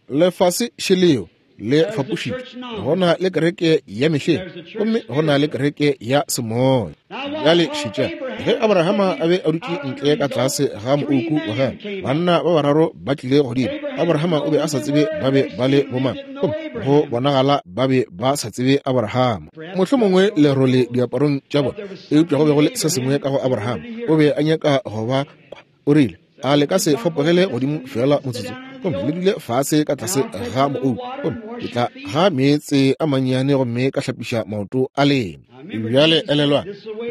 Lefase šeleo le fapošitšwe. Go na le kereke ya mehleng gomme go na le kereke ya semoya. Bjale šetša, ge Abrahama a be a dutše ntle ka tlase ga moouku wa gagwe, banna ba bararo ba tlile godimo. Abrahama o be a sa tsebe ba be ba le bomang, gomme go bonagala ba be ba sa tsebe Abrahama. Mohlomongwe lerole diaparong tša bona, eupša go be go le se sengwe ka go Abrahama. O be a nyaka go ba kwa. O rile, A le ka se fapogele godimo feela motsotso, gomme le dule fase ka tlase ga moou, gomme ke tla ga meetse a mannyane gomme ka hlapiša maoto a lena. Bjale elelwang,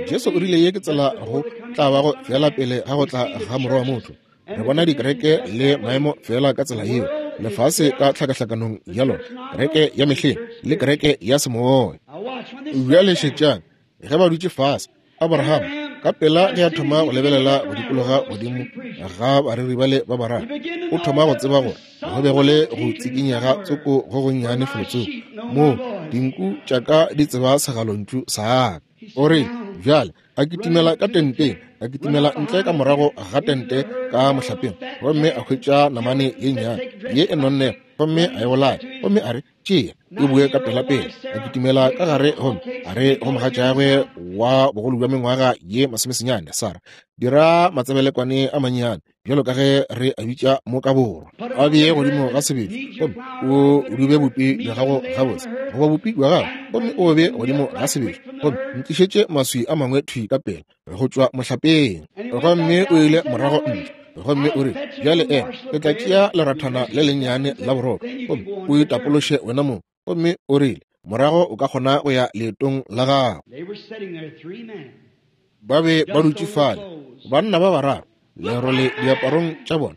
Jesu o rile ye ke tsela go tla bago feela pele ga go tla ga Morwa wa motho. Re bona dikereke le maemo feela ka tsela yeo, lefase ka tlhakahlakanong ya lona, kereke ya mehleng le kereke ya semoya. Bjale šetšang, ge ba dutše fase, Abraham ka pela ge a thoma go lebelela go dikologa godimo ga bareri bale ba bararo, o thoma go tseba gore go be go le go tsikinyega tsoko go gonnyane felotsoko moo dinku tša ka di tseba segalontšu sa ka. O re, bjale a kitimela ka tenteng, a kitimela ntle ka morago ga tente ka mohlapeng, gomme a hwetša namane ye nnyane ye e nonnego, gomme a e bolaya, gomme a re, Tšea, e boe ka pelapela. A kitimela ka gare gomme a re go mogatšagwe wa bogolo bja mengwaga ye masomesenyane, Sara, dira matsebelekwane a mannyane bjalo ka ge re a bitša mo ka borwa, a bee godimo ga sebetšo, gomme o dube bupi bja gago gabotse, goba bupi bja gago, gomme o be godimo ga sebetšo, gomme ntlišetše maswi a mangwe thwi ka pela go tšwa mohlapeng. Gomme o ile morago ntle, gomme o re, Bjale ema, ke tla tšea lerathana le lennyane la borotho, gomme o itapološe wena mong. Gomme o rile, Morago o ka kgona go ya leetong la gago. Ba be ba dutše fale, banna ba bararo, lerole diaparong tša bona,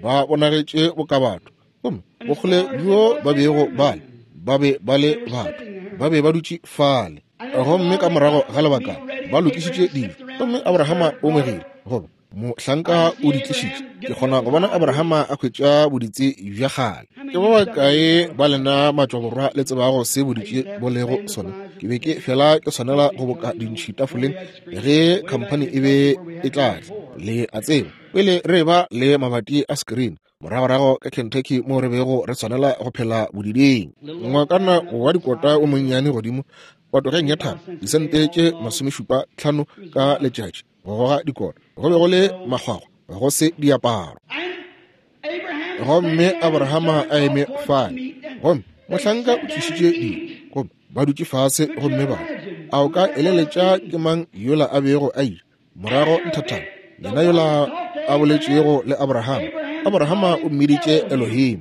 ba bonagetše boka batho, gomme bokgole bjo ba bego ba le, ba be ba le batho, ba be ba dutše fale. Gomme ka morago ga lebaka ba lokišitše dijo, gomme Abrahama o ngwegile, goba mohlanka o di tlišitše. Ke kgona go bona Abrahama a hwetša boditse bja kgale. Ke ba bakae ba lena matšwaborwa le tsebago se boditse bo lego sona? Ke be ke fela ke swanela go boka dintšhi tafoleng ge khamphani e be e tla tla. Le a tseba, pele re eba le mabati a screen, moragorago ka Kentucky moo re bego re swanela go phela bodiding. Ngwakana wa dikota o monnyane godimo patogeng ya thaba, disente tše 75 ka letšatši go goga dikota. Go be go le makgwakgwa, go se diaparo. Gomme Abrahama a eme fale, gomme mohlanka o tlišitše dijo, gomme ba dutše fase gomme ba a o ka eleletša ke mang yola a bego a ile morago nthathana, yena yola a boletšego le Abrahama. Abrahama o mmiditše Elohim.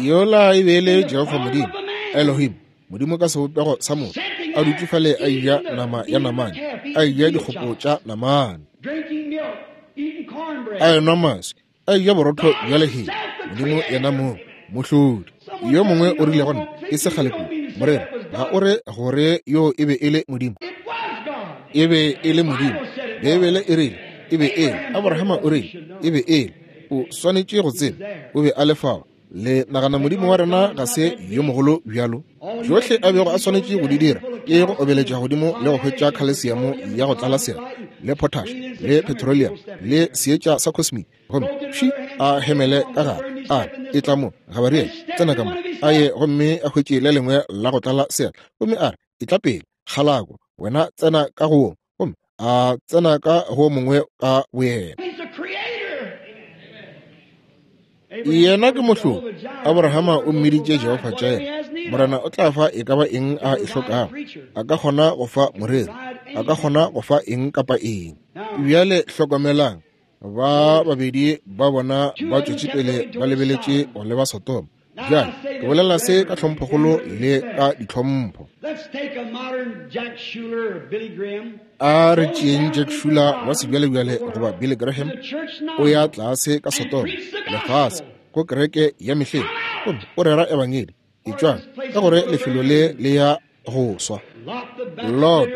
Yola e be e le Jehofa Modimo, Elohim, Modimo ka sebopego sa motho, a dutše fale a eja nama ya namane, a eja dikgopo tša namane, a enwa maswi, a eja borotho bja lehea. Modimo yena mong, Mohlodi. Yo mongwe o rile go nna, e se kgale kudu, Morena, ga o re gore yo e be e le Modimo? E be e le Modimo. Beibele e rile e be e le. Abrahama o rile e be e le. O swanetše go tseba o be a le fao. Le nagana Modimo wa rena ga se yo mogolo bjalo? Tšohle a bego a swanetše go di dira ke go obeletša godimo le go hwetša khalesiamo ya go tlala sera le potash le petroleum le seetša sa cosmic, gomme pši a hemele ka gare, a re, Etla mo, Gabariele, tsena ka mo. A ye gomme a hwetše le lengwe la go tlala sera, gomme a re, Etla pele, kgalako, wena tsena ka go wo. Gomme a tsena ka go mongwe ka boyena. Yena ke Mohlodi. Abrahama o mmiditše Jehofa Jireh. Morena o tla fa e ka ba eng a e hlokago. A ka kgona go fa moreri. A ka kgona go fa eng kapa eng. Bjale hlokomelang, ba babedi ba bona ba tšwetše pele ba lebeletše go leba Sodoma. Bjale, ke bolela se ka tlhomphokgolo le ka ditlhompho. A re tšeeng Jack Schuler wa sebjalebjale goba Billy Graham, o ya tlase ka Sodoma, lefase, ko kereke ya mehleng, gomme o rera ebangedi. Etšwang, ka gore lefelo le le ya go swa. Lot,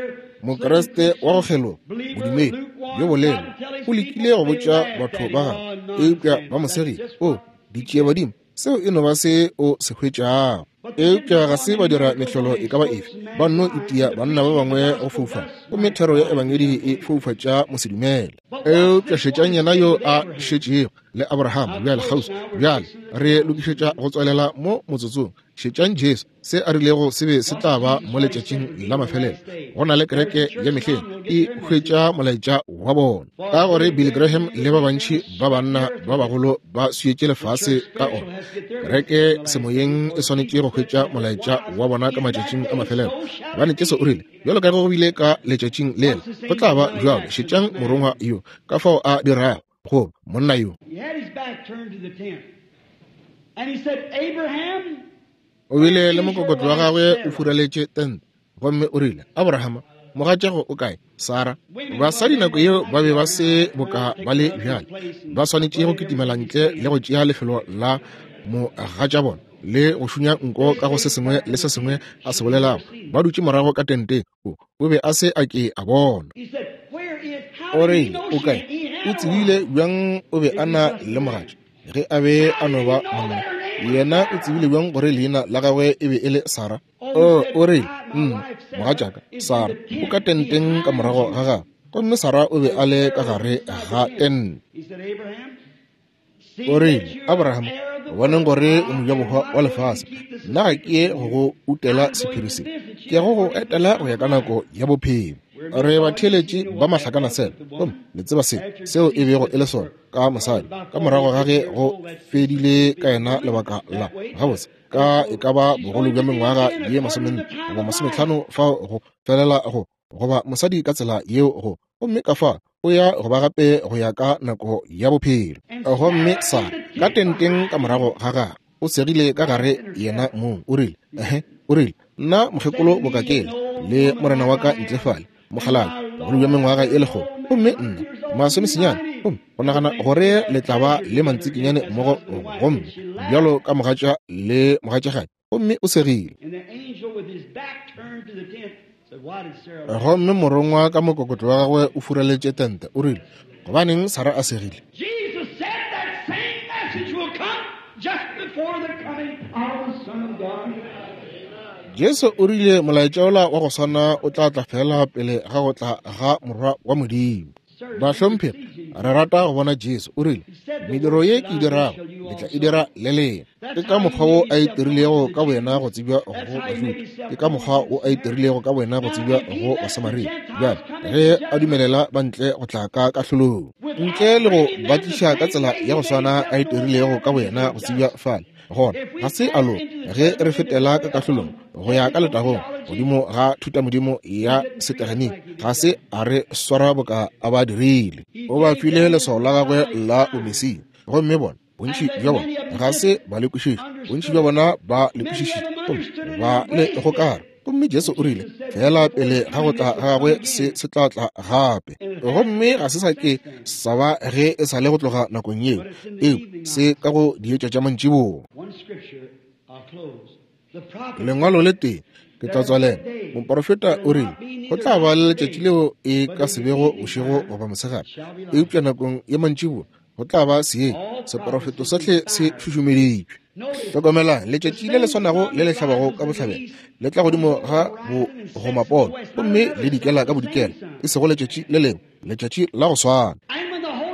Mokriste wa go kgeloga, modumedi yo bolelo, o lekile go botša batho ba gagwe, eupša ba mo segile. O, ditšiebadimo, seo e no ba se o se hwetšago. Eupša ga se ba dira mehlolo e ka ba efe, ba nno itia banna ba bangwe go foufala, gomme thero ya Ebangedi e foufatša mosedumele. Eupša šetšang yena yo a šetšego le Abraham bjale kgauswi. Bjale re lokišetša go tswalela mo motsotsong. Šetšang Jesu, se a rilego se be se tla ba mo letšatšing la mafelelo. Go na le kereke ya mehleng e hwetša molaetša wa bona, ka gore Billy Graham le ba bantši ba banna ba bagolo ba swietše lefase ka ona. Kereke semoyeng e swanetše go hwetša molaetša wa bona ka matšatšing a mafelelo, gobane Jesu o rile, bjalo ka ge go bile ka letšatšing lela, go tla ba bjalo. Šetšang morongwa yo, ka fao a dirago, goba monna yo. O bile le mokokotlo wa gagwe o furaletše tente, gomme o rile, Abrahama, mogatšago o kae? Sara. Basadi nako yeo ba be ba se boka ba le bjale, ba swanetše go kitimela ntle le go tšea lefelo la mogatša bona le go šunya nko ka go se sengwe le se sengwe a se bolelago. Ba dutše morago ka tenteng, o be a se a ke a bona. O rile, O kae? O tsebile bjang o be a na le mogatša? Ge a be a no ba monna, yena o tsebile bjang gore leina la gagwe e be e le Sara? O, o rile, Nna, mogatšaka, Sara, o ka tenteng ka morago ga gagwe. Gomme Sara o be a le ka gare ga tente. O rile, Abraham, boneng gore o mojabohwa wa lefase, nna ga ke ye go go utela sephiri se, ke ya go go etela go ya ka nako ya bophelo. Re batheeletši ba mahlakanasela, gomme le tseba se seo e bego e le sona ka mosadi ka morago ga ge go fedile ka yena lebaka la gabotse ka e ka ba bogolo bja mengwaga ye masomenne goba masometlhano fao go felela go goba mosadi ka tsela yeo go gomme ka fa o ya go ba gape go ya ka nako ya bophelo. Gomme sa ka tenteng ka morago ga gagwe o segile ka gare yena mong, o rile, ehe, o rile, nna mokgekolo bokakele le morena wa ka ntle fale mokgalabje bogolo bja mengwaga e lekgolo, gomme nna masomesenyane, gomme go nagana gore le tla ba le mantsikinyane mmogo, gomme bjalo ka mogatša le mogatšagadi. Gomme o segile. Gomme morongwa ka mokokotlo wa gagwe o furaletše tente, o rile, Gobaneng Sara a segile? Jesu o rile molaetša wola wa go swana o tla tla feela pele ga go tla ga Morwa wa Modimo. Bahlomphegi, re rata go bona Jesu. O rile, Mediro ye ke e dirago, le tla e dira le lena. Ke ka mokgwa wo a itirilego ka boyena go tsebja go Bajuda. Ke ka mokgwa wo a itirilego ka boyena go tsebja go Basamaria. Bjale, ge a dumelela ba ntle go tla ka kahlolong, ntle le go ba tliša ka tsela ya go swana a itirilego ka boyena go tsebja fale, gona ga se a loka ge re fetela ka kahlolong go ya ka letagong godimo ga thutamodimo ya setegeniki. Ga se a re swara boka a ba dirile. O ba file leswao la gagwe la bomesia, gomme bona bontši bja bona ga se ba le kwešiša. Bontši bja bona ba le kwešišitše gomme ba le gokara. Gomme Jesu o rile, feela pele ga go tla ga gagwe se se tla tla gape. Gomme ga se sa ke sa ba ge e sa le go tloga nakong yeo, eo se ka go dietša tša mantšiboa. Lengwalo le tee, ke tla tswalela. Moporofeta o rile, go tla ba le letšatši leo e ka se bego bošego goba mosegare, eupša nakong ya mantšiboa go tla ba seetša. Seporofeto sohle se šušumeditšwe. Hlokomelang, letšatši le le swanago le le hlabago ka bohlabela le tla godimo ga bogomapono gomme le dikela ka bodikela, e sego letšatši le lengwe, letšatši la go swana.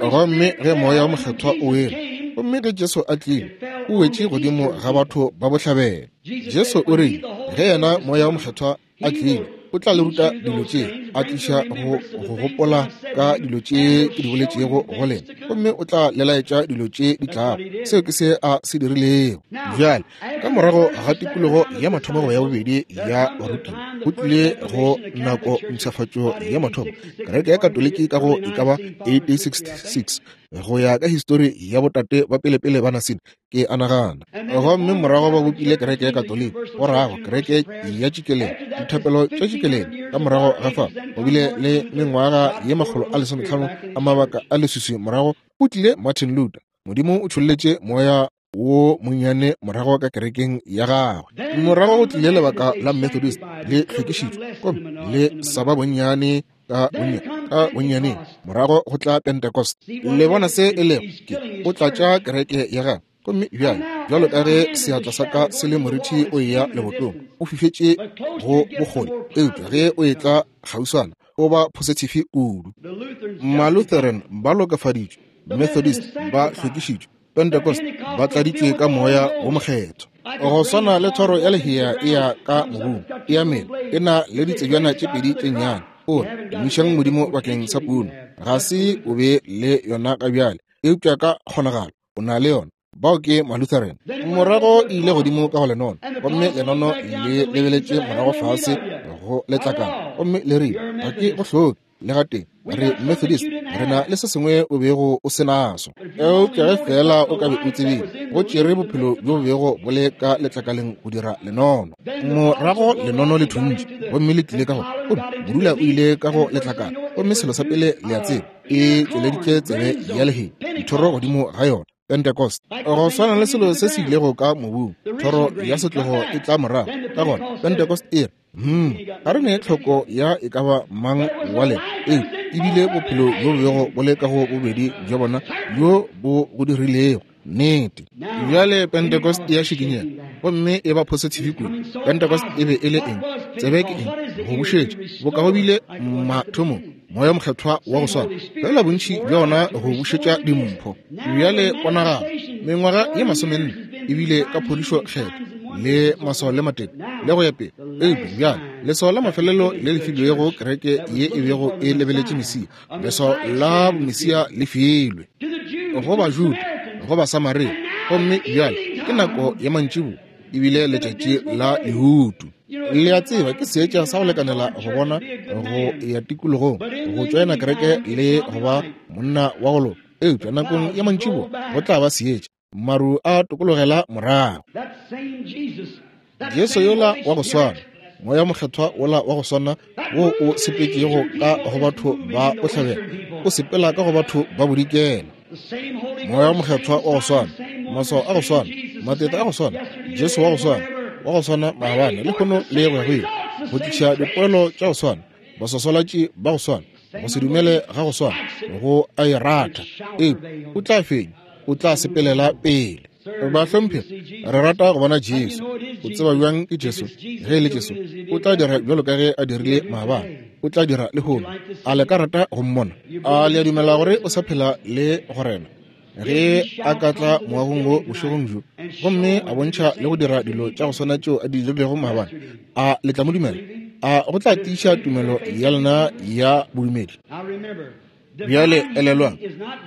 Gomme ge Moya wo Mokgethwa o wele, gomme ge Jesu a tlile, o wetše godimo ga batho ba bohlabela. Jesu o rile, ge yena Moya wo Mokgethwa a tlile, o tla le ruta dilo tše, a tliša go go gopola ka dilo tše ke di boletšego go lena, gomme o tla le laetša dilo tše di tlago. Seo ke se a se dirilego. Bjale, ka morago ga tikologo ya mathomo goba ya bobedi ya barutiwa, go tlile go nako mpshafatšo ya mathomo, kereke ya Katoliki ka go e ka ba 1866, go ya ka histori ya botate ba pelepele ba Nasine, ke a nagana. Gomme morago ba bopile kereke ya Katoliki, go rago kereke ya tšikelelo, dithapelo tša tšikelelo. Ka morago ga fao go bile le mengwaga ye 150 a mabaka a leswiswi, morago go tlile Martin Luther. Modimo o tšholletše Moya. wo monnyane morago ka kerekeng ya gagwe. Morago go tlile lebaka la Methodist le hlwekišitšwe, gomme le sa ba bonnyane ka bonnyaneng. Morago go tla Pentecost. Le bona se e lego? Ke o tlatša kereke ya gagwe. Gomme bjale, bjalo ka ge seatla sa ka se le morithi o eya lebotong, o fifetše go bokgole, eupša ge o etla kgauswana o ba phosetifi kudu. Malutheran ba lokafaditšwe, Methodist ba hlwekišitšwe, Pentecost ba tladitšwe ka Moya wo Mokgethwa. Go swana le thoro ya lehea e ya ka mobung, e ya mela, e na le ditsebjana tše pedi tše nnyane. O re, Tumišang Modimo bakeng sa puno. Ga se o be le yona ga bjale, eupša ka kgonagalo o na le yona. Bao ke Malutheran. Morago e ile godimo ka go lenono, gomme lenono le lebeletše morago fase go letlakala, gomme le rile, Ga ke go hloke le gatee. Re Methodist, re na le se sengwe o bego o se naso. Eupša ge feela o ka be o tsebile, go tšere bophelo bjo bo bego bo le ka letlakaleng go dira lenono. Morago lenono le thuntše, gomme le tlile ka go, gomme modula o ile ka go letlakala, gomme selo sa pele le a tseba, e tšweleditše tsebe ya lehea, dithoro godimo ga yona. Pentecost, go swana le selo se se ilego ka mobung, thoro ya setlogo e tla morago. Ka gona Pentecost e re, ga re ne tlhoko ya e ka ba mang wa lena. Ee, ebile bophelo bjo bo bego bo le ka go bobedi bja bona bjo bo go dirilego. Nnete. Bjale Pentecost ya šikinyega gomme e ba positive kudu. Pentecost e be e le eng? Tsebe ke eng? Go bušetša boka go bile mathomong, Moya Mokgethwa wa go swana, fela bontši bja ona go bušetša dimpho. Bjale ponagalo, mengwaga ye 40 ebile ka phodišo kgetho le maswao le matete le go ya pele. Eupša bjale leswao la mafelelo le le filwego kereke ye e bego e lebeletše Mesia, leswao la Mesia le filwe go Bajuda, go Basamaria, gomme bjale ke nako ya mantšiboa, ebile letšatši la lehutu. Le a tseba, ke seetša sa go lekanela go bona go ya tikologong, go tšoena kereke le go ba monna wa go loka. Eupša nakong ya mantšiboa go tla ba seetša, maru a tokologela morago. Jesu yola wa go swana, Moya Mokgethwa wola wa go swana wo o sepetšego ka go batho ba bohlabela, o sepela ka go batho ba bodikela. Moya Mokgethwa wa go swana, maswao a go swana, matete a go swana, Jesu wa go swana, wa go swana maabane, lehono le go ya go ile, go tliša dipoelo tša go swana, baswaswalatši ba go swana, go se dumele ga go swana, go a e ratha. Ee, o tla fenya, o tla sepelela pele. Bahlomphegi, re rata go bona Jesu. O tseba bjang ke Jesu? Ge e le Jesu, o tla dira bjalo ka ge a dirile maabane, o tla dira lehono. A le ka rata go mmona? A le a dumela gore o sa phela le go rena? Ge a ka tla moagong wo bošegong bjo gomme a bontšha le go dira dilo tša go swana tšeo a di dirilego maabane, a le tla mo dumela? A go tla tiiša tumelo ya lena ya bodumedi? Bjale elelwang,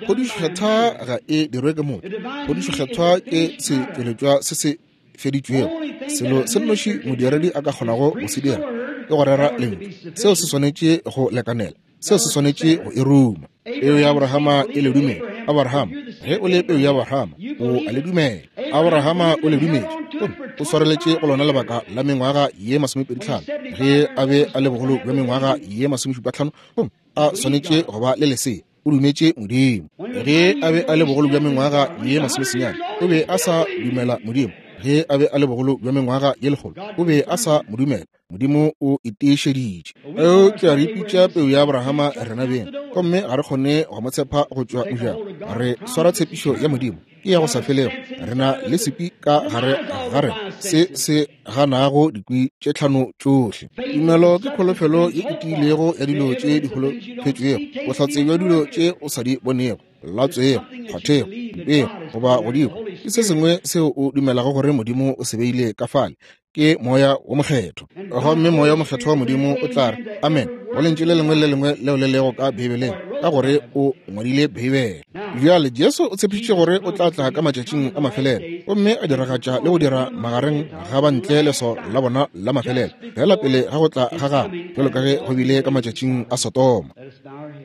phodišokgethwa ga e dirwe ke motho. Phodišokgethwa ke setšweletšwa se se feditšwego. Selo se nnoši modiredi a ka kgonago go se dira ke go rera lentšu. Seo se swanetše go lekanela. Seo se swanetše go e ruma. Peu ya Abrahama e le dumela. Abrahama, ge o le peu ya Abrahama, o a le dumela. Abrahama o le dumetše, gomme o swareletše go lona lebaka la mengwaga ye 25, ge a be a le bogolo bja mengwaga ye 75, gomme a swanetše go ba le lesea. O dumetše Modimo. Ge a be a le bogolo bja mengwaga ye 90, o be a sa dumela Modimo. Ge a be a le bogolo bja mengwaga ye 100, o be a sa mo dumela. Modimo o itiišeditše. Eupša re ipitša peu ya Abrahama rena beng, gomme ga re kgone go mo tshepa go tšwa mojako. Re swara tshepišo ya Modimo, ke ya go sa felego. Re na le sepi ka gare ga rena se se ganago dikwi tše tlhano tšohle. Tumelo ke kholofelo ye e tiilego ya dilo tše di holofetšwego, bohlatse bja dilo tše o sa di bonego, latswego, kgwathego, mpego goba godimo. Ke se sengwe seo o dumelago gore Modimo o se beile ka fale, ke Moya wo Mokgethwa. Gomme Moya wo Mokgethwa wa Modimo o tla re amen go lentšu le lengwe le lengwe leo le lego ka Beibeleng, ka gore o ngwadile Beibele. Bjale Jesu o tshepišitše gore o tla tla ka matšatšing a mafelelo gomme a diragatša le go dira magareng ga bantle leswao la bona la mafelelo, fela pele ga go tla ga gagwe, bjalo ka ge go bile ka matšatšing a Sodoma.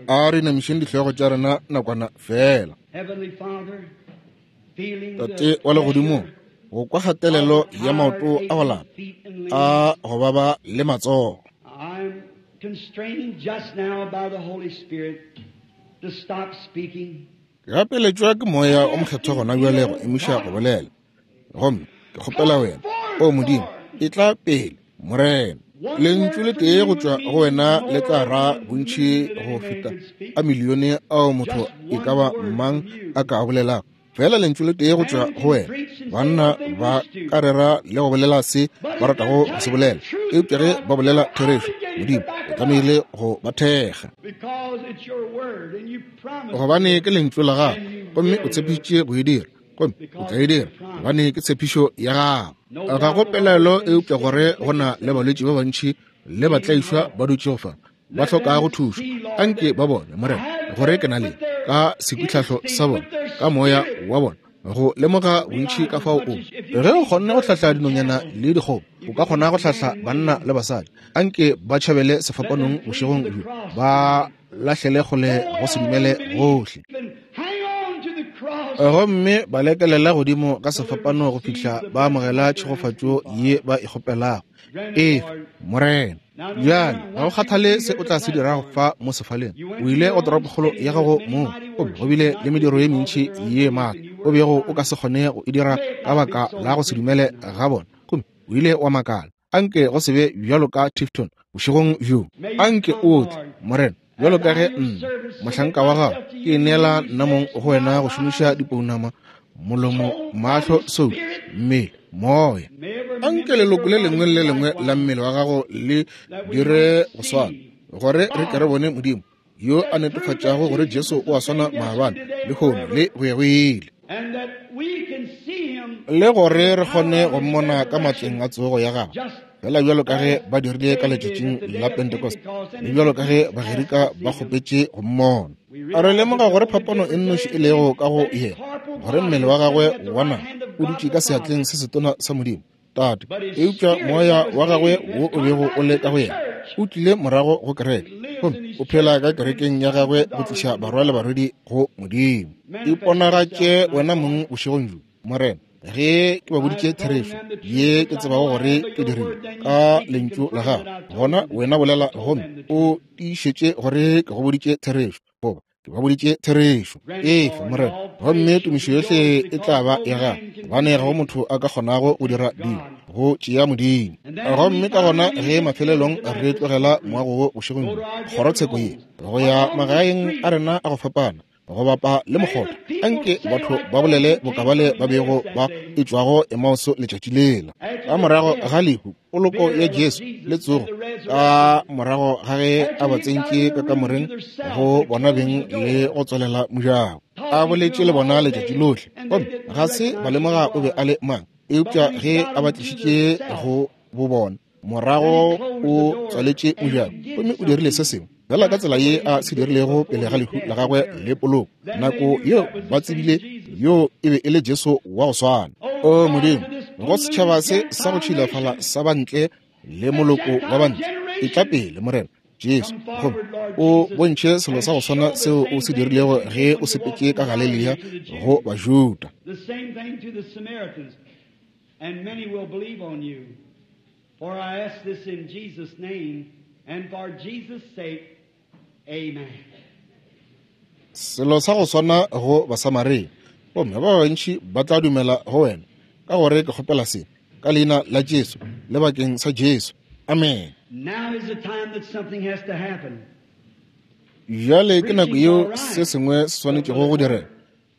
A re inamišeng dihlogo tša rena nakwana fela. Tate wa legodimong, go kwa kgatelelo ya maoto a go lapa a go baba le matsogo. Gapeletšwa ke Moya o Mokgethwa gona bjale go emiša go bolela. Gomme ke kgopela wena, O Modimo, etla pele, Morena. Lentšu le tee go tšwa go wena le tla ra bontši go feta a milione ao motho e ka ba mang a ka a bolelago. Fela lentšu le tee go tšwa go wena. Banna ba ka rera le go bolela se ba ratago go se bolela, eupša ge ba bolela therešo, Modimo o tlamehile go ba thekga. Gobane ke lentšu la gago, gomme o tshepišitše go e dira, gomme o tla e dira, gobane ke tshepišo ya gago. Ga go pelaelo eupša gore go na le balwetši ba bantši le batlaišwa ba dutšego fa ba hlokago thušo. Anke ba bone, Morena, gore ke na le ka sekwitlhahlo sa bona, ka moya wa bona, go lemoga bontši ka fao o. Ge o kgonne go hlahla dinonyana le dikgomo, o ka kgona go hlahla banna le basadi. Anke ba tšhabele sefapanong bošegong bjo, ba lahlele kgole go se dumele gohle, gomme ba lekelela godimo ga sefapano go fihla ba amogela tšhegofatšo ye ba e kgopelago. Efa, Morena. Bjale, ga go kgathale se o tla se dirago fa mo sefaleng, o ile go toropokgolo ya gago mong, gomme go bile le mediro ye mentši ye maatla o bego o ka se kgone go e dira ka baka la go se dumele ga bona, gomme o ile wa makala. Anke go se be bjalo ka Tifton bošegong bjo. Anke o tle, Morena, bjalo ka ge nna, mohlanka wa gago, ke neela nna mong go wena go šomiša dipounama, molomo, mahlo, soulo, mmele, moya. Anke leloko le lengwe le lengwe la mmele wa gago le dire go swana, gore re ke re bone Modimo yo a netefatšago gore Jesu o a swana maabane, lehono le go ya go ile, le gore re kgone go mmona ka matleng a tsogo ya gagwe, fela bjalo ka ge ba dirile ka letšatšing la Pentecost, le bjalo ka ge Bagerika ba kgopetše go mmona. Re lemoga gore phapano e nnoši e lego ka go yena, gore mmele wa gagwe wa nama o dutše ka seatleng se setona sa Modimo Tate, eupša moya wa gagwe wo o bego o le ka go yena o tlile morago go kereke, gomme o phela ka kerekeng ya gagwe go tliša barwa le barwedi go Modimo. Iponagatše wena mong bošegong bjo, Morena, ge ke ba boditše therešo ye ke tsebago gore ke dirile ka lentšu la gago, gona wena bolela gomme o tiišetše gore ke go boditše therešo, goba ke ba boditše therešo. Efa, Morena, gomme tumišo yohle e tla ba ya gago, gobane ga go motho a ka kgonago go dira dilo go tšea Modimo. Gomme ka gona ge mafelelong re tlogela moago wo bošegong bjo, kgorotsheko ye, go ya magaeng a rena a go fapana, go bapa le mokgotha, anke batho ba bolele bokabale ba bego ba etšwago Emauso letšatši lela, ka morago ga lehu, poloko ya Jesu le tsogo, ka morago ga ge a ba tsentše ka kamoreng go bona beng le go tswalela mojako, a boletše le bona letšatši lohle, gomme ga se ba lemoga o be a le mang, eupša ge a ba tlišitše go bo bona morago o tswaletše mojako gomme o dirile se sengwe fela ka tsela ye a se dirilego pele ga lehu la gagwe le poloko. Nako yeo ba tsebile yo e be e le Jesu wa go swana. O Modimo, go setšhaba se sa go tšhilafala sa bantle le moloko wa bantle, etla pele, Morena Jesu, gomme o bontšhe selo sa go swana seo o se dirilego ge o sepetše ka Galelia go Bajuda. And many will believe on you. For I ask this in Jesus' name and for Jesus' sake. Amen. Selo sa go swana go Basamaria, gomme ba bantši ba tla dumela go wena, ka gore ke kgopela se ka leina la Jesu le bakeng sa Jesu. Amen. Now is the time that something has to happen. Bjale ke nako yeo se sengwe se swanetšego go direga.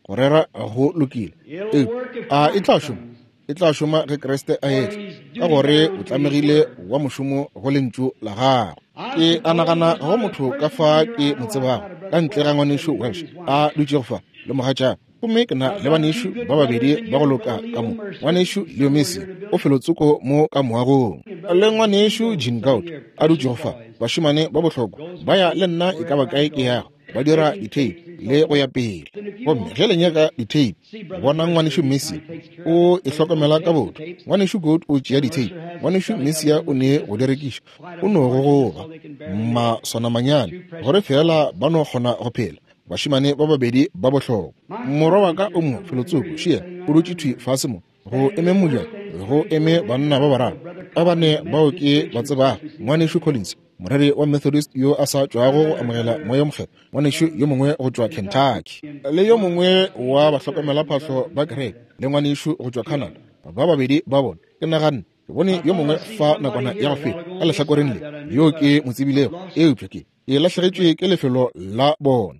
Go rera go lokile, eupša a e tla šoma? E tla šoma ge Kriste a etla, ka gore o tlamegile wa mošomo go lentšu la gagwe. Ke a nagana go motho ka fa ke mo tsebago, ka ntle ga ngwanešu Welsh a dutšego fa le mogatšaka, gomme ke na le banešu ba babedi ba go loka ka mo, ngwanešu Leo Messi o felotsoko mo ka moagong, le ngwanešu Gene Gout a dutšego fa. Bašemane ba bohlokwa ba ya le nna e ka ba kae ke yago, ba dira ditheipi le go ya pele. Gomme ge le nyaka ditheipi, bona ngwanešu Messia o e hlokomela ka botho. Ngwanešu Goat o tšea ditheipi, ngwanešu Messia o ne go di rekiša, o no gogoba maswanamanyane gore feela ba no kgona go phela. Bašemane ba babedi ba bohlokwa. Morwa wa ka o mo felotsoko, šia, o dutše thwi fase mo, go eme mojako, go eme banna ba bararo ba bane bao ke ba tsebago, ngwanešu Collins, moreri wa Methodist yo a sa tšwago go amogela Moya wo Mokgethwa, ngwanešu yo mongwe go tšwa Kentucky, le yo mongwe wa bahlokomelaphahlo ba kereke, le ngwanešu go tšwa Canada. Ba babedi ba bona, ke naganne ke bone yo mongwe fa nakwana ya go feta ka lehlakoreng le, yo ke mo tsebilego, eupša ke lahlegetšwe ke lefelo la bona.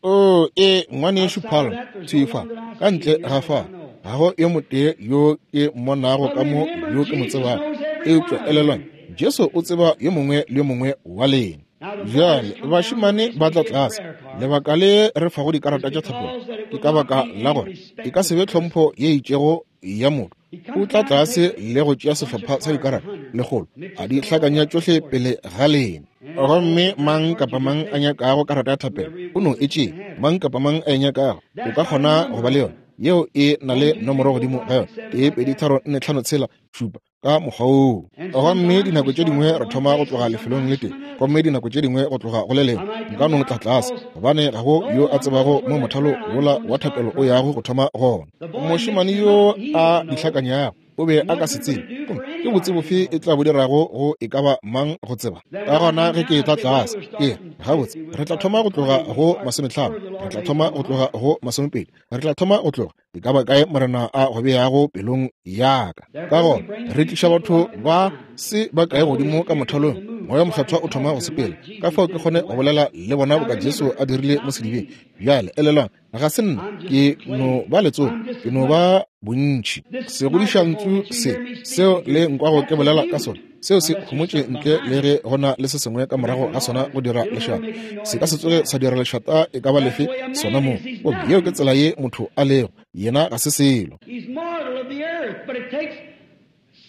O e ngwanešu Palmer, thwi fa, ka ntle ga fa, ga go yo motee yo ke mmonago ka mo yo ke mo tsebago. Eupša elelwang, Jesu o tseba yo mongwe le yo mongwe wa lena. Bjale bašemane ba tla tlase. Lebaka le re fago dikarata tša thapelo ke ka baka la gore e ka se be tlhompho ye itšego ya motho. O tla tlase le go tšea sehlopha sa dikarata lekgolo, a di hlakanya tšohle pele ga lena. Gomme mang kapa mang a nyakago karata ya thapelo o no e tšee. Mang kapa mang a e nyakago o ka kgona go ba le yona. Yeo e na le nomoro godimo ga yona, 1 2 3 4 5 6 7, ka mokgwa woo. Gomme dinako tše dingwe re thoma go tloga lefelong le tee, gomme dinako tše dingwe go tloga go le lengwe. Nka no tla tlase, gobane ga go yo a tsebago mo mothalo wola wa thapelo o yago go thoma gona. Mošemane yo a di hlakanyago o be a ka se tsebe, gomme ke botse bofe e tla bo dirago go e ka ba mang go tseba? Ka gona ge ke etla tlase, ke re, gabotse, re tla thoma go tloga go 50, re tla thoma go tloga go 20, re tla thoma go tloga e ka ba kae Morena a go beago pelong ya ka. Ka gona re tliša batho ba se ba kae godimo ka mothalong, Moya Mokgethwa o thoma go sepela, ka fao ke kgone go bolela le bona boka Jesu a dirile mo sedibeng. Bjale elelwang, ga se nna, ke no ba letsogo, ke no ba bontši. Segodišantšu se seo le nkwago ke bolela ka sona, seo se homotše ntle le ge go na le se sengwe ka morago ga sona go dira lešata. Se ka se tsoge sa dira lešata e ka ba lefe sona moo. Gomme yeo ke tsela ye motho a lego, yena ga se selo.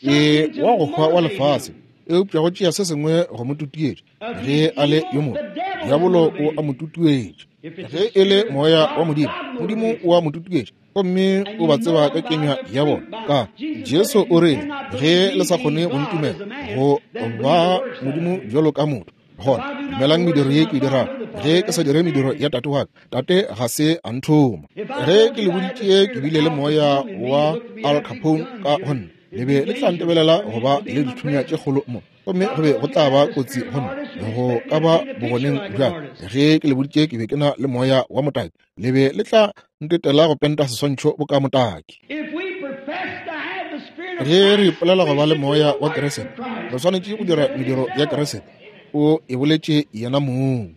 Ke wa go hwa wa lefase, eupša go tšea se sengwe go mo tutuetša. Ge a le yo mobe, diabolo o a mo tutuetša. Ge e le moya wa Modimo, Modimo o a mo tutuetša, gomme o ba tseba ka kenywa ya bona. Ka Jesu o rile, ge le sa kgone go ntumela go ba Modimo bjalo ka motho, gona dumelang mediro ye ke e dirago. Ge ke sa dire mediro ya Tate wa ka, Tate ga se a nthoma. Ge ke le boditše ke bile le moya wa Al Capone ka go nna, le be le tla ntebelela go ba le dithunya tše kgolo mo, gomme go be go tla ba kotsi go nna go ka ba bogoneng bja ka. Ge ke le boditše ke be ke na le moya wa motaki, le be le tla ntetela go penta seswantšho boka motaki. Ge re ipolela go ba le moya wa Keresete, re swanetše go dira mediro ya Keresete. O e boletše yena mong.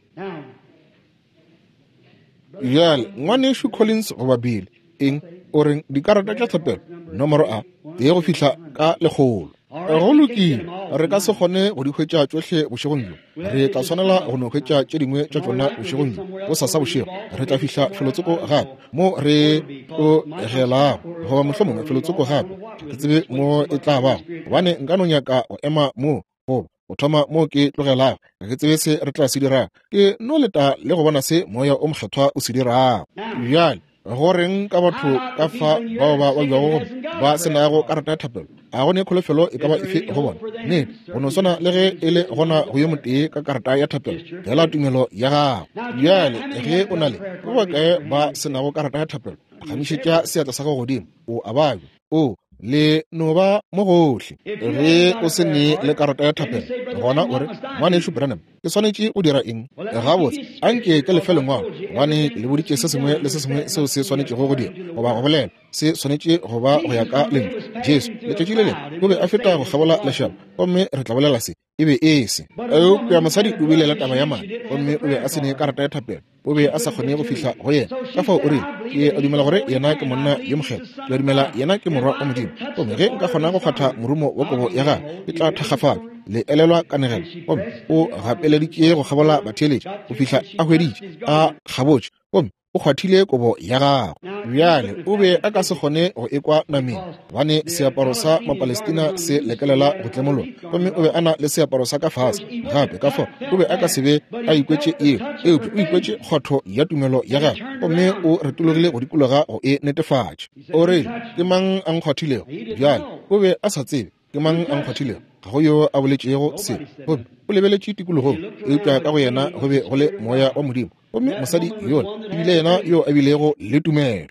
Bjale, Ngwanešu Collins goba Bill, eng, o reng dikarata tša thapelo nomoro a tee go fihla ka 100. Go lokile, re ka se kgone go di hwetša tšohle bošegong bjo. Re tla swanela go no hwetša tše dingwe tša tšona bošegong bjo. Bosasa bošego re tla fihla felotsoko gape mo re tlogelago, goba mohlomongwe felotsoko gape, ga ke tsebe mo e tla bago, gobane nka no nyaka go ema mo goba go thoma mo ke tlogelago. Ga ke tsebe se re tla se dirago. Ke no leta le go bona se Moya o Mokgethwa o se dirago. Bjale, go reng ka batho ka fa bao ba babjago gomme ba se nago karata ya thapelo? A go ne kholofelo e ka ba efe go bona? Nnete, go no swana le ge e le gona go yo motee ka karata ya thapelo, feela tumelo ya gago. Bjale, ge o na le, ba bakae ba se nago karata ya thapelo, phagamišetša seatla sa gago godimo. O a babja. O le no ba mo gohle. Ge o se ne le karata ya thapelo, gona o re, Ngwanešu Branham, ke swanetše go dira eng? Gabotse, anke ke lefe lengwalo, gobane ke le boditše se sengwe le se sengwe seo se swanetšego go dira goba go bolela. Se swanetše go ba go ya ka Lentšu. Jesu, letšatši le lengwe, o be a feta go kgabola lešaba, gomme re tla bolela se. E be e se. Eupša mosadi o bile le taba ya madi, gomme o be a se ne karata ya thapelo. O be a sa kgone go fihla go yena. Ka fao o rile, Ke a dumela gore yena ke monna yo mokgethwa. Ke a dumela yena ke Morwa wa Modimo. Gomme ge nka kgona go kgwatha morumo wa kobo ya gagwe, ke tla thakgafala. Le elelwa kanegelo. Gomme o gapeleditše go kgabola batheeletši go fihla a hweditše, a kgabotše, gomme o kgwathile kobo ya gagwe. Bjale o be a ka se kgone go ekwa nameng, gobane seaparo sa Mapalestina se lekelela go tlemologa, gomme o be a na le seaparo sa ka fase gape, ka fao o be a ka se be a ikwetše yeo. Eupša o ikwetše kgwatho ya tumelo ya gagwe, gomme o retologile go dikologa go e netefatša. O rile, Ke mang a nkgwathilego? Bjale o be a sa tsebe ke mang a nkgwathilego. Ga go yo a boletšego se. Gomme o lebeletše tikologong, eupša ka go yena go be go le Moya wa Modimo. Gomme mosadi yola e bile yena yo a bilego le tumelo.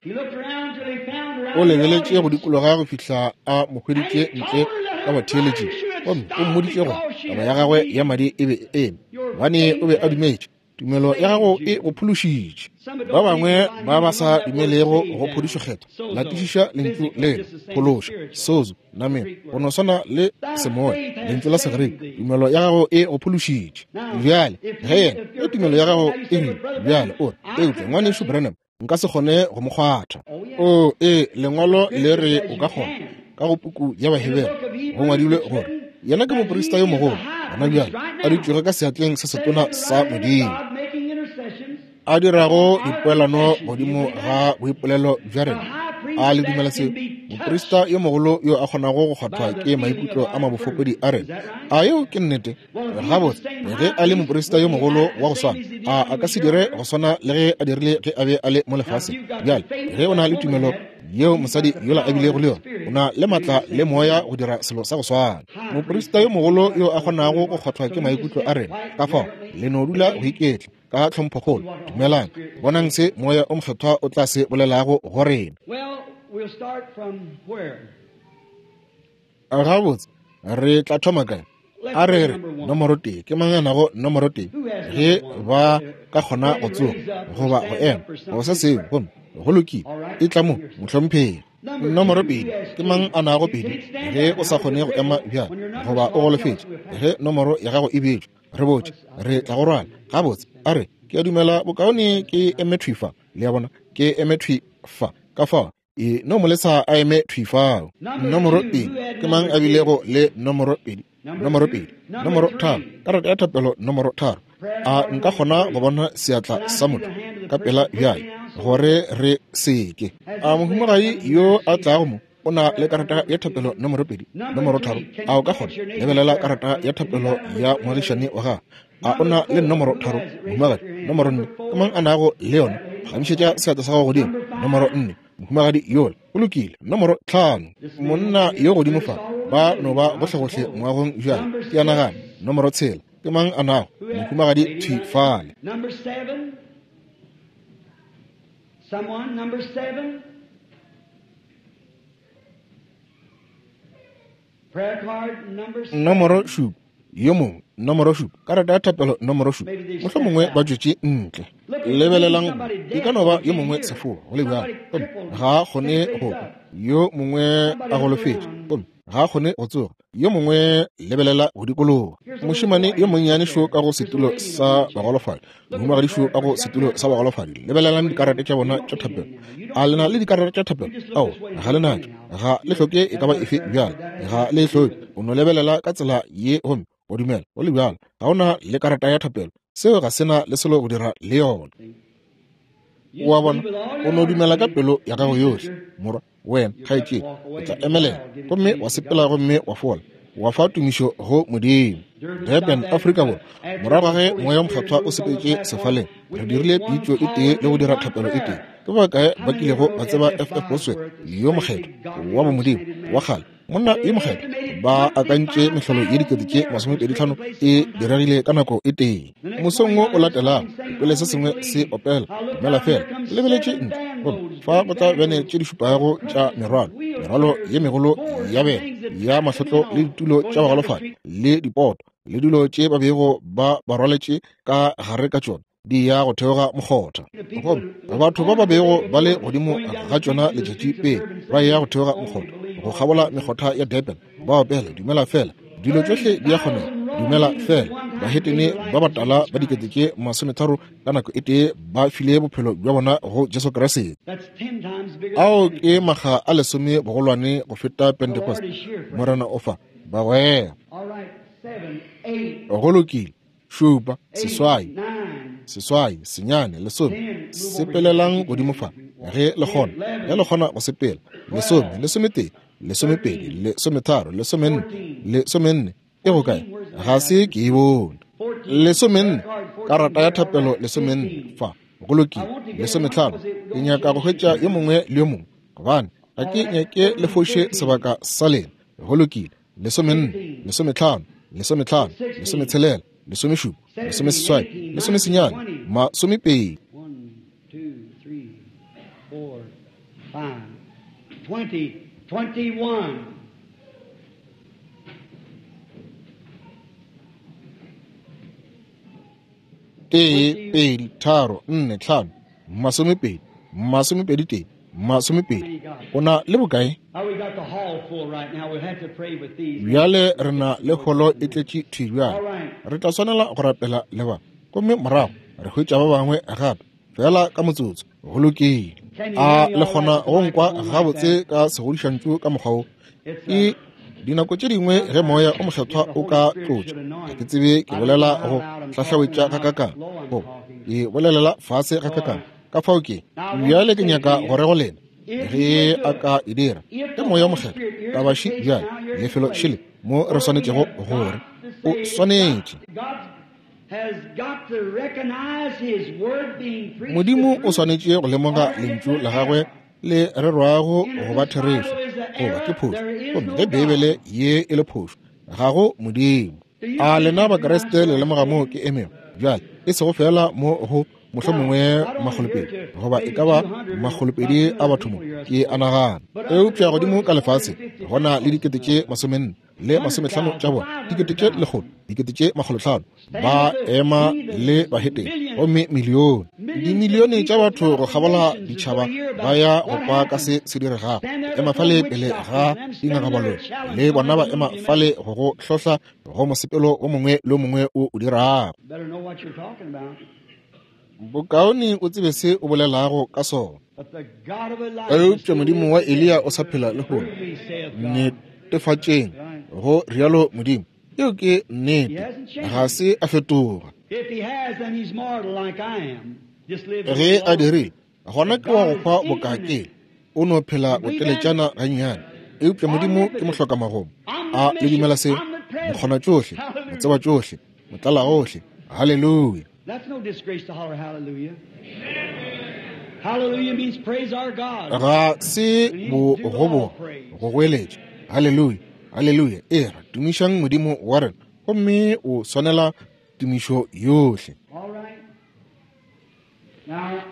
O lebeletše go dikologa go fihla a mo hweditše ntle ka batheeletšing, gomme o mmoditše gore taba ya gagwe ya madi e be e eme, gobane o be a dumetše. Tumelo ya gago e go phološitše. Ba bangwe ba ba sa dumelego go phodišo Kgethwa, latišiša lentšu lela, phološa, sozo, nameng, go no swana le semoya, lentšu la Segerika. Tumelo ya gago e go phološitše. Bjale, ge yena, ge tumelo ya gago e rile, bjale o re, eupša Ngwanešu Branham, nka se kgone go mo kgwatha. O, ee, Lengwalo le re o ka kgona. Ka go puku ya Bahebere go ngwadilwe gore yena ke moprista yo mogolo gona bjale, a dutšego ka seatleng se setona sa Modimo, a dirago dipoelano godimo ga boipolelo bja rena. A le dumela seo? Moprista yo mogolo yo a kgonago go kgwathwa ke maikutlo a mabofokodi a rena. A yeo ke nnete? Gabotse, ge a le moprista yo mogolo wa go swana, a a ka se dire go swana le ge a dirile ge a be a le mo lefaseng? Bjale, ge o na le tumelo yeo mosadi yola a bilego le yona, o na le matla le moya go dira selo sa go swana. Moprista yo mogolo yo a kgonago go kgwathwa ke maikutlo a rena, ka fao le no dula go iketla ka tlhomphokgolo. Dumelang, bonang se Moya o Mokgethwa o tla se bolelago go rena. Gabotse, re tla thoma kae? A re re nomoro tee. Ke mang a nago nomoro tee? Ge ba ka kgona go tsoga goba go ema go se sengwe, gomme go lokile, e tla mo, mohlomphegi. Nomoro pedi. Ke mang a nago pedi? Ge o sa kgone go ema bjale goba o golofetše, ge nomoro ya gago e beetšwe, re botše, re tla go rwala. Gabotse, a re, ke a dumela bokaone ke eme thwi fa. Le a bona, ke eme thwi fa. Ka fao e no mo lesa a eme thwi fao. Nomoro pedi. Ke mang a bilego le nomoro pedi? Nomoro pedi. Nomoro tharo. Karata ya thapelo nomoro tharo. A nka kgona go bona seatla sa motho ka pela bjale, gore re seke? A mohumagadi yo a tlago mo o na le karata ya thapelo nomoro pedi, nomoro tharo? A o ka kgona lebelela karata ya thapelo ya moagišani wa gago? A o na le nomoro tharo, mohumagadi? Nomoro nne, ke mang a nago le yona? Phagamišetša seatla sa gago godimo. Nomoro nne, mohumagadi yola. Go lokile. Nomoro tlhano, monna yo godimo fa. Ba no ba gohlegohle moagong bjale, ke a nagana. Nomoro tshela, ke mang a nago? Mohumagadi thwi fale. Nomoro šupa, yo mongwe, nomoro šupa, karata ya thapelo nomoro šupa. Mohlomongwe ba tšwetše ntle. Lebelelang, e ka no ba yo mongwe sefoa, go le bjalo, gomme ga a kgone go kwa. Yo mongwe a golofetše, gomme ga a kgone go tsoga. Yo mongwe, lebelela go dikologa. Mošemane yo monnyane šo ka go setulo sa bagolofadi, mohumagadi šo ka go setulo sa bagolofadi. Lebelelang dikarata tša bona tša thapelo. A le na le dikarata tša thapelo? Ao, ga le natšo. Ga le hloke e ka ba efe bjale. Ga le e hloke. O no lebelela ka tsela ye gomme o dumela, go le bjalo. Ga o na le karata ya thapelo. Seo ga se na le selo go dira le yona. O a bona? O no dumela ka pelo ya gago yohle, morwa. Wena, kgaetšedi, o tla emelela gomme wa sepela gomme wa fola, wa fa tumišo go Modimo. Durban, Afrika Borwa, morago ga ge Moya wo Mokgethwa o sepetše sefaleng, re dirile pitšo e tee le go dira thapelo e tee. Ke ba bakae ba kilego ba tseba FF Bosworth yo mokgethwa wa bomodimo wa kgale, monna yo mokgethwa? Ba akantše mehlolo ye 25,000 e diregile ka nako e tee. Mosong wo o latelago, ke kwele se sengwe se opela, Dumela Feela. Ke lebeletše ntle, gomme fa go tla bene tše di šupago tša merwalo, merwalo ye megolo ya bene, ya mahlotlo le ditulo tša bagolofadi, le dipoto, le dilo tše ba bego ba ba rwaletše ka gare ka tšona, di ya go theoga mokgotha. Gomme batho ba ba bego ba le godimo ga tšona letšatši pele ba ya go theoga mokgotha, go kgabola mekgotha ya Durban, ba opela Dumela Feela. Dilo tšohle di a kgonega, dumela feela. Bahetene ba batala ba 30,000 ka nako e tee ba file bophelo bja bona go Jesu Kriste. Ao ke makga a lesome bogolwane go feta Pentecost. Morena o fa, bagwera. Go lokile. Šupa, seswai, seswai, senyane, lesome. Sepelelang godimo fa, ge le kgona, ge le kgona go sepela. Lesome, lesometee, lesomepedi, lesometharo, lesomenne, lesomenne. E go kae? Ga se ke e bone. Lesomenne, karata ya thapelo lesomenne fa. Go lokile. Lesometlhano. Ke nyaka go hwetša yo mongwe le yo mongwe, gobane ga ke nyake le foše sebaka sa lena. Go lokile. Lesomenne, lesometlhano, lesometlhano, lesometshelela, lesomešupa, lesomeseswai, lesomesenyane, masomepedi. 1, 2, 3, 4, 5, 20, 21, 20. O na le bokae? Bjale re na le holo e tletše thwi bjale. Re tla swanela go rapela le ba, gomme morago re hwetša ba bangwe gape, feela ka motsotso. Go lokile. A le kgona go nkwa gabotse ka segodišantšu ka mokgwa wo? E dinako tše dingwe ge moya o mokgethwa o ka tlotša, ga ke tsebe ke bolela go hlahlawetša gakakang, goba ke bolelela fase gakakang. Ka fao ke bjale ke nyaka go re go lena, ge a ka e dira ke moya o mokgethwa, taba še bjale, lefelo šele mo re swanetšego gore o swanetše. Modimo o swanetše go lemoga lentšu la gagwe le rerwago go ba therešo goba ke phošo, gomme ge Beibele ye e le phošo, ga go Modimo. A lena Bakriste le lemoga moo ke emego bjale? E sego feela mo go mohlomongwe makgolopedi goba e ka ba makgolopedi a batho mo, ke a nagana, eupša godimo ka lefaseng go na le 440 le 50 tša bona, 100,000, 500,000 ba ema le bahetene, gomme milione, dimilione tša batho go kgabola ditšhaba ba ya go kwa ka se se diregago. Ema fale pele ga dingakabaloi, le bona ba ema fale go go hlohla go mosepelo o mongwe le o mongwe o o dirago. Bokaone o tsebe se o bolelago ka sona. Eupša Modimo wa Eliya o sa phela lehono. Netefatšeng, go rialo Modimo. Yeo ke nnete. Ga se a fetoga. Ge a dirile, gona ke wa go hwa bokake. O no phela boteletšana gannyane. Eupša Modimo ke mohlokamagomo. A le dumela seo? Mokgona tšohle, motseba tšohle, motlalagohle. Haleluya. That's no disgrace to holler hallelujah. Hallelujah means praise our God. Ga se bogoboga go goeletša haleluya, haleluya. E ra tumišang Modimo wa rena, gomme o swanela tumišo yohle. All right. Now,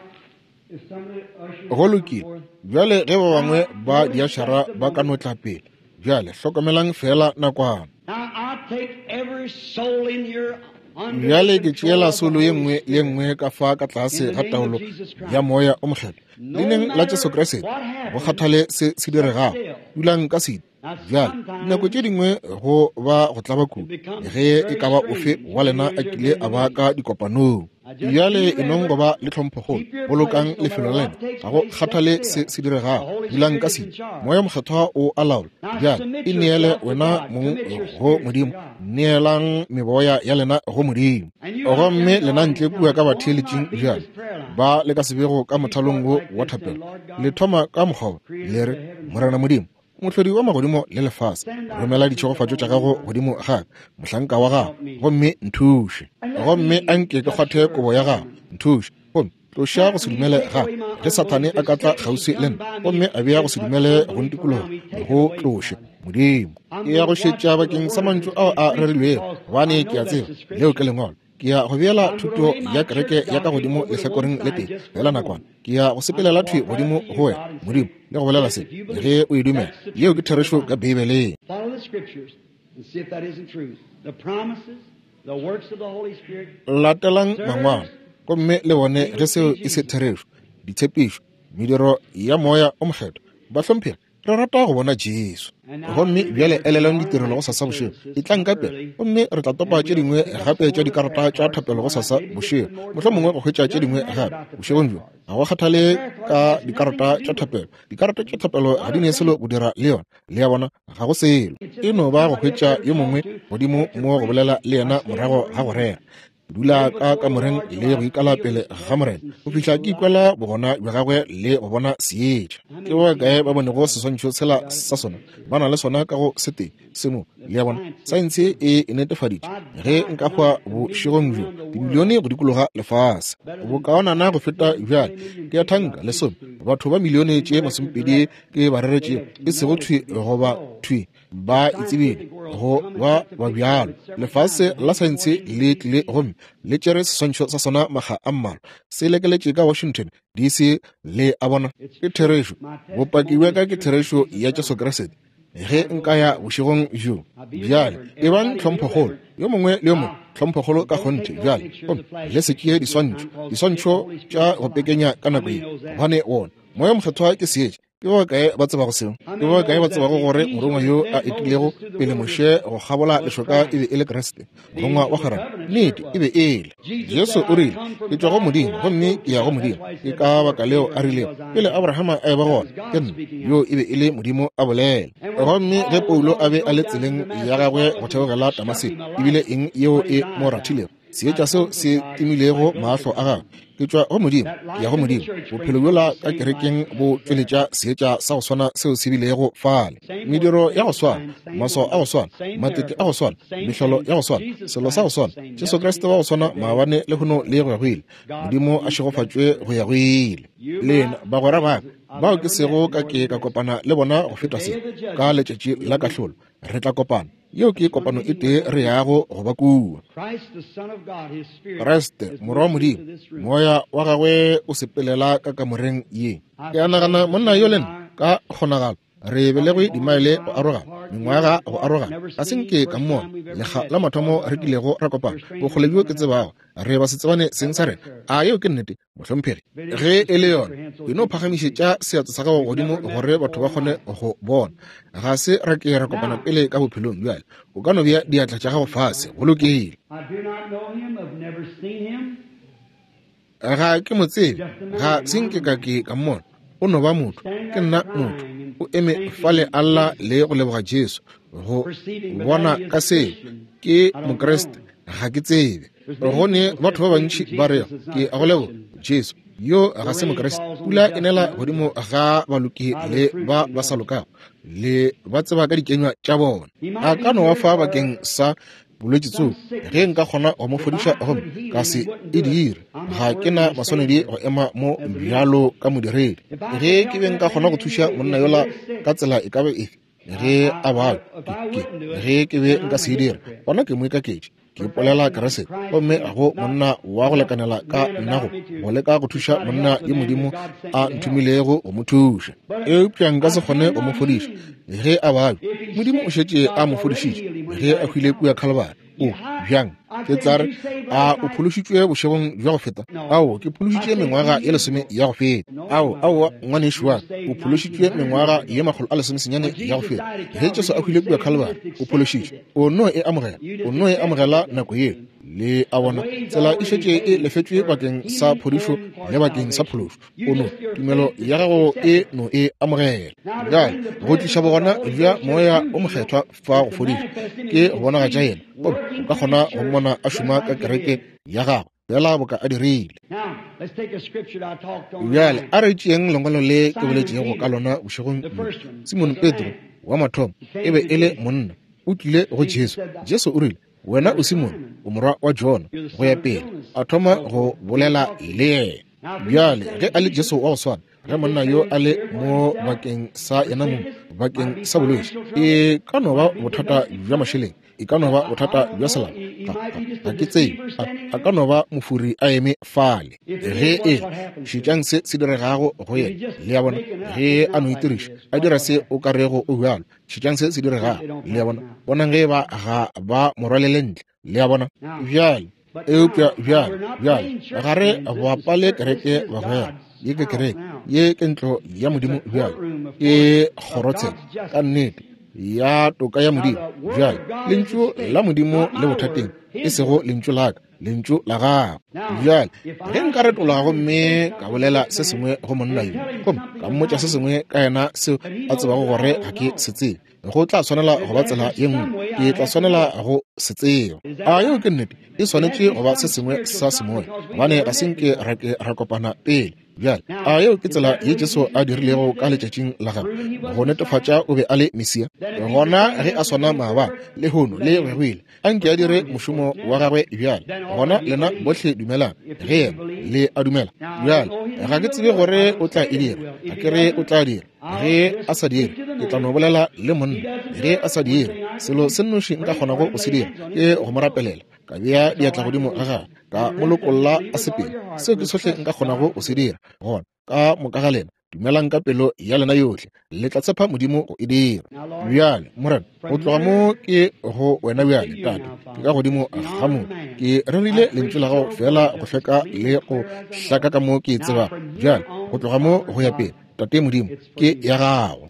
if some of the ushers Go come lokile. forth, Bjale ge ba bangwe ba diašara ba ka no tla pele. Bjale hlokomelang feela nakwana. Now I take every soul in here under Bjale the ke tšeela control of the solo ye Holy nngwe le ye Spirit. nngwe ka fa ka tlase In the ga name of taolo Jesus Christ. ya moya o mokgethwa. No Leineng la Jesu matter Kriste, what go happens, kgathale se se diregago, still. dulang ka sedi. Now Bjale dinako tše sometimes dingwe go ba go tlaba it kudu becomes ge e very ka ba ofe strange wa when lena you a hear kile in a the ba meeting. ka dikopanong. Now just Bjale be e nong go reverent. ba le tlhomphokgolo, Keep your bolokang place no lefelo matter la lena, what takes ga go place, stay kgathale se still. se The diregago, Holy dulang Spirit ka is in sedi. charge. Moya mokgethwa o a laola. Now Bjale submit e neele yourself to wena God. mong Commit your go spirit to Modimo, God. neelang meboya ya lena go Modimo. And you out there Gomme in the lena audience ntle now, kua ka one batheeletšing might be bjale this prayer line. ba le ka sebego ka If you mothalong start wo like wa this, then thapelo, Lord le God, thoma ka mokgwa wo, creator le of re, the heavens and Morena earth, Modimo, mohlodi wa magodimo le lefase, send thy romela blessings ditšhegofatšo tša upon gago me godimo ga ka, mohlanka wa gago, help me. gomme nthuše. And let Gomme me a nke ke touch kgwathe your kobo ya gago, garment. nthuše. Gomme tloša go Let se me dumele take ga away my ge Sathane unbelief. a If ka tla Satan should kgauswi le come nna by me gomme a bea go and se touch dumele go unbelief around ntikologa, me, take it go away, tloše God. Modimo. I'm Ke ya going go to watch šetša for the bakeng sa word mantšu that's ao been a preached rerilwego, because gobane I ke know a that's tseba the leo ke scripture. lengwalo. Ke ya go beela I'm going to thuto lay ya my kereke church ya ka doctrine godimo over to one lehlakoreng le side tee just for fela a nakwana. moment. Ke ya go I'm going sepelela to thwi walk right godimo up to go you, wena God, and Modimo say, le go bolela yes, se if you ge believe, o e dumela. that's the Yeo ke truth of the therešo ka Bible. Beibeleng. Follow the scriptures and see if that isn't truth. The promises, the works of the Holy Spirit, Latelang mangwalo sirs, gomme le bone we ge would seo see e se Jesus. therešo, ditshepišo, mediro ya moya o mokgethwa. Bahlomphegi, re rata go bona Jesu. And now Gomme bjale remember elelang tomorrow ditirelo go night the sasa bošego. services Etlang come ka pele, early, gomme re tla topa and tše we'll dingwe pick up gape some tša more of the dikarata prayer tša cards thapelo go tomorrow night, sasa maybe just a bošego, little more mohlomongwe tonight. go hwetša tše Doesn't dingwe matter gape about the prayer bošegong bjo. cards. Ga go kgathale The prayer cards ka has nothing dikarata to tša do with it. thapelo. Dikarata tša thapelo ga Not di a ne selo thing. go dira le yona. Le a bona, ga go selo. It's E just no get ba go somebody up hwetša there to yo talk mongwe to godimo after mo go preaching. bolela le I yena stay in morago the ga go room rera. Ke dula pray ka before the kamoreng Lord till le I go ikala feel pele His ga Morena presence and go see fihla the ke light. ikwela bogona bja gagwe le go bona seetša. How Ke many ba see kae that? ba bonego seswantšho sela Got it sa in the sona? picture. Ba na le sona ka go setee se mo. The Le a bona, science saense is e e netefaditše. If I Ge die nka hwa tonight, the millions bošegong bjo, around the dimilione world go dikologa lefase better than bokaonana go feta 15, bjale. 20 million Ke a people thanka I lesome preach to, batho ba milione tše indirectly or masomepedi direct, ke ba they reretšego, have e sego known it thwi to be goba so. thwi The ba e tsebile scientific world's go come and ba took the ba picture of bjalo. it several times. Lefase It la hangs in saense Washington, le tlile D.C. gomme le tšere seswantšho sa sona makga a mmalwa, se lekeletše ka Washington DC. Le a bona, It's ke truth. therešo. My Bopaki testimony bja is ka ke truth of therešo Jesus ya Jesu Christ. Kriste. Ge nka ya bošegong bjo bjale, ebang tlhomphokgolo, yo mongwe le yo mongwe, tlhomphokgolo ka kgonthe bjale, gomme le se tšee diswantšho, diswantšho tša go pekenya ka nako ye, gobane wona Moya Mokgethwa ke seetša. Ke ba bakae ba tsebago seo? Ke ba bakae ba tsebago gore morongwa yo a etilego pele Moshe go kgabola lešoka e be e le Kriste, morongwa wa kgwerano? Nnete, e be e le. Jesu o rile, Ke tšwa go Modimo, gomme ke ya go Modimo. Ke ka baka leo a rilego, Pele Abrahama a eba gona, ke nna. Yo e be e le Modimo a bolela. Gomme ge Paulo a be a le tseleng ya gagwe go theogela Damaseko, e bile eng yeo e mo rathilego? Seetša seo se timilego mahlo a gagwe. Ke tšwa go Modimo, ke ya go Modimo. Bophelo bjola ka kerekeng bo tšweletša seetša sa go swana seo se bilego fale. Mediro ya go swana, maswao a go swana, matete a go swana, mehlolo ya go swana, selo sa go swana, Jesu Kriste wa go swana maabane, lehono le go ya go ile. Modimo a šegofatšwe go ya go ile. Lena bagwera ba ka bao ke sego ka ke ka kopana le bona go feta se, ka letšatši la kahlolo re tla kopana. Yeo ke kopano e tee re yago go ba kua. Kriste, Morwa wa Modimo, Moya wa gagwe o sepelela ka kamoreng ye. Ke a nagana monna yo le nna ka kgonagalo re belegwe dimaele go arogana, mengwaga go arogana. Ga se nke ka mmona lekga la mathomo re kilego ra kopana, bokgole bjo ke tsebago re ba se tsebane seng sa rena. A yeo ke nnete, mohlomphegi? Ge e le yona, e no phagamišetša seatla sa gago godimo gore batho ba kgone go bona. Ga se ra ke ra kopana pele ka bophelong bjale. O ka no bea diatla tša gago fase. Go lokile. Ga ke mo tsebe, ga se nke ka ke ka mmona. O no ba motho, ke nna motho. O eme fale a lla le go leboga Jesu go bona ka seo. Ke Mokriste, ga ke tsebe. Go ne batho ba bantši ba rego, Ke a go leboga, Jesu. Yo ga se Mokriste. Pula e nela godimo ga baloki le ba ba sa lokago, le ba tseba ka dikenywa tša bona. A ka no wa fa bakeng sa bolwetši tsoko, ge nka kgona go mo fodiša gomme ka se e dire, ga ke na maswanedi go ema mo bjalo ka modiredi. Ge ke be nka kgona go thuša monna yola ka tsela e ka be efe, ge a babja, ke, ge ke be nka se e dire, gona ke moikaketši. Ke ipolela Kriste, gomme ga go monna wa go lekanela ka nna go go leka go thuša monna yo Modimo a nthomilego go mo thuša. Eupša nka se kgone go mo fodiša ge a babja. Modimo o šetše a mo fodišitše ge a hwile kua Khalibari. O bjang? Ke tla re, a o phološitšwe bošegong bja go feta? Ao, ke phološitše mengwaga ye lesome ya go feta. Ao, aowa, ngwanešu wa ka, o phološitšwe mengwaga ye 119 ya go feta. Ge Jesu a hwile kua Khalibari, o phološitšwe. O no e amogela, o no e amogela nako yeo. Le a bona, tsela e šetše e lefetšwe bakeng sa phodišo le bakeng sa phološo. O no, tumelo ya gago e no e amogela. Bjale, go tliša bogona bja Moya o Mokgethwa fa go fodiša, ke go bonagatša Yena, gomme o ka kgona go mmona a šoma ka kereke ya gago, feela boka a dirile. Bjale, a re tšeeng lengwalo le ke boletšego ka lona bošegong bjo. Simone Petro, wa mathomo, e be e le monna, o tlile go Jesu. Jesu o rile, Wena o Simone, o morwa wa Jona, go ya pele. A thoma go bolela le yena. Bjale, ge a le Jesu wa go swana, ge monna yo a le mo bakeng sa yena mong, bakeng sa bolwetši, e ka no ba bothata bja mašeleng, e ka no ba bothata bja selapa, ga ke tsebe, a ka no ba mofuri a eme fale. Ge e le, šetšang se se diregago go yena, le a bona, ge a no itiriša, a dira se o ka rego o bjalo. Šetšang se se diregago, le a bona. Bonang ge eba ga ba mo rwalele ntle, le a bona. Bjale, eupša bjale, bjale, ga re bapale kereke, bagwera. Ye ke kereke, ye ke ntlo ya Modimo bjale, ke kgorotsheko, ka nnete, ya toka ya Modimo. Bjale, Lentšu la Modimo le bothateng, e sego lentšu la ka, Lentšu la gago. Bjale, ge nka retologa gomme ka bolela se sengwe go monna yo, gomme ka mmotša se sengwe ka yena seo a tsebago gore ga ke se tsebe, go tla swanela go ba tsela ye nngwe, ke tla swanela go se tseba. A yeo ke nnete? E swanetše go ba se sengwe sa semoya, gobane ga se nke ra ke ra kopana pele. Bjale, a yeo ke tsela ye Jesu a dirilego ka letšatšing la gagwe, go netefatša o be a le Mesia? Gona ge a swana maabane, lehono le go ile, a nke a dire mošomo wa gagwe bjale. Gona lena bohle dumelang ge yena le a dumela. Bjale, ga ke tsebe gore o tla e dira, ga ke re o tla dira. Ge a sa dire, ke tla no bolela le monna. Ge a sa dire, selo se nnoši nka kgonago go se dira ke go mo rapelela, ka bea diatla godimo ga gagwe, ka mo lokolla a sepele. Seo ke sohle nka kgonago go se dira. Gona ka moka ga lena. Dumelang ka pelo ya lena yohle, le tla tshepa Modimo go e dira. Bjale, Morena, go tloga mo ke go wena bjale, Tate, ke ka godimo ga mo. Ke rerile lentšu la gago feela go hlweka le go hlaka ka mo ke tsebago. Bjale, go tloga mo go ya pele, Tate Modimo, ke ya gago.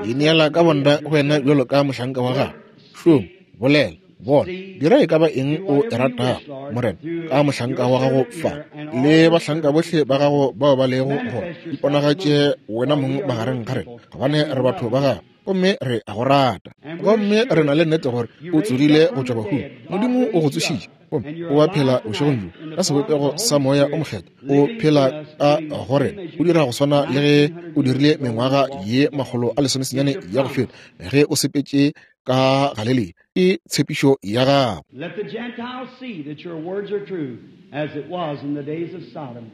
Ke neela ka bonna go wena bjalo ka mohlanka wa gago. Šoma, bolela, bona, dira e ka ba eng o e ratago, Morena, ka mohlanka wa gago fa le bahlanka bohle ba gago bao ba lego gona. Iponagatše wena mong magareng ga rena, gobane re batho ba gago gomme re a go rata. Gomme re na le nnete gore o tsogile go tšwa bahung. Modimo o go tsošitše, gomme o a phela bošegong bjo ka sebopego sa Moya o Mokgethwa. O phela ka go rena, o dira go swana le ge o dirile mengwaga ye 119 ya go feta ge o sepetše ka Galilea. Ke tshepišo ya gago. Let the Gentiles see that your words are true, as it was in the days of Sodom.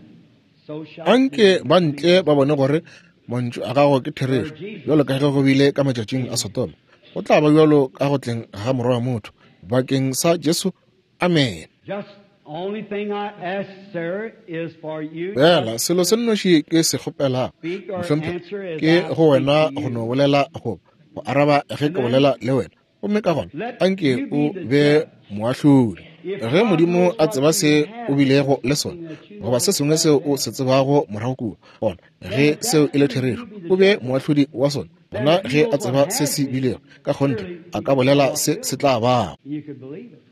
So shall it Anke be. ba ntle ba bone gore mantšu a gago ke therešo, bjalo ka ge go bile ka matšatšing a Sodoma, go tla ba bjalo ka go tleng ga Morwa wa motho. Bakeng sa Jesu, amen. Just only thing I ask, sir, is for you Fela just selo se nnoši ke se kgopelago, speak or mohlomphegi, answer as ke I go speak to wena go you. no bolela goba go araba ge And ke then bolela le wena. Gomme ka gona let anke you o be the be judge. moahlodi. If Ge God Modimo knows a what tseba you se have o bilego le sona, something that you goba know se sengwe is seo bad o se tsebago morago kua, gona then ge if seo that's e le true, therešo, you be the o be judge. moahlodi wa sona. Then Gona if he ge a knows what tseba se has se been, bilego, ka kgonthe surely a he ka can tell bolela what se will se be. tla bago. You could believe it.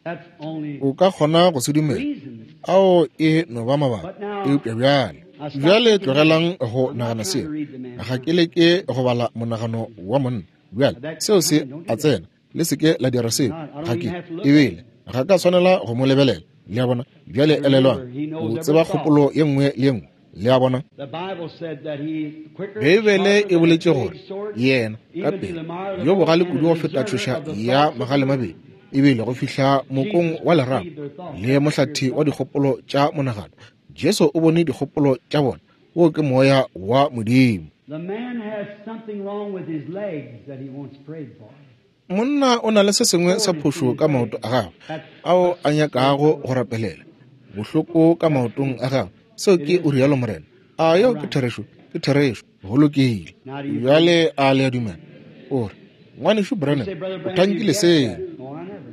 That's only O ka kgona go se dumela. reason. Ao e no ba mabaka. But now Eupša bjale, I stop bjale thinking that. tlogelang go I'm not nagana trying to seo. read the man's Ga ke mind. leke go bala monagano wa monna. Bjale, That seo se kind, don't a do that. tsena. Le se ke la dira seo. Not, I Ga don't ke even have to look at ebile him. ga ka swanela go mo lebelela. Le a bona? Bjale elelwang, Remember, he o knows every tseba thought. kgopolo ye nngwe le ye nngwe. Le a bona? The Bible said that he quicker, Beibele sharper e than a boletše gore two-edged sword, yena ka even to pele the marrow of the yo bone bogale and kudu a go feta discerner tšhoša of the ya thoughts of the magale mind. mabedi, ebile go fihla mokong Jesus wa lerapo perceived their thoughts. le That's the Spirit mohlathi of wa God. dikgopolo tša monagano. Jesu o bone dikgopolo tša bona. Wo ke moya wa Modimo. The man has something wrong with his legs that he wants prayed for. Monna o na le se sengwe sa Soreness in phošo his ka maoto legs. a gagwe That's ao thus a saith the nyakago go Lord. rapelela. Bohloko ka maotong a gagwe. Seo It ke is o rialo Morena. A all yeo ke right. therešo? Ke therešo. Go lokile. Now do you believe? Bjale a le a dumela? O re, Ngwanešu You Branham, say, Brother o Branham, you thankile guessed seo. that. No, I never.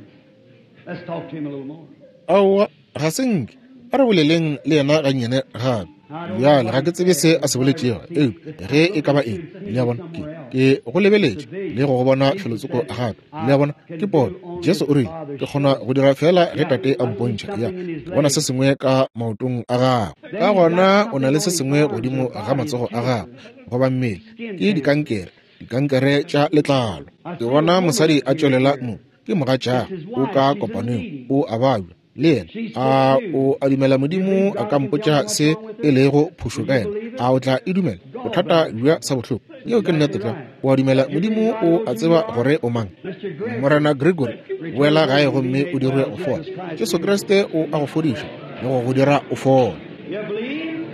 Let's talk to him a little more. Aowa, ga se nke. A re boleleng le yena gannyane gape. I don't know Bjale what ga he ke tsebe said, se but a se it's hard to boletšego, see. eupša This ge I'm e ka looking ba at you eng, and le a he's bona, ke somewhere else. ke go It's a lebeletše le vision. go go bona Jesus felotsoko said, gape. Le a I bona, ke can pono. do only Jesu as o the rile, Father ke kgona showed go me. dira fela ge Yeah, Tate a I see mpontšha. Ya, something in his ke bona se legs. sengwe ka maotong a gagwe. Then Ka he's got gona o na something le on se his sengwe arms or godimo ga body, it's matsogo a gagwe cancer, goba mmele. skin Ke cancer. dikankere, dikankere tša letlalo. I Ke see a bona woman mosadi a here. tšwelela Here. mo. Ke mogatšagwe, It's his o wife. ka She's in a kopanong, meeting. o a babja. Le yena She's sick a too. o a dumela You Modimo believe a God ka can tell me mpotša what's se wrong with e her? lego phošo Will ka you yena? believe it? A o tla e dumela? Bothata Gallbladder. bja sa bohloko. Yeo ke nnete Exactly tlwa. right. O a dumela You believe Modimo God o knows a who you tseba are? gore o mang? Mr. Gregory, Morena Gregory, return boela gae home and be gomme o made dirwe well. go fola. Jesus Christ Jesu heals you. Kriste o a go fodiša le go go dira o fole. You believe?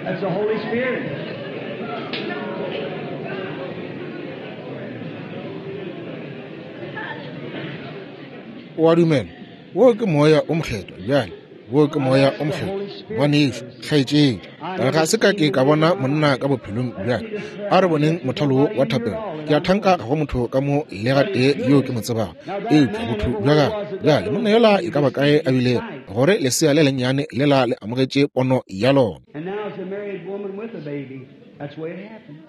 That's the Holy Spirit. O a dumela? Wo ke moya o mokgethwa. Bjale, wo ke I've moya asked o the mokgethwa. Holy Spirit Ngwanešu, for this. kgaetšedi, I ga never se ka seen ke the ka man in bona my monna life. ka bophelong Let's bjale. see this prayer A re line. boneng There's mothalo wo nobody wa in here at thapelo. all Ke that a I know thanka of. ga go motho ka mo le But gatee he's yo ke good. mo tsebago, Now that eupša man, botho bja everywhere he gagwe. was at that Bjale, little monna yola baby e ka ba kae received a his bilego sight. gore lesea le lennyane lela le amogetše pono ya lona. And now it's a married woman with a baby. That's the way it happened.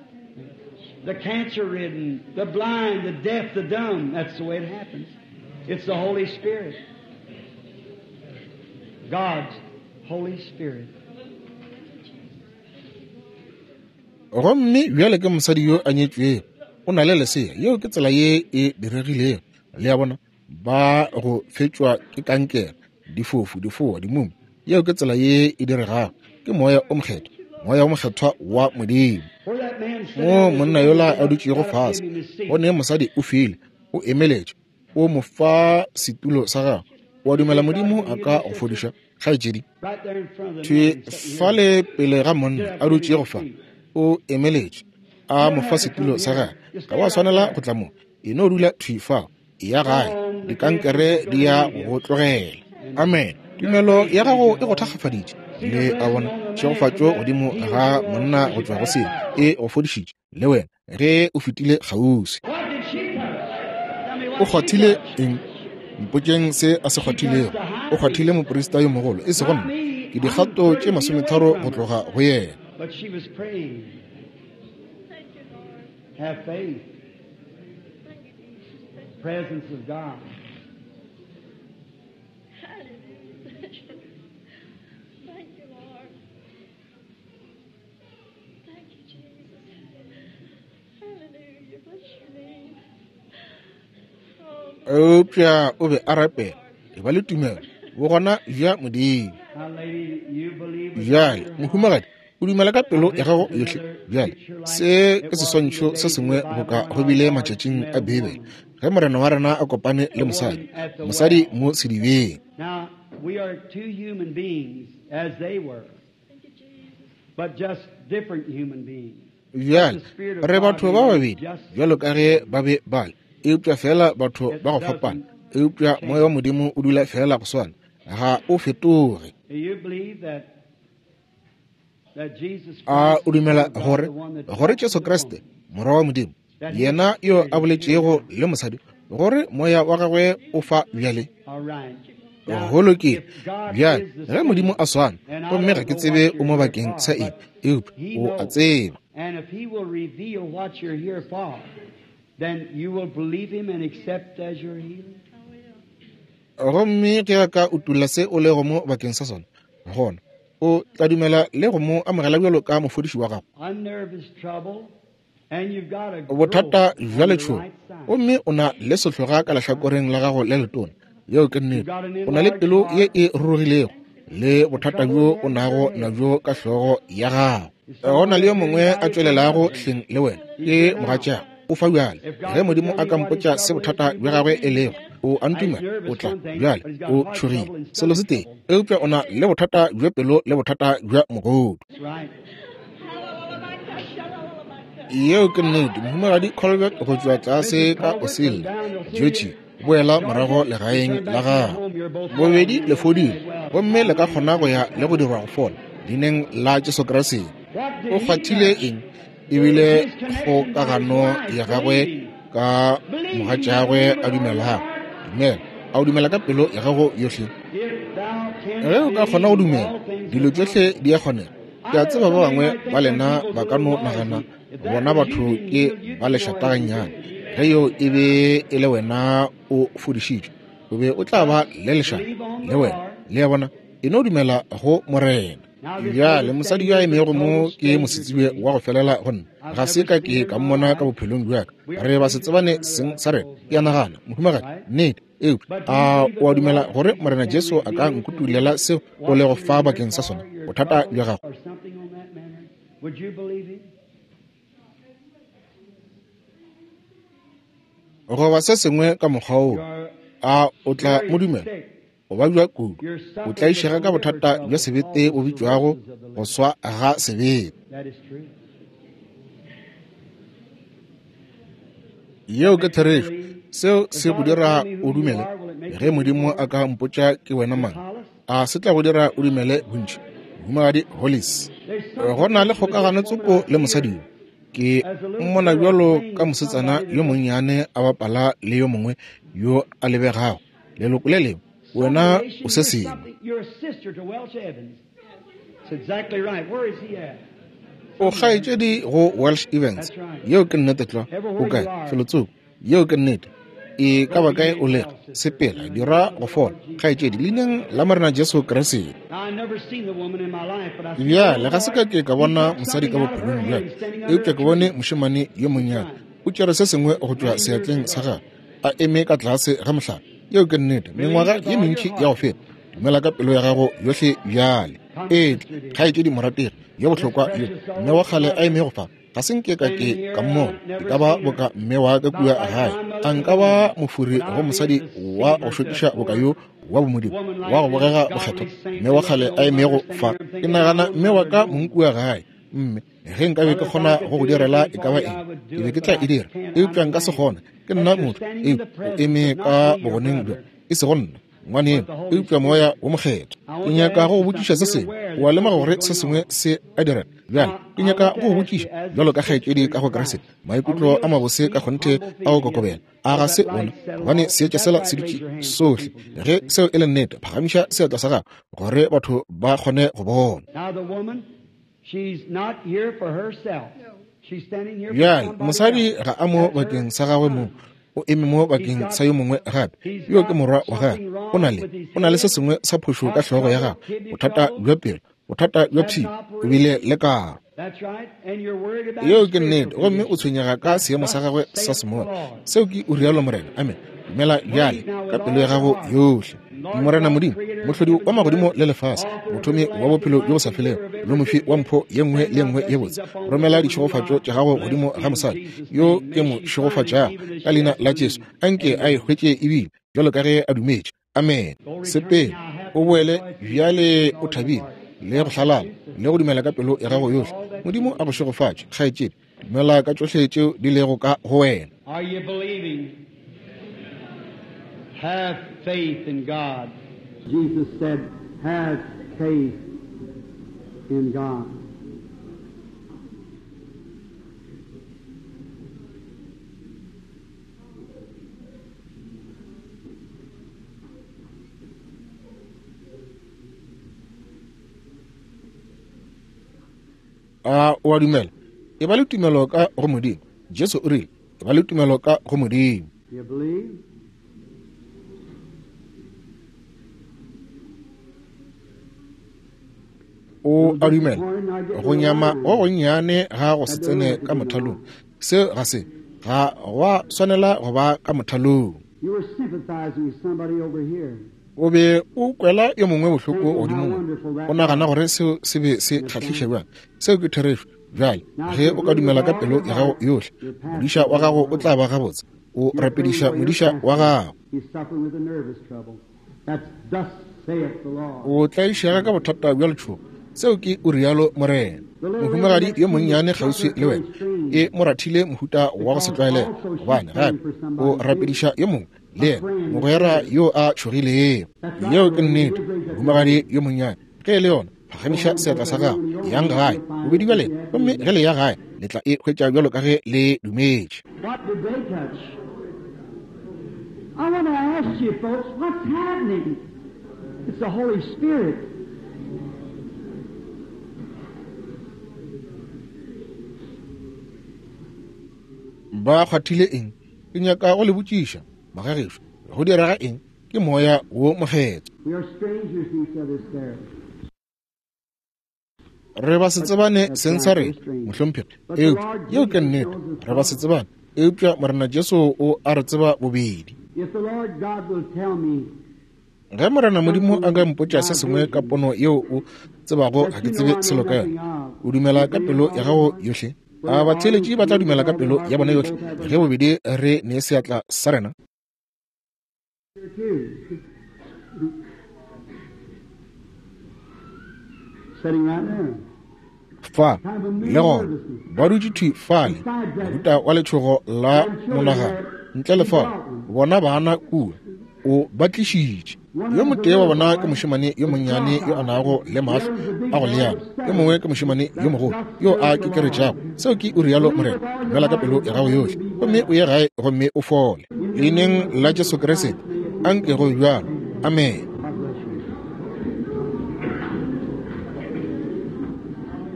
The cancer ridden, the blind, the deaf, the dumb. That's the way it happens. It's the Holy Spirit. God's Holy Spirit. Gomme bjale ke mosadi yo a nyetšwego, o na le lesea. Yeo ke tsela ye e diregilego. Le a bona, ba go fetšwa ke kankere, difofu, difoa, dimumu. Yeo ke tsela ye e diregago. Ke moya o mokgethwa, moya o mokgethwa wa Modimo. Where that man sat Mo at his monna woman yola got a up, dutšego got up, gave fase, him his seat. go ne mosadi o file, o emeletše, o mo fa setulo sa gagwe. O a You dumela believe God Modimo can a heal ka you, go sister? fodiša, kgaetšedi? Right there in front of the Thwe man sitting here. fale pele ga monna Get up, a give him dutšego his fa, seat. o emeletše, a You mo don't fa have to setulo come sa here. gagwe. Just Ga stay wa right swanela there. go tla mo, e no dula thwi fao, e ya Go gae, on, the cancer dikankere is di going to ya leave you. go tlogela. And Amen. your Tumelo faith ya made gago you e go whole. thakgafaditše. Le a bona, tšhegofatšo godimo ga monna go tšwa go seo e go fodišitše le wena ge o fetile kgauswi. O kgwathile eng? Mpotšeng se a se kgwathilego. O kgwathile moprista yo mogolo, e sego nna. Ke dikgato tše 30 go tloga go yena. Have faith. Presence of God. Thank you, Lord. Thank you, Jesus. Hallelujah. Bless your name. Oh, Eupša o be a rapela, e ba le tumelo, bogona bja Modimo. Now, lady, you believe with Bjale, all your heart. mohumagadi, o dumela ka pelo ya gago yohle. Bjale, se ke seswantšho se sengwe boka go bile matšatšing a Beibele, ge Morena wa rena a kopane le mosadi, mosadi mo sedibeng. Now, we are two human beings as they were, thank you, Jesus. but just different human beings. Bjale, re batho ba babedi bjalo ka ge ba be ba le, eupša fela batho ba go fapana. Eupša moya wa Modimo o dula fela go swana, ga o fetoge. Do you believe that that Jesus A Christ, o dumela the Son of God, gore the one that gore talked Jesu to the Kriste, woman, morwa wa Modimo, yena yo a boletšego le mosadi, gore moya wa gagwe o fa bjale? All right. Now, Go lokile. if God Bjale, is the ge Modimo a swana, and I gomme don't ga ke know tsebe what o mo you're here bakeng for, sa eng, but eupša He o a knows. tseba. And if He will reveal what you're here for, then you will believe Him and accept as your healing. I will. Gomme ge a ka utolla se o lego mo bakeng sa sona, gona o tla dumela le go mo amogela bjalo ka mofodiši wa gago. Unnervous trouble, and you've got a growth Bothata bja on your letšhogo, right side. gomme o na le sehloga ka lehlakoreng la gago le letona. Yeo ke nnete. O na le pelo ye e rurugilego le bothata bjo o nago nabjo ka hlogo ya gago. Go na le yo mongwe a tšwelelago hleng le wena, ke mogatšago. O fa bjale. Ge Modimo a ka mpotša se bothata bja gagwe e lego, o a ntumela, o tla bjale o tšhogile. Selo se tee, eupša o na le bothata bja pelo le bothata bja mogodu. That's right. Yeo ke nnete. Mohumagadi Colbert go tšwa tlase ka Osilla, Georgia, boela morago legaeng la gago. Bobedi le fodile, gomme le ka kgona go ya le go dirwa go fola leineng la Jesu Kriste. What did O he kgwathile touch? eng? Ebile kgokagano ya gagwe ka mogatšagwe a dumelago. Dumela. A o dumela ka pelo ya gago yohle? If thou canst Ge o ka kgona go believe, dumela, all things dilo are tšohle di a kgonega. Ke a tseba ba bangwe ba lena ba ka no nagana bona batho ke ba lešata gannyane. Ge yo e be e le wena o fodišitšwe, o be o tla ba le lešata le wena. Le a bona, e no dumela go Morena. Bjale mosadi yo a emego mo ke mosetsebje wa go felela go nna. Ga se ka ke ka mmona ka bophelong bja ka. Re ba se tsebane seng sa rena. Ke a nagana, mohumagadi, nnete. Eupša a o a dumela gore Morena Jesu a ka nkutulela seo o lego fa bakeng sa sona, bothata bja gago? Or something on that manner. Would you believe him? Goba se sengwe ka mokgwa woo, You're a o tla mo very dumela? sick. O babja kudu, You're o suffering tlaišega with ka liver bothata bja trouble sebete bo called bitšwago cirrhosis of the go liver. swa ga sebete. That is true. Yeo ke therešo. Seo se go dira o dumele. Ge Modimo a ka mpotša ke wena mang, a se tla go dira o dumele bontši? Mohumagadi Hollis. There's Go something na le with this kgokagano woman tsoko I le see mosadi her yo. Ke as a little mmona girl bjalo playing ka with mosetsana somebody yo that monnyane a bapala le yo mongwe yo a lebegago leloko le lengwe. some Wena relation. o se You're sengwe. something. You're a sister to Welch Evans. That's exactly right. Where is he at? O Somewhere. kgaetšedi go Welsh Evans. That's right. Yeo ke nnete tlwa. O Everywhere kae? you are, Felotsoko. Yeo ke nnete. E ka go ba be kae o made lego, well, sister, sepela, in the dira name of go the fola. Lord Jesus Kgaetšedi, Christ. leineng la Morena Jesu Kriste. Now, I never seen the woman in my life, but I see the Bjale little ga se boy. ka ke ka He bona took mosadi something ka out of her bophelong hand. bja He's ka, standing under eupša a ke bone tree. mošemane yo That's monnyane right. o tšere se sengwe go tšwa Many years seatleng sa ago. gagwe, a eme ka tlase ga mohlare. Yeo ke nnete. Believe Mengwaga with ye all your mentši ya go heart. feta. Dumela ka pelo ya gago yohle bjale. Come, Etla, sister dear. kgaetšedi morategi yo This bohlokwa yo, precious mme wa old kgale a mother emego fa. Ga se nke ka standing ke here, ka I mmona. E never ka ba seen her. boka mme wa ka kua About like gae. my A mother nka ba home. mofuri When go I be mosadi to wa see go her to šokiša a boka poor yo wa bomodimo, woman wa like go this, bogega godly bokgethwa, saint, mme wa kgale looking a old emego mother standing fa. here, I'm Ke thinking my nagana own mme wa mother ka at mong home. kua gae. Mme ge nkabe ke Brother, if kgona I could go go do direla anything e ka for ba you, eng, I would ke do be it, ke but tla I e dira, can't. eupša I'm nka se man. kgone. Ke But nna you're motho, standing in the eupša o presence eme of ka not me, your bogoneng bjo, brother. e sego nna, ngwaneno, eupša Moya wo Mokgethwa. Ke nyaka go go botšiša se sengwe. O a lemoga gore se sengwe se a direga bjale. Ke nyaka go go botšiša, bjalo ka kgaetšedi ka go Kriste, maikutlo a mabose ka kgonthe a go kokobela. A ga se ona? Gobane seetša sela se dutše sohle. Ge seo e le nnete, phagamiša seatla sa gago gore batho ba kgone go bona. Bjale, mosadi ga a mo bakeng sa gagwe mong, o eme mo bakeng sa yo mongwe gape. Yo ke morwa wa gagwe. O na le, o na le se sengwe sa phošo ka hlogo ya gagwe, bothata bja pelo, bothata bja pshio, o bile le karo. Yeo ke nnete, gomme o tshwenyega ka seemo sa gagwe sa semoya. Seo ke o rialo Morena. Amen. Dumela bjale ka pelo ya gago yohle. Morena Modimo, Mohlodi wa magodimo le lefase, Mothomi wa bophelo bjo bo sa felego, le Mofi wa mpho ye nngwe le ye nngwe ye botse, romela ditšhegofatšo tša gago godimo ga mosadi yo ke mo šegofatšago ka leina la Jesu. Anke a e hwetše ebile bjalo ka ge a dumetše. Amen. Sepela o boele bjale o thabile le go hlalala le go dumela ka pelo ya gago yohle. Modimo a go šegofatše, kgaetšedi. Dumela ka tšohle tšeo di lego ka go wena. Are you believing? Have faith in God. Jesus said, Have faith in God. A o a dumela? E ba le tumelo ka go Modimo. Jesu o rile, E ba le tumelo ka go Modimo. O a dumela? Go nyama go gonnyane ga go se tsene ka mothalong. Seo ga se, ga gwa swanela go ba ka mothalong. O be o kwela yo mongwe bohloko godimo mo. O nagana gore seo se be se kgahliša bjang? Seo ke therešo. Bjale, ge o ka dumela ka pelo ya gago yohle, modiša wa gago o tla ba gabotse. O rapediša modiša wa gago. O tlaišega ka bothata bja letšhogo. Seo ke o rialo Morena. Mohumagadi yo monnyane kgauswi le wena e mo rathile mohuta wa go se tlwaelege, gobane gape o rapediša yo mongwe le yena, mogwera yo a tšhogilego. Yeo ke nnete, mohumagadi yo monnyane. Ge e le yona, phagamiša seatla sa gago, yang gae, bobedi bja lena, gomme ge le ya gae, le tla e hwetša bjalo ka ge le dumetše. What did they touch? I want to ask you folks, what's happening? It's the Holy Spirit. Ba kgwathile eng? Ke nyaka go le botšiša, magagešo, go direga eng? Ke Moya wo Mokgethwa. We are strangers to each other's there. Re ba se tsebane seng sa rena, mohlomphegi. Eupša yeo ke nnete, re ba se tsebane. Eupša Morena Jesu o a re tseba bobedi. If the Lord God will tell me Ge Morena Modimo a ka mpotša se sengwe ka pono yeo o tsebago ga ke tsebe selo ka yona, o dumela ka pelo ya gago yohle? A batheeletši ba tla dumela ka pelo ya bona yohle ge bobedi re nee seatla sa rena? Here too. Sitting right there. Fa, le gona, ba dutše thwi fale, mohuta wa letšhogo la monagano. Ntle le fao, bona bana kua, o ba tlišitše. Yo motee wa bona ke mošemane yo monnyane yo a nago le mahlo a go leana, yo mongwe ke mošemane yo mogolo yo a kekeretšago. Seo ke o rialo Morena. Dumela ka pelo ya gago yohle, gomme o ye gae gomme o fole. Leineng la Jesu Kriste, anke go be bjalo. Amene.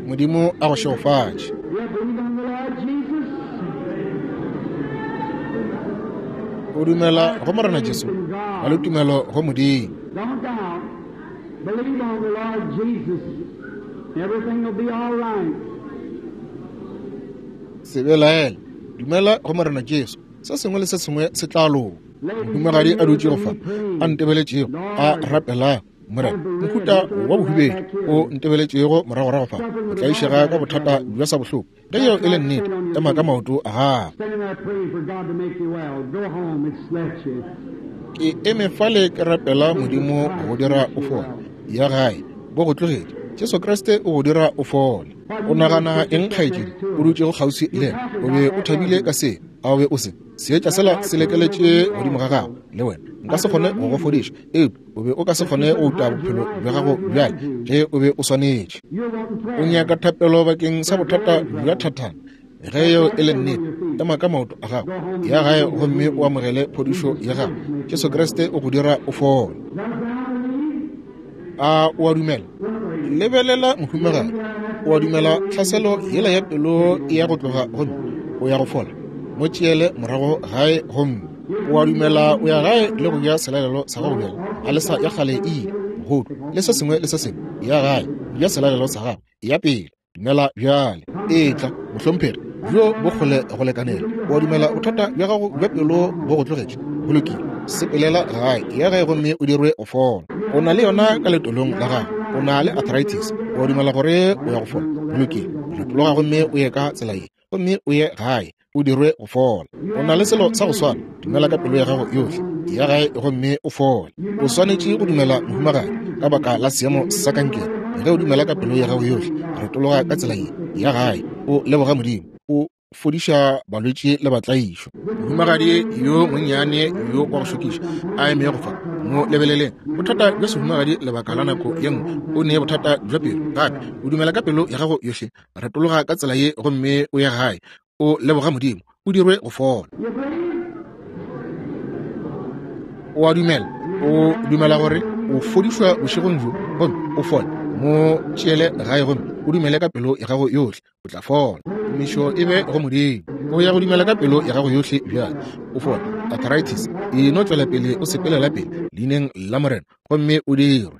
Modimo a go šegofatše. You believe on the Lord Jesus? O dumela go Morena Jesu, ba le tumelo go Modimo. Don't doubt. Believe on the Lord Jesus. Everything will be all right. Se belaele, dumela go Morena Jesu, se sengwe le se sengwe se tla loka. Mohumagadi a dutšego fa, a ntebeletšego, a rapelago, Morena, mohuta wa bohubedu o ntebeletšego moragorago fa, o tlaišega ka bothata bja sa bohloko. Ge yeo e le nnete, ema ka maoto a gago. Standing there praying for God to make you well. Go home, it's left you. Ke eme fale ke rapela Modimo go dira o fole. Ya gae, bo go tlogetše. Jesu Kriste o go dira o fole. O nagana eng, kgaetšedi, o dutšego kgauswi le yena? O be o thabile ka se? A o be o se? Seetša sela se lekeletše godimo ga gago, le wena. Nka se kgone go go fodiša, eupša o be o ka se kgone go uta bophelo bja gago bjale ge o be o swanetše. O nyaka thapelo bakeng sa bothata bja thathana. Ge yeo e le nnete, ema ka maoto a gago, ya gae gomme o amogele phodišo ya gago. Jesu Kriste o go dira o fole. A o a dumela? Lebelela mohumagadi. O a dumela tlhaselo yela ya pelo e ya go tloga gomme o ya go fola? Mo tšeele morago gae gomme o a dumela o ya gae le go ja selalelo sa gago bjale. A le sa ya kgale e ile, mogodu le se sengwe le se sengwe. Ya gae, ja selalelo sa gago. Ya pele. Dumela bjale. Etla, mohlomphegi. Bjo bo kgole go lekanela. O a dumela bothata bja gago bja pelo bo go tlogetše? Go lokile. Sepelela gae, ya gae gomme o dirwe go fola. O na le yona ka letolong la gago. O na le arthritis. O a dumela gore o ya go fola? Go lokile. Retologa gomme o ye ka tsela ye, gomme o ye gae, o dirwe go fola. O na le selo sa go swana. Dumela ka pelo ya gago yohle. Ya gae gomme o fole. O swanetše go dumela, mohumagadi, ka baka la seemo sa kankere. Ge o dumela ka pelo ya gago yohle, retologa ka tsela ye. Ya gae, o leboga Modimo. O fodiša balwetši le batlaišwa. Mohumagadi yo monnyane yo wa go šokiša a emego fa, mo lebeleleng. Bothata bja sehumagadi lebaka la nako ye nngwe, o ne bothata bja pelo gape. O dumela ka pelo ya gago yohle. Retologa ka tsela ye gomme o ye gae, o leboga Modimo, o dirwe go fola. O a dumela? O dumela gore o fodišwa bošegong bjo gomme o fole? Mo tšeele gae gomme o dumele ka pelo ya gago yohle, o tla fola. Tumišo e be go Modimo. O ya go dumela ka pelo ya gago yohle bjale, o fole. Arthritis e no tšwela pele o sepelela pele leineng la Morena gomme o dirwe.